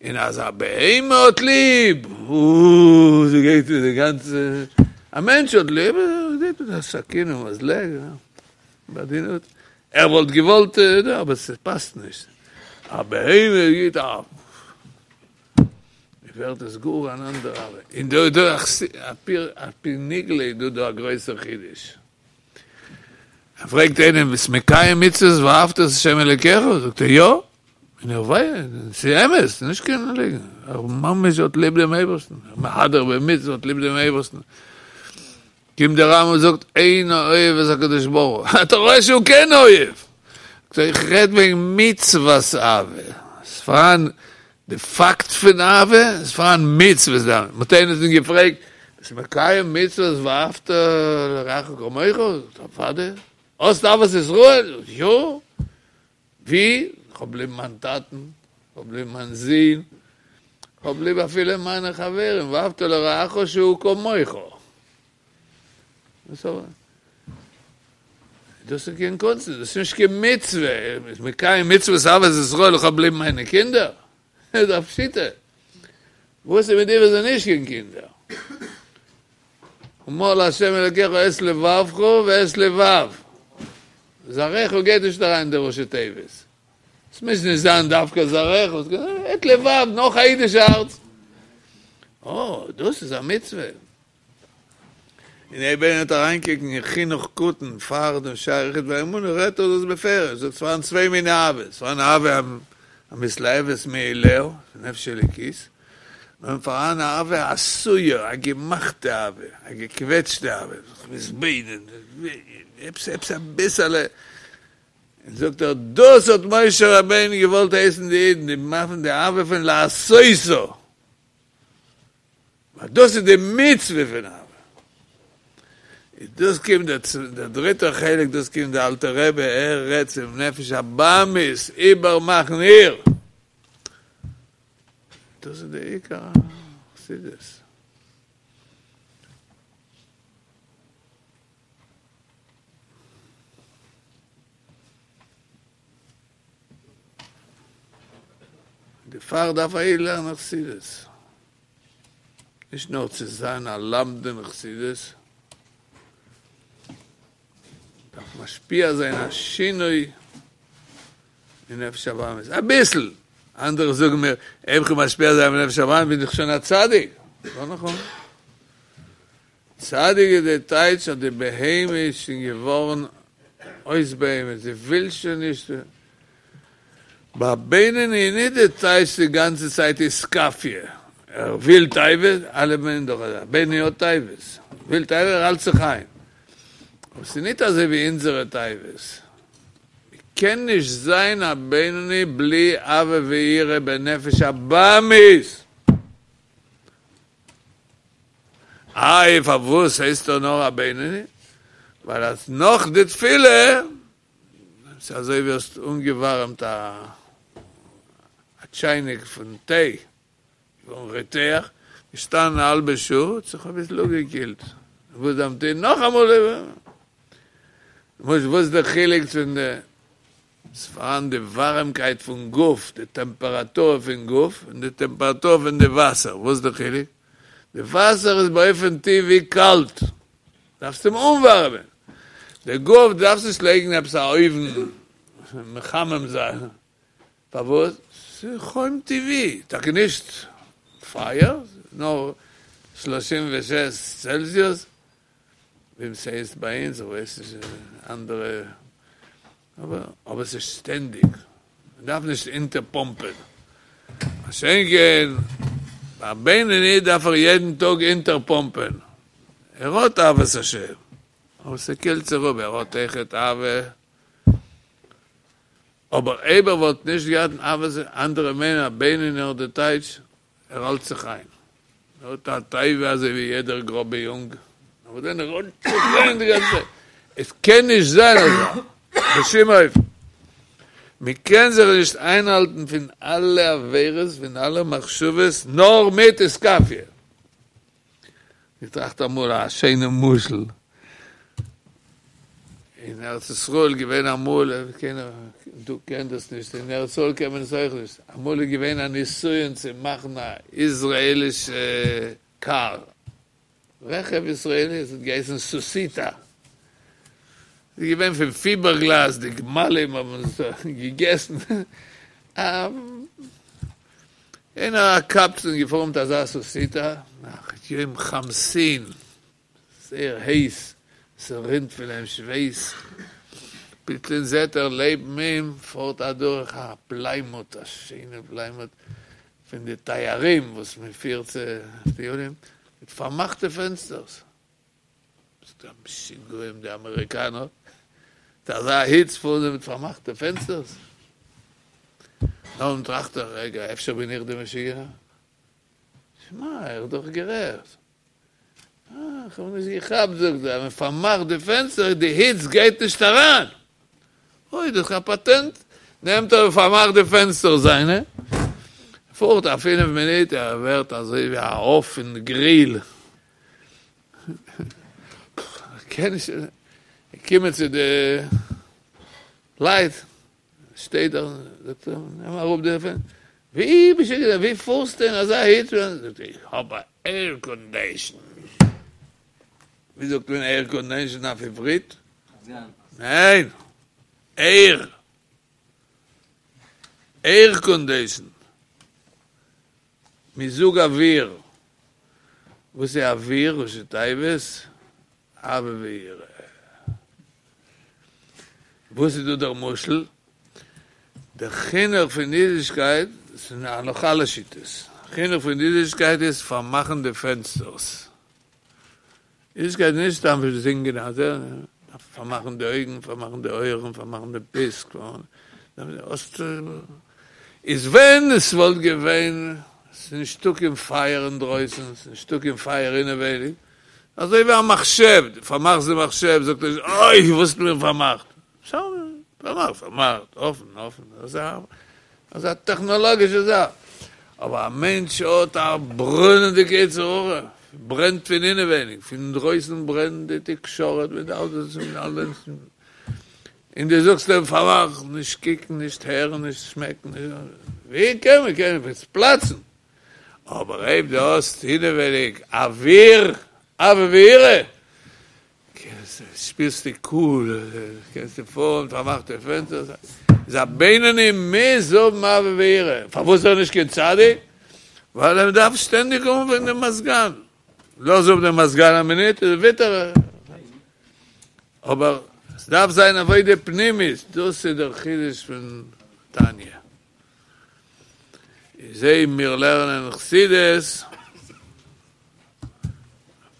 און אז א בהמה האט ליב, אוה, ס'גייט די גאנצע, א מענטש האט ליב, גייט מיט א סכין און מזלג, בעדינות, ער וואלט געוואלט, אבער ס'פאסט נישט. א בהמה גיט א, ווערט עס גאר אן אנדערע אהבה. און דא דא על פי נגלה איז דא דא א גרויסער חידוש. ער פרעגט איינעם, ביסט מקיים מצוות ואהבת את ה' אלוקיך? זאגט ער יא. און ער ווייסט, ס'איז אמת, נישט קיין ליגן, ער ממש האט ליב דעם אייבערשטן, מהדר במצוה האט ליב דעם אייבערשטן. קומט דער רמב ם און זאגט, אינו אוהב את הקדוש ברוך הוא, אתה רואה שהוא כן אוהב! זאגט ער, איך רעד וועגן מצוות אהבה, ס'איז פארהאן די פאקט פון אהבה, ס'איז פארהאן מצוות אהבה, מ'האט איינעם געפרעגט, ביסט מקיים מצוות ואהבת לרעך כמוך? זאגט ער, אוודאי, האסט אהבת ישראל? זאגט ער, יא! ווי? כ'האב ליב מיין טאטן, כ'האב ליב מיין זון, כ'האב ליב אפילו מיינע חברים, ואהבת לרעך שהוא כמוך. דאס איז קיין קונצן, דאס איז נישט קיין מצוה, מ'איז מקיים מצוות אהבת ישראל, איך האב ליב מיינע קינדער? איז א פשיטא. וואס איז מיט די וואס זענען נישט קיין קינדער? ומל לה' אלקיך את לבבך ואת לבב זרעך גייט נישט אריין אין די ראשי תיבות. עס מוז נישט זיין דווקא זרעך, את לבב, נאך א אידיש הארץ. אה, דאס איז א מצוה. און אויב איינער וועט אריינקוקן אין חינוך קטן פאר דעם שער היחוד והאמונה רעדט ער דאס בפירוש, זאגט ס'פארהאן צוויי מיני אהבות, ס'פארהאן אהבה המתלהבת מאליה, נפש אלוקית, און פארהאן אהבה עשויה, א געמאכטע אהבה, א געקוועטשטע אהבה, זיך מתבונן, עפעס עפעס אביסעלע, און זאגט ער דאס האט משה רבינו געוואלט הייסן די אידן, די מאכן די אהבה פון לעשותה. ווייל דאס איז די מצוה פון אהבה. איז דאס קומט דער דריטער חלק, דאס קומט דער אלטער רבי, ער רעדט צום נפש הבהמית, איבערמאכן איר. דאס איז די עיקר חסידות. דערפאר דארף א איד לערנען חסידות, נישט נאר צו זיין א למדן חסידות, דארף משפיע זיין א שינוי אין נפש הבהמית, אביסל, אנדערע זאגן מיר, אויב כ'וועל משפיע זיין בנפש הבהמית בין איך שוין א צדיק, לא נכון, צדיק איז די טייטש אז די בהמה איז שוין געווארן אויס בהמה, זי וויל שוין נישט, ביי בינוני איז נישט די טייטש די גאנצע צייט אתכפיא, ער וויל תאוות, אלע מיינען דאך אז א בינוני האט תאוות, וויל תאוות ער האלט זיך איין, אבער ס'איז נישט אזוי ווי אונזערע תאוות, מ'קען נישט זיין א בינוני בלי אהבה ויראה בנפש הבהמית. איי פארוואס הייסט ער נאר א בינוני? ווייל אז נאך די תפילה, ס'איז אזוי ווי האסט אנגעווארעמט א טשייניק פון טיי, געווארן רותח, געשטאנען א האלבע שעה, האט זיך אביסל אפגעקילט, וואס דארף מען טון? נאכאמאל איבער. וואס איז די חילוק צווישן די ס'פארהאן די ווארעמקייט פון גוף, די טעמפעראטור פון גוף, און די טעמפעראטור פון די וואסער, וואס איז די חילוק? די וואסער איז באופן טבעי קאלט, דארפסט אים אנווארעמען, די גוף דארפסט נישט לייגן עפעס א אויוון מחמם זיין, פארוואס? ס'איז חום טבעי, טאקע נישט פייער, נאר שלושים ושש צעלזיוס, ווי ס'הייסט ביי אונז, איך ווייס נישט אין אנדערע, אבער אבער ס'איז שטענדיג, מ'דארף נישט אונטערפאמפען, מה שאין כן ביי א בינוני דארף ער יעדן טאג אונטערפאמפען, ער האט אהבת השם, אבער ס'קילט זיך אפ, ער האט אויכעט אהבה, אבער אויב ער וואלט נישט געהאט אהבת, אנדערע מיינען א בינוני האט די טייטש ער האלט זיך איין. ער האט א תאווה אזוי ווי יעדער גראבע יונג, אבער דען ער האלט זיך איין די גאנצע צייט. עס קען נישט זיין אזוי, בשום אופן. מען קען זיך נישט איינהאלטן פון אלע עבירות, פון אלע מחשבות, נאר מיט אתכפיא. איך טראכט אמאל א שיינע משל. אין ארץ ישראל געווען אמאל, קיינער דא קען דאס נישט, אין ארץ ישראל קען מען עס אויך נישט, אמאל איז געווען א ניסיון צו מאכן א איזראעלישע קאר, רכב ישראלי, עס האט געהייסן סוסיתא, עס איז געווען פון פיבערגלאז, די גמלים האבן עס געגעסן, איינער א קבצן געפארן מיט אזא סוסיתא, נאך יום חמסין, זייער הייס, ס'רינט פון אים שווייס, פלוצלינג זעט ער לעבן אים פארט אדורך א פליימוט, א שיינע פליימוט פון די תיירים וואס מען פירט צו טיולים, מיט פארמאכטע פענסטערס. סתם משוגעים די אמעריקאנער, מיט אזא היץ פארן זיי מיט פארמאכטע פענסטערס. נאכדעם טראכט ער, רגע, אפשר בין איך די משוגענער? שמע, ער איז דאך גערעכט. אה, איך האב נישט געכאפט, זאגט ער, אז מען פארמאכט די פענסטער, די היץ גייט נישט אריין. אוי, דאס איז א פאטענט. נעמט ער און פארמאכט די פענסטער זיינע. פארט א פינף מינוט, ער ווערט אזוי ווי א עוף אין גריל. קען נישט, געקומען צו די לייט, שטייט דארט, זאגט ער, נעם אראפ די פענסטער. ווי משוגענער, ווי פארסטו אין אזא היץ? זאגט ער, איך האב א עירקאנדעישן. ווי זאגט מען עירקאנדעישן אויף עברית? ניין, עיר. עירקאנדעישן. מיזוג אוויר. וואס איז אוויר? ראשי תיבות? אהבה ויראה. וואס איז דא דער משל? דער חינוך פון אידישקייט, עס איז נאך אלע שיטות, חינוך פון אידישקייט איז פארמאכן די פענסטערס. אידישקייט איז נישט סתם זינגען א דארף פארמאכן די אויגן, פארמאכן די אויערן, פארמאכן די פיסק, איז ווען עס וואלט געווען, עס איז נישטא קיין פייער אינדרויסן, עס איז נישטא קיין פייער אינעווייניג, אזוי ווי א מחשב, דו פארמאכסט די מחשב, זאגט ער, אוי, וואס האסטו מיר פארמאכט? פארמאכט, פארמאכט, אפן, אפן, דאס איז א טעכנאלאגישע זאך. אבער א מענטש האט א ברענענדיגע יצר הרע, ברענט פון אינעווייניג, פון אינדרויסן ברענט די תקשורת מיט אלעס און אלעס, און דו זאגסט אים פארמאך, נישט קוקן, נישט הערן, נישט שמעקן, ווי קען מען, קען מען פלאצן. אבער אויב דו האסט אינעווייניג אוויר, אהבה ויראה, שפירסטו קול, קענסטו פארן, פארמאכטע פענסטער, איז א בינוני מוז האבן אהבה ויראה, פארוואס איז ער נישט קיין צדיק? ווייל ער דארף שטענדיג אנווענדן דעם מזגן, לאז אפ דעם מזגן א מינוט איז וויטער, אבער עס דארף זיין עבודה פנימית, דאס איז דער חידוש פון תניא. איז אויב מיר לערנען חסידות,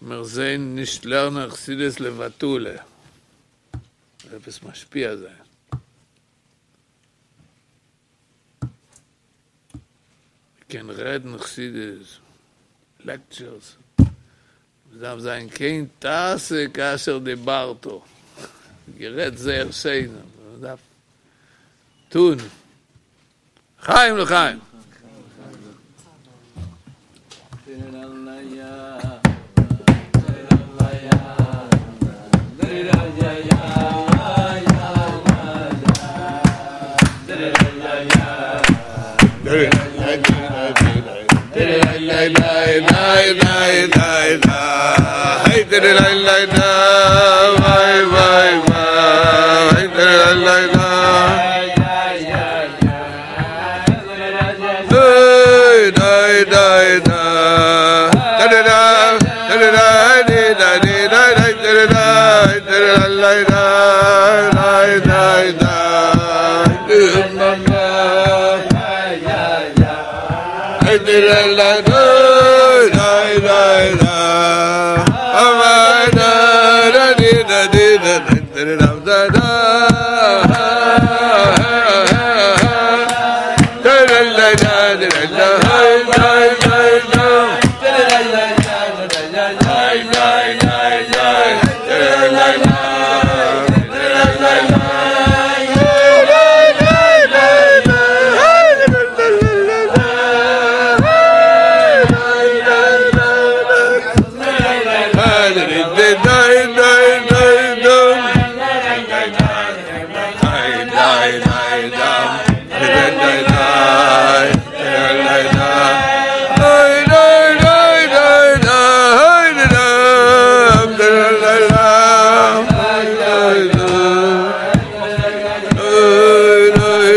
מיר זעהן נישט לערנען חסידות לבטלה, עפעס משפיע זיין. מ'קען רעדן חסידות, לעקטשערס, מ'דארף זיין כן תעשה כאשר דיברת, גערעדט זייער שיין, אבער מ'דארף טון. לחיים לחיים.